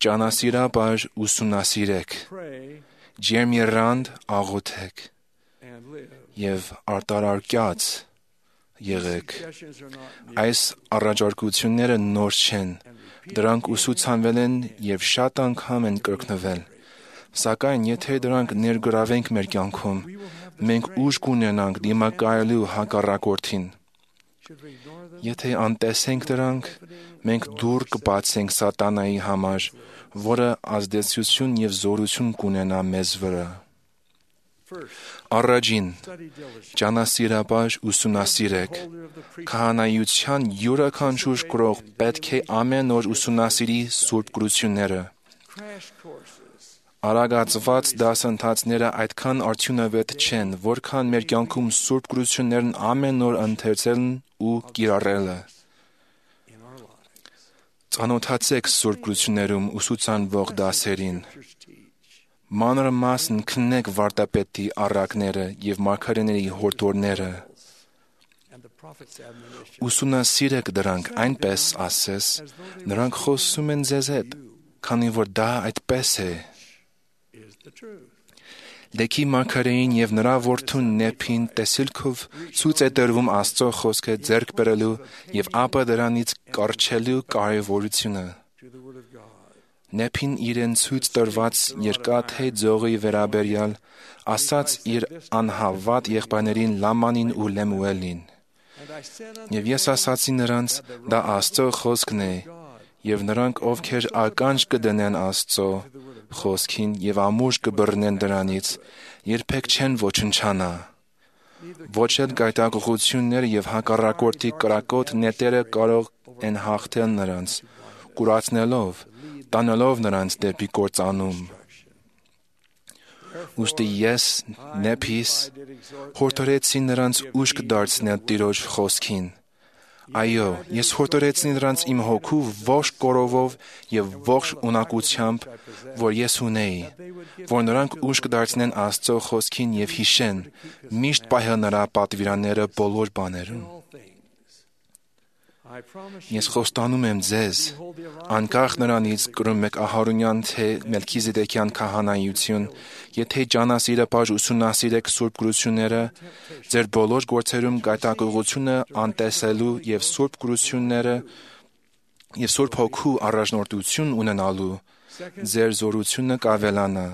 ճանասիրաբար ուսումնասիրեք, ջերմեռանդ աղոթեք եւ արտարարկյաց եղեք։ Այս առաջարկությունները նոր չեն, դրանք ուսուցանվել են եւ շատ անգամ են կրկնվել։ Սակայն եթե դրանք ներգրավենք մեր կյանքում, մենք ուժ կունենանք դիմակայելու հակառակորդին։ Եթե անտեսենք դրանք, մենք դուռ կբացենք սատանայի համար, որը ազդեցություն եւ զորություն կունենա մեզ վրա։ Առաջին, ճանասիրաբար ուսումնասիրեք։ Քահանայության յուրաքանչյուր կրող պետք է ամեն օր ուսումնասիրի սուրբ գրությունները։ Արագացված դասընթացները այդքան արդյունավետ չեն, որքան մեր կյանքում սուրբ գրություններն ամեն օր ընթերցելն ու կիրառելը։ Ծանոթացեք սուրբ գրություններում ուսուցանվող դասերին։ Մանրամասն քննեք վարդապետի առակները եւ մարգարեների հորդորները։ Ուսումնասիրեք դրանք այնպես, ասես, նրանք խոսում են ձեզ հետ, քանի որ դա այդպես է։ Լեքի մարգարեին եւ նրա որդուն Նեփին տեսիլքով ցույց է տրվում Աստծո խոսքը ձեռք բերելու եւ ապա դրանից կառչելու կարեւորությունը։ Նեփին իրեն ցույց տրված երկաթե ձողի վերաբերյալ ասաց իր անհավատ եղբայրներին Լամանին ու Լեմուելին։ Եվ ես ասացի նրանց, դա Աստծո խոսքն է, եւ նրանք, ովքեր ականջ կդնեն Աստծո խոսքին եւ ամուր կբռնեն դրանից, երբեք չեն ոչնչանա։ Ոչ էլ գայթակղությունները եւ հակառակորդի կրակոտ նետերը կարող են հաղթել նրանց, կուրացնելով, տանելով նրանց դեպի կործանում։ Ուստի ես, Նեփիս, հորդորեցի նրանց ուշք դարձնել Տիրոջ խոսքին։ Այո, ես հորդորեցի նրանց իմ հոգու ողջ կորովով եւ ողջ ունակությամբ, որ ես ունեի, որ նրանք ուշք դարձնեն Աստծո խոսքին եւ հիշեն, միշտ պահել նրա պատվիրանները բոլոր բաներում։ Ես խոստանում եմ ձեզ, անկախ նրանից կրում եք Ահարոնյան թե Մելքիզեդեկյան քահանայություն, եթե ճանասիրապաշտ ուսումնասիրեք սուրբ գրությունները, ձեր բոլոր գործերում գայթակղությունը անտեսելու եւ սուրբ գրությունները եւ սուրբ հոգու առաջնորդություն ունենալու, ձեր զորությունը կավելանա։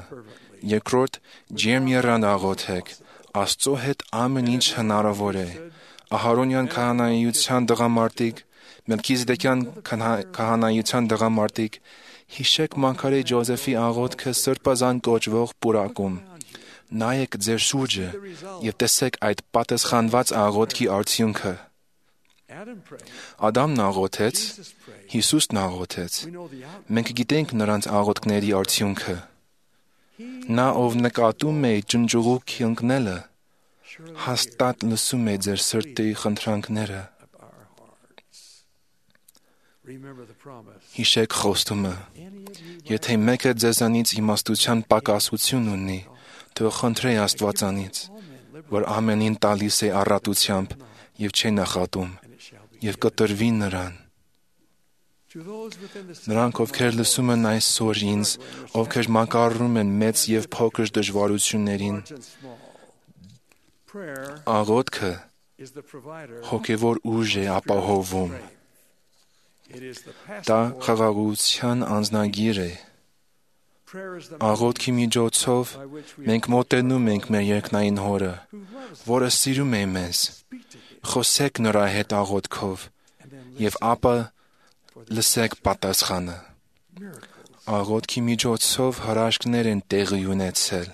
Երկրորդ, ջերմ եռան աղոթեք, Աստծո հետ ամեն ինչ հնարավոր է։ Ահարոնյան քահանայության դղամարդիկ, Մելքիզեդեկյան քահանայության դղամարդիկ, հիշեք մարգարե Ջոզեֆի աղոթքը սրբազան կոչվող պուրակում։ Նայեք ձեր շուրջը եւ տեսեք այդ պատասխանված աղոթքի արդյունքը։ Ադամն աղոթեց, Հիսուսն աղոթեց։ Մենք գիտենք նրանց աղոթքների արդյունքը։ Նա, ով նկատում է ջնջուղուկ ընկնելը, հաստատ լսում է ձեր սրտի խնդրանքները։ Հիշեք խոստումը. եթե մեկը ձեզանից իմաստության պակասություն ունի, թող խնդրե Աստվածանից, որ ամենին տալիս է առատությամբ եւ չէ նախատում, եւ կտրվի նրան։ Նրանք, ովքեր լսում են այսօր ինձ, ովքեր մակարում են մեծ եւ փոքր դժվարություններին, աղոթքը հոգևոր ուժ է ապահովում։ Դա խաղաղության անձնագիր է։ Աղոթքի միջոցով մենք մոտենում ենք մեր երկնային Հորը, որը սիրում է մեզ։ Խոսեք նրա հետ աղոթքով եւ ապա լսեք պատասխանը։ Աղոթքի միջոցով հրաշքներ են տեղի ունեցել։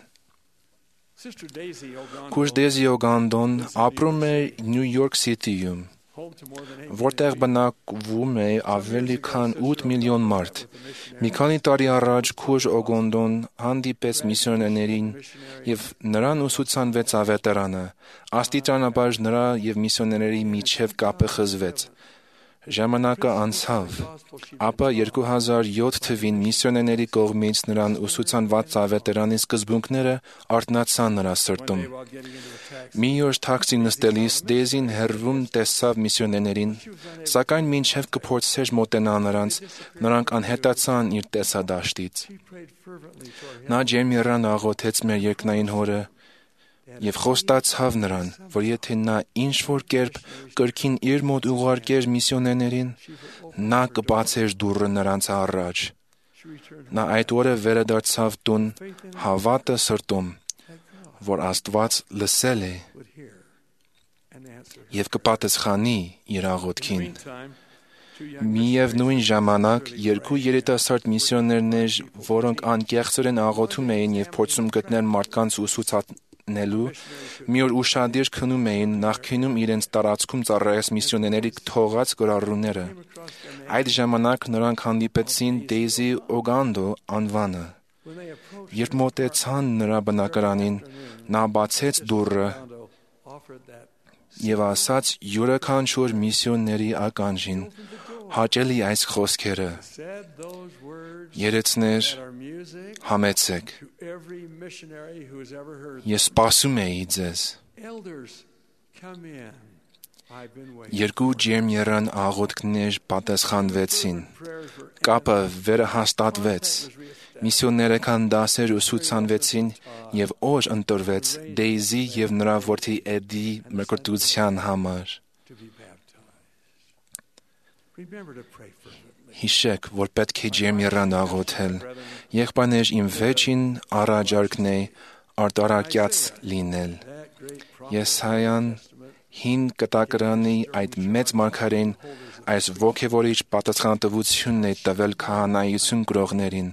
Քույր Դեզի Օգանդոն ապրում է Նյու Յորք Սիթիում, որտեղ բնակվում է ավելի քան ութ միլիոն մարդ։ Մի քանի տարի առաջ քույր Օգանդոն հանդիպեց միսիոներներին եւ նրան ուսուցանվեց ավետարանը։ Աստիճանաբար նրա եւ միսիոներների միջև կապը խզվեց։ Ժամանակը անցավ, ապա երկու հազար յոթ թվին միսիոներների կողմից նրան ուսուցանված ավետարանի սկզբունքները արթնացան նրա սրտում։ Մի օր թաքսի նստելիս Դեզին հեռվում տեսավ միսիոներներին, սակայն մինչև կփորձեր մոտենալ նրանց, նրանք անհետացան իր տեսադաշտից։ Նա ջերմեռան աղոթեց մեր երկնային Հորը եւ խոստացավ նրան, որ եթե նա ինչ-որ կերպ կրկին իր մոտ ուղարկեր միսիոներներին, նա կբացեր դուռը նրանց առաջ։ Նա այդ օրը վերադարձավ տուն հավատը սրտում, որ Աստված լսել է եւ կպատասխանի իր աղոթքին։ Միևնույն ժամանակ երկու երիտասարդ միսիոներներ, որոնք անկեղծորեն աղոթում էին եւ փորձում գտնել մարդկանց ուսուցանելու, մի օր ուշադիր քնում էին նախկինում իրենց տարածքում ծառայած միսիոներների թողած գրառումները։ Այդ ժամանակ նրանք հանդիպեցին Դեյզի Օգանդո անվանը։ Երբ մոտեցան նրա բնակարանին, նա բացեց դուռը եւ ասաց յուրաքանչյուր միսիոների ականջին հաճելի այս խոսքերը. Երեցներ, համեցեք։ Ես սպասում էի ձեզ։ Երկու ջերմեռան աղոթքներ պատասխանվեցին։ Կապը վերահաստատվեց։ Միսիոներական դասեր ուսուցանվեցին եւ օր ընտրվեց Դեյզի եւ նրա որդի Էդի մկրտության համար։ Հիշեք, որ պետք է ջերմեռան աղոթել։ Եղբայրներ, իմ վերջին առաջարկն է արտարակյաց լինել։ Եսայան հին կտակարանի այդ մեծ մարգարեն այս ոգևորիչ պատասխանատվությունն է տվել քահանայություն գրողներին։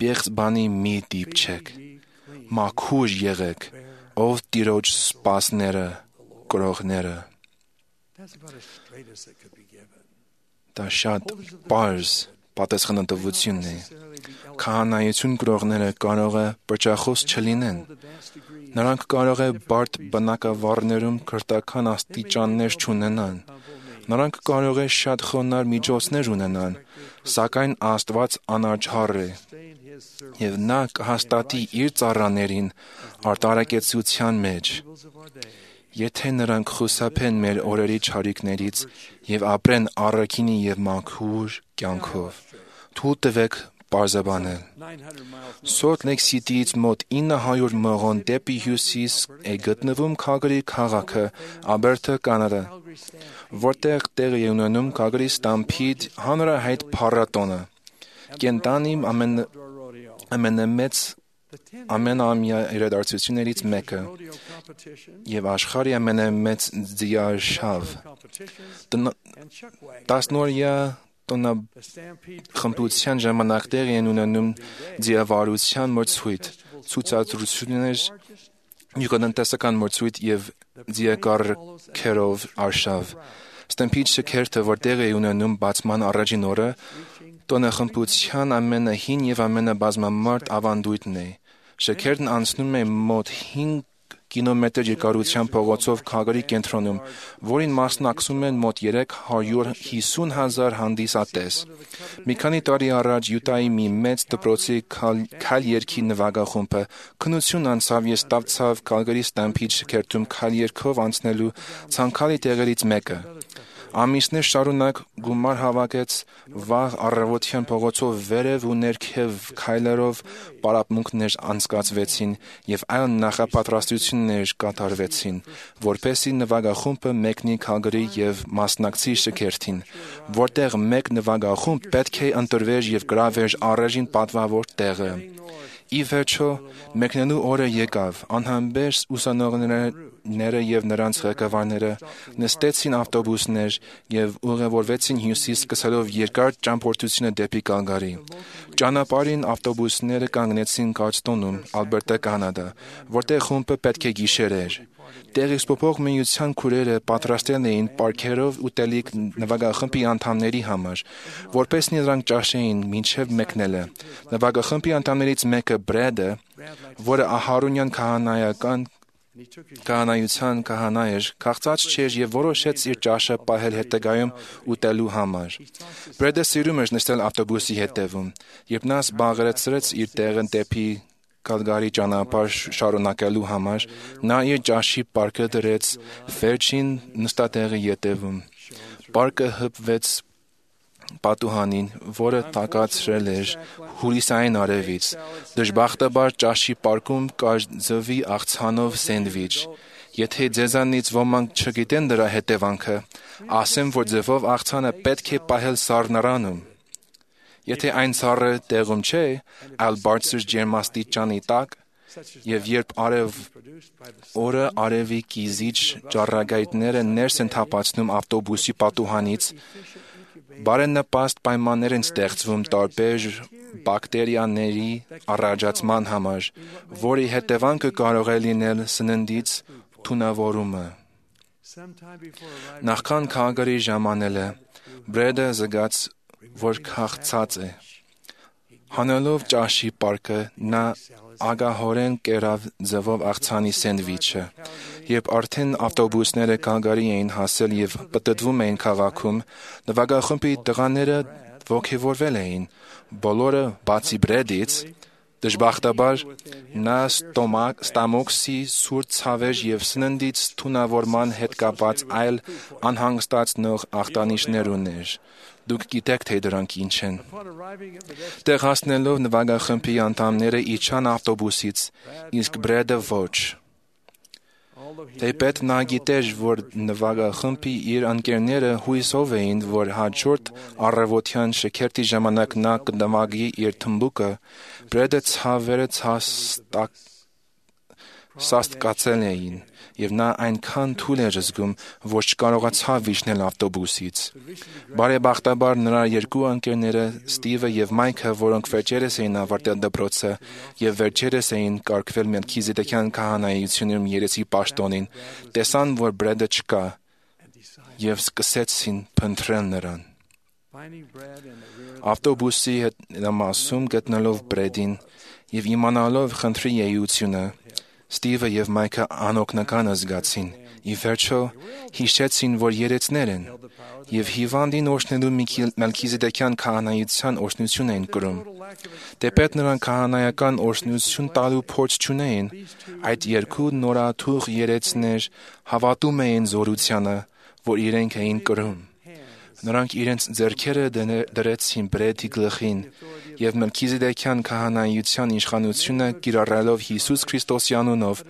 Պեղծ բանի մի դիպչեք։ Մաքուր եղեք, ով Տիրոջ սպասները, գրողները։ Դա շատ պարզ պատասխանատվությունն է։ Քահանայություն գրողները կարող է պրճախոս չլինեն։ Նրանք կարող է բարդ բնակավարներում քրտական աստիճաններ չունենան։ Նրանք կարող է շատ խոնարհ միջոցներ ունենան, սակայն Աստված անաչառ է, եւ նա կհաստատի իր ծառաներին արտարակեցության մեջ։ Եթե նրանք խուսափեն մեր օրերի չարիքներից եւ ապրեն առաքինի եւ մաքուր կյանքով, թույլ տվեք պարզաբանել։ Սոլտ Լեյք Սիթիից մոտ ինը հարյուր մղոն դեպի հյուսիս է գտնվում Քալգարի քաղաքը, Ալբերտա, Կանադա, որտեղ տեղի է ունենում Քալգարի Stampede հանրահայտ փառատոնը։ Կենտանի ամենամեծ ամենամյա իրադարձություններից մեկը եւ աշխարհի ամենամեծ ձիարշավ։ Տասնօրյա տոնախմբության ժամանակ տեղի են ունենում ձիավարության մրցույթ, ցուցադրություններ, գյուղատնտեսական մրցույթ եւ ձիակառքերով արշավ։ Stampede շքերթը, որ տեղի է ունենում բացման առաջին օրը, տոնախմբության ամենահին եւ ամենաբազմամարդ ավանդույթն է։ Շքերթն անցնում է մոտ հինգ կիլոմետր երկարության փողոցով Քալգարի կենտրոնում, որին մասնակցում են մոտ երեք հարյուր հիսուն հազար հանդիսատես։ Մի քանի տարի առաջ Յուտայի մի մեծ դպրոցի քայլ երգի նվագախումբը քննություն անցավ եւ ստացավ Քալգարի Stampede շքերթում քայլ երգով անցնելու ցանկալի տեղերից մեկը։ Ամիսներ շարունակ գումար հավաքեց, վաղ առավոտյան փողոցով վերև ու ներքև քայլերով պարապմունքներ անցկացվեցին եւ այլ նախապատրաստություններ կատարվեցին, որպեսզի նվագախումբը մեկնի Քալգարի եւ մասնակցի շքերթին, որտեղ մեկ նվագախումբ պետք է ընտրվեր եւ գրավեր առաջին պատվավոր տեղը։ Ի վերջո, մեկնելու օրը եկավ, անհամբեր ուսանողները եւ նրանց ղեկավարները նստեցին ավտոբուսներ եւ ուղևորվեցին հյուսիս սկսելով երկար ճամփորդությունը դեպի Քալգարի։ Ճանապարհին ավտոբուսները կանգնեցին Գարստոնում, Ալբերտա, Կանադա, որտեղ խումբը պետք է գիշերեր։ Տեղեկսպոպող միության քուրերը պատրաստել էին պարքերով ուտելիք նվագախմբի անդամների համար, որպես նրանք ճաշեին մինչև մեկնելը։ Նվագախմբի անդամներից մեկը Բրեդը, որը ահարոնյան քահանայական քահանայության քահանա էր, քաղցած չէր եւ որոշեց իր ճաշը պահել հետագայում ուտելու համար։ Բրեդը սիրում էր նստել ավտոբուսի հետևում, երբ նա զբաղեցրեց իր տեղը դեպի Քալգարի ճանապարհ շարունակելու համար, նա իր ճաշի պարկը դրեց վերջին նստատեղի ետևում։ Պարկը հպվեց պատուհանին, որը տակացրել էր հյուսիսային արևից։ Դժբախտաբար ճաշի պարկում կար ձվի աղցանով սենդվիչ։ Եթե ձեզանից ոմանք չգիտեն դրա հետևանքը, ասեմ, որ ձվով աղցանը պետք է պահել սառնարանում։ Եթե այն սառը տեղում չէ, այլ բարձր ջերմաստիճանի տակ, եւ երբ արև օրը արևի կիզիչ ճառագայթները ներս են թափանցնում ավտոբուսի պատուհանից, բարենպաստ պայմաններ են ստեղծվում տարբեր բակտերիաների առաջացման համար, որի հետևանքը կարող է լինել սննդից թունավորումը։ Նախքան Քալգարի ժամանելը, Բրեդը զգաց, որ քաղցած է։ Հանելով ճաշի պարկը, նա ագահորեն կերավ ձվով աղցանի սենդվիչը։ Երբ արդեն ավտոբուսները Քալգարի էին հասել եւ պտտվում էին քաղաքում, նվագախմբի տղաները ոգևորվել էին։ Բոլորը, բացի Բրեդից, Դժբախտաբար նա ստամոքսի սուր ցավեր եւ սննդից թունավորման հետ կապած այլ անհանգստացնող ախտանիշներ ուներ։ Դուք գիտեք, թե դրանք ինչ են։ Տեղ հասնելով նվագախմբի անդամները իջան ավտոբուսից, իսկ Բրեդը ոչ։ Թեպետ նա գիտեր, որ նվագախմբի իր ընկերները հույսով էին, որ հաջորդ առավոտյան շքերթի ժամանակ նա կնվագի իր թմբուկը, Բրեդը ցավերը սաստկացել էին, եւ նա այնքան թույլ էր զգում, որ չկարողացավ իջնել ավտոբուսից։ Բարեբախտաբար նրա երկու ընկերները Ստիվը եւ Մայքը, որոնք վերջերս էին ավարտել դպրոցը եւ վերջերս էին կարգվել Մելքիզեդեկյան քահանայությունում երեսի պաշտոնին, տեսան, որ Բրեդը չկա եւ սկսեցին փնտրել նրան։ Ավտոբուսի հետնամասում գտնելով Բրեդին եւ իմանալով խնդրի էությունը, Ստիվը եւ Մայքը անօգնական զգացին։ Ի վերջո հիշեցին, որ երեցներ են եւ հիվանդին օրհնելու Մելքիզեդեկյան քահանայության օրհնություն էին կրում։ Դեպետ նրանք քահանայական օրհնություն տալու փորձ չունեին, այդ երկու նորաթուխ երեցներ հավատում էին զորությանը, որ իրենք էին կրում։ Նրանք իրենց ձեռքերը դրեցին Բրեդի գլխին եւ Մելքիզեդեկյան քահանայության իշխանությունը կիրառելով Հիսուս Քրիստոսի անունով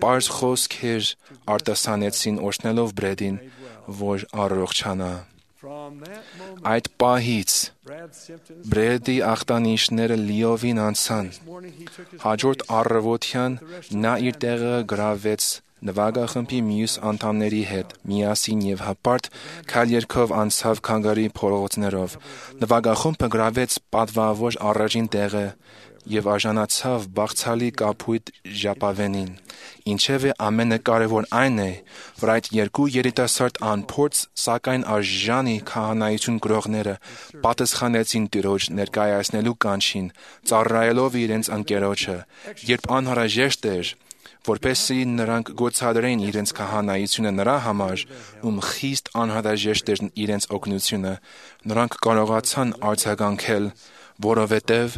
պարզ խոսքեր արտասանեցին օրհնելով Բրեդին, որ առողջանա։ Այդ պահից Բրեդի ախտանիշները լիովին անցան։ Հաջորդ առավոտյան նա իր տեղը գրավեց նվագախմբի մյուս անդամների հետ միասին եւ հպարտ քայլերքով անցավ քանգարի փողոցներով։ Նվագախումբը գրավեց պատվավոր առաջին տեղը եւ արժանացավ բաղցալի կապույտ ժապավենին։ Ինչևէ ամենակարևոր այն է, որ այդ երկու երիտասարդ անփորձ, սակայն արժանի քահանայություն գրողները պատասխանեցին Տիրոջ ներկայացնելու կանչին, ծառայելով իրենց ընկերոջը, երբ անհրաժեշտ էր, որպեսզի նրանք գործադրեին իրենց քահանայությունը նրա համար, ում խիստ անհրաժեշտ էր իրենց օգնությունը, նրանք կարողացան արձագանքել, որովհետև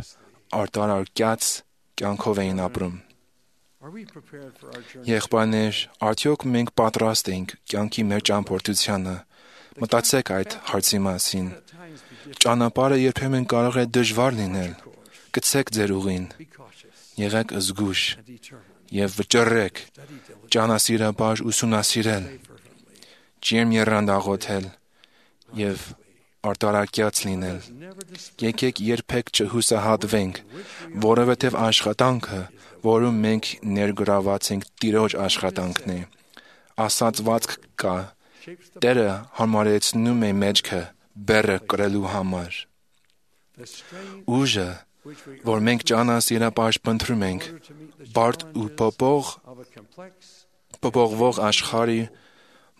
արտարակյաց կյանքով էին ապրում։ Եղբայրներ, արդյոք մենք պատրաստ ենք կյանքի մեր ճամփորդությանը։ Մտածեք այդ հարցի մասին։ Ճանապարհը երբեմն կարող է դժվար լինել։ Գցեք ձեր ուղին։ Եղեք զգույշ եւ վճռեք ճանասիրաբար ուսումնասիրել, ջերմ եռանդաղոթել եւ արտարակյաց լինել։ Եկեք երբեք չհուսահատվենք, որովհետեւ աշխատանքը, որում մենք ներգրաված ենք, Տիրոջ աշխատանքն է։ Ասացվածք կա. Տերը համարեցնում է մեջքը բեռը կրելու համար։ Ուժը, որ մենք ճանասիրաբար փնտրում ենք, բարդ ու փոփող փոփոխվող աշխարհի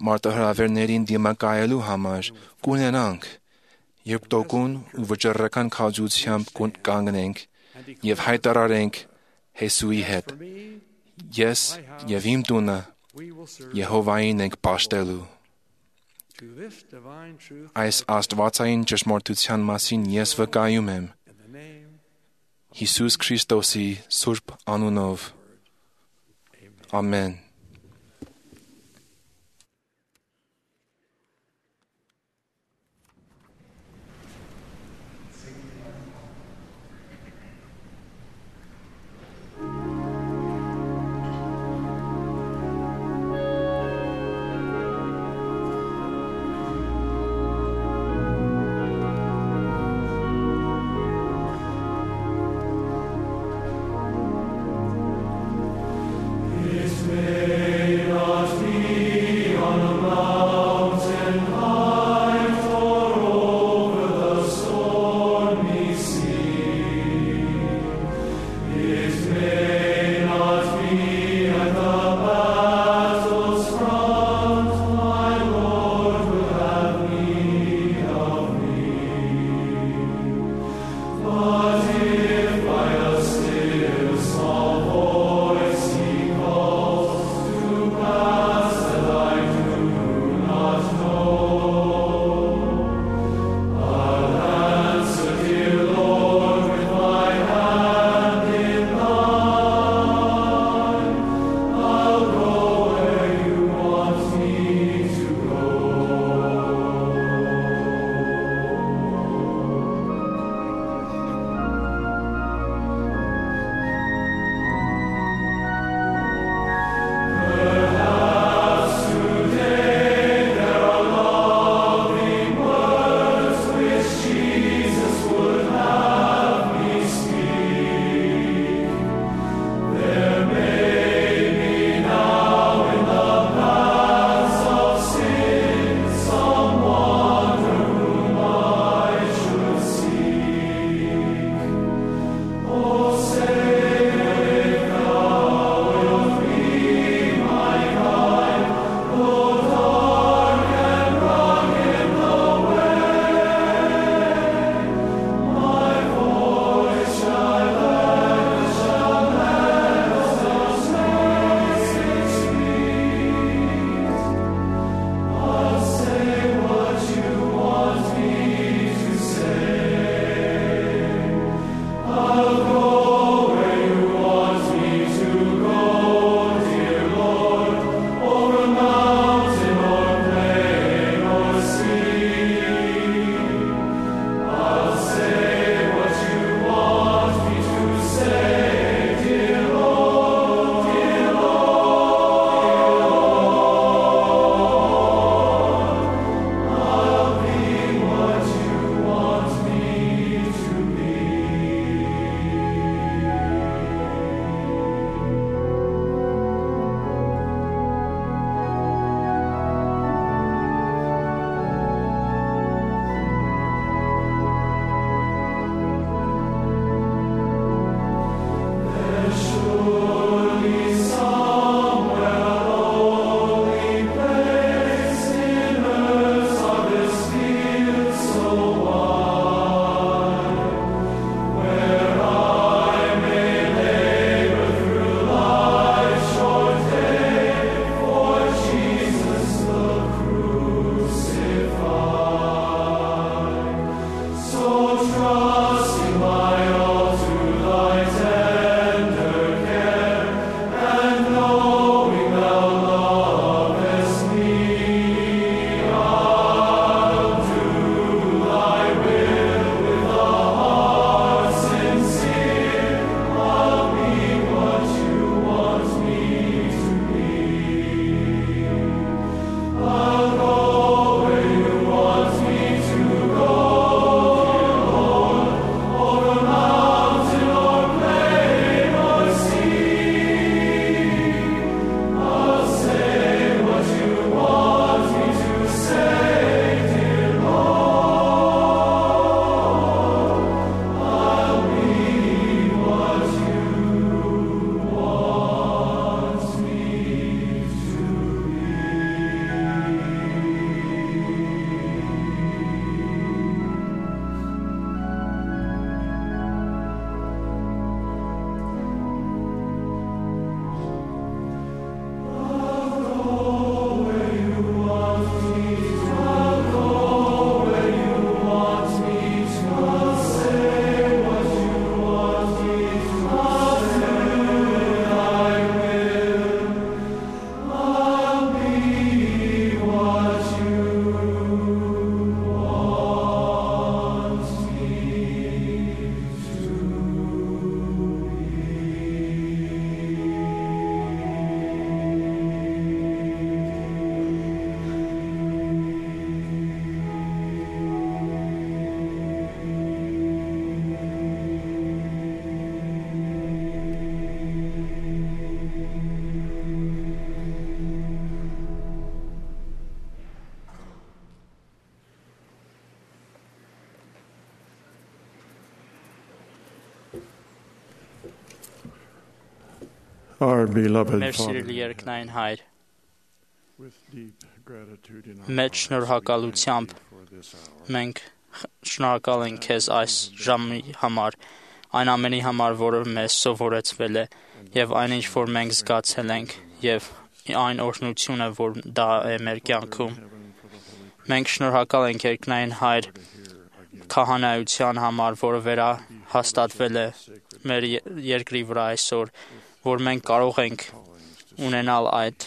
մարտահրավերներին դիմակայելու համար կունենանք, երբ տոկուն ու վճռական քաջությամբ կանգնենք եւ հայտարարենք Հեսուի հետ. Ես եւ իմ տունը Եհովային ենք պաշտելու։ Այս աստվածային ճշմարտության մասին ես վկայում եմ Հիսուս Քրիստոսի սուրբ անունով։ Ամեն։ May Our beloved Մեր Father, սիրելի երկնային Հայր, with deep gratitude in our մեծ hearts, շնորհակալությամբ for this hour. մենք շնորհակալ ենք քեզ այս ժամի համար, այն ամենի համար, որը մեզ սովորեցվել է, եւ այնինչ որ մենք զգացել ենք, եւ այն օրհնությունը, որ դա է մեր կյանքում։ Մենք շնորհակալ ենք երկնային Հայր քահանայության համար, որը վերահաստատվել է մեր երկրի վրա այսօր, որ մենք կարող ենք ունենալ այդ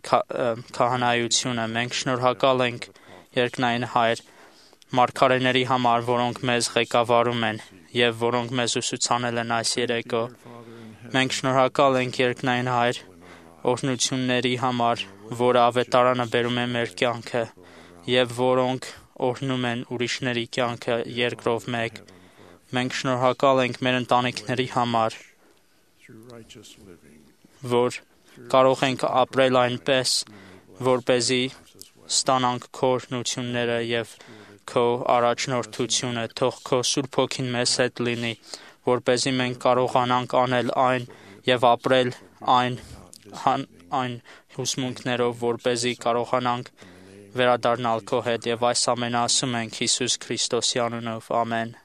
քահանայությունը։ Մենք շնորհակալ ենք երկնային Հայր մարգարեների համար, որոնք մեզ ղեկավարում են եւ որոնք մեզ ուսուցանել են այս երեկո։ Մենք շնորհակալ ենք երկնային Հայր օրհնությունների համար, որը ավետարանը բերում է մեր կյանքը եւ որոնք օրհնում են ուրիշների կյանքը երկրով մեկ։ Մենք շնորհակալ ենք մեր ընտանիքների համար, որ կարող ենք ապրել այնպես, որպեսզի ստանանք քո օրհնությունները եւ քո առաջնորդությունը։ Թող քո Սուրբ Հոգին մեզ հետ լինի, որպեսզի մենք կարողանանք անել այն եւ ապրել այն այն հուսմունքներով, որպեսզի կարողանանք վերադառնալ քո հետ, եւ այս ամենը ասում ենք Հիսուս Քրիստոսի անունով։ Ամեն։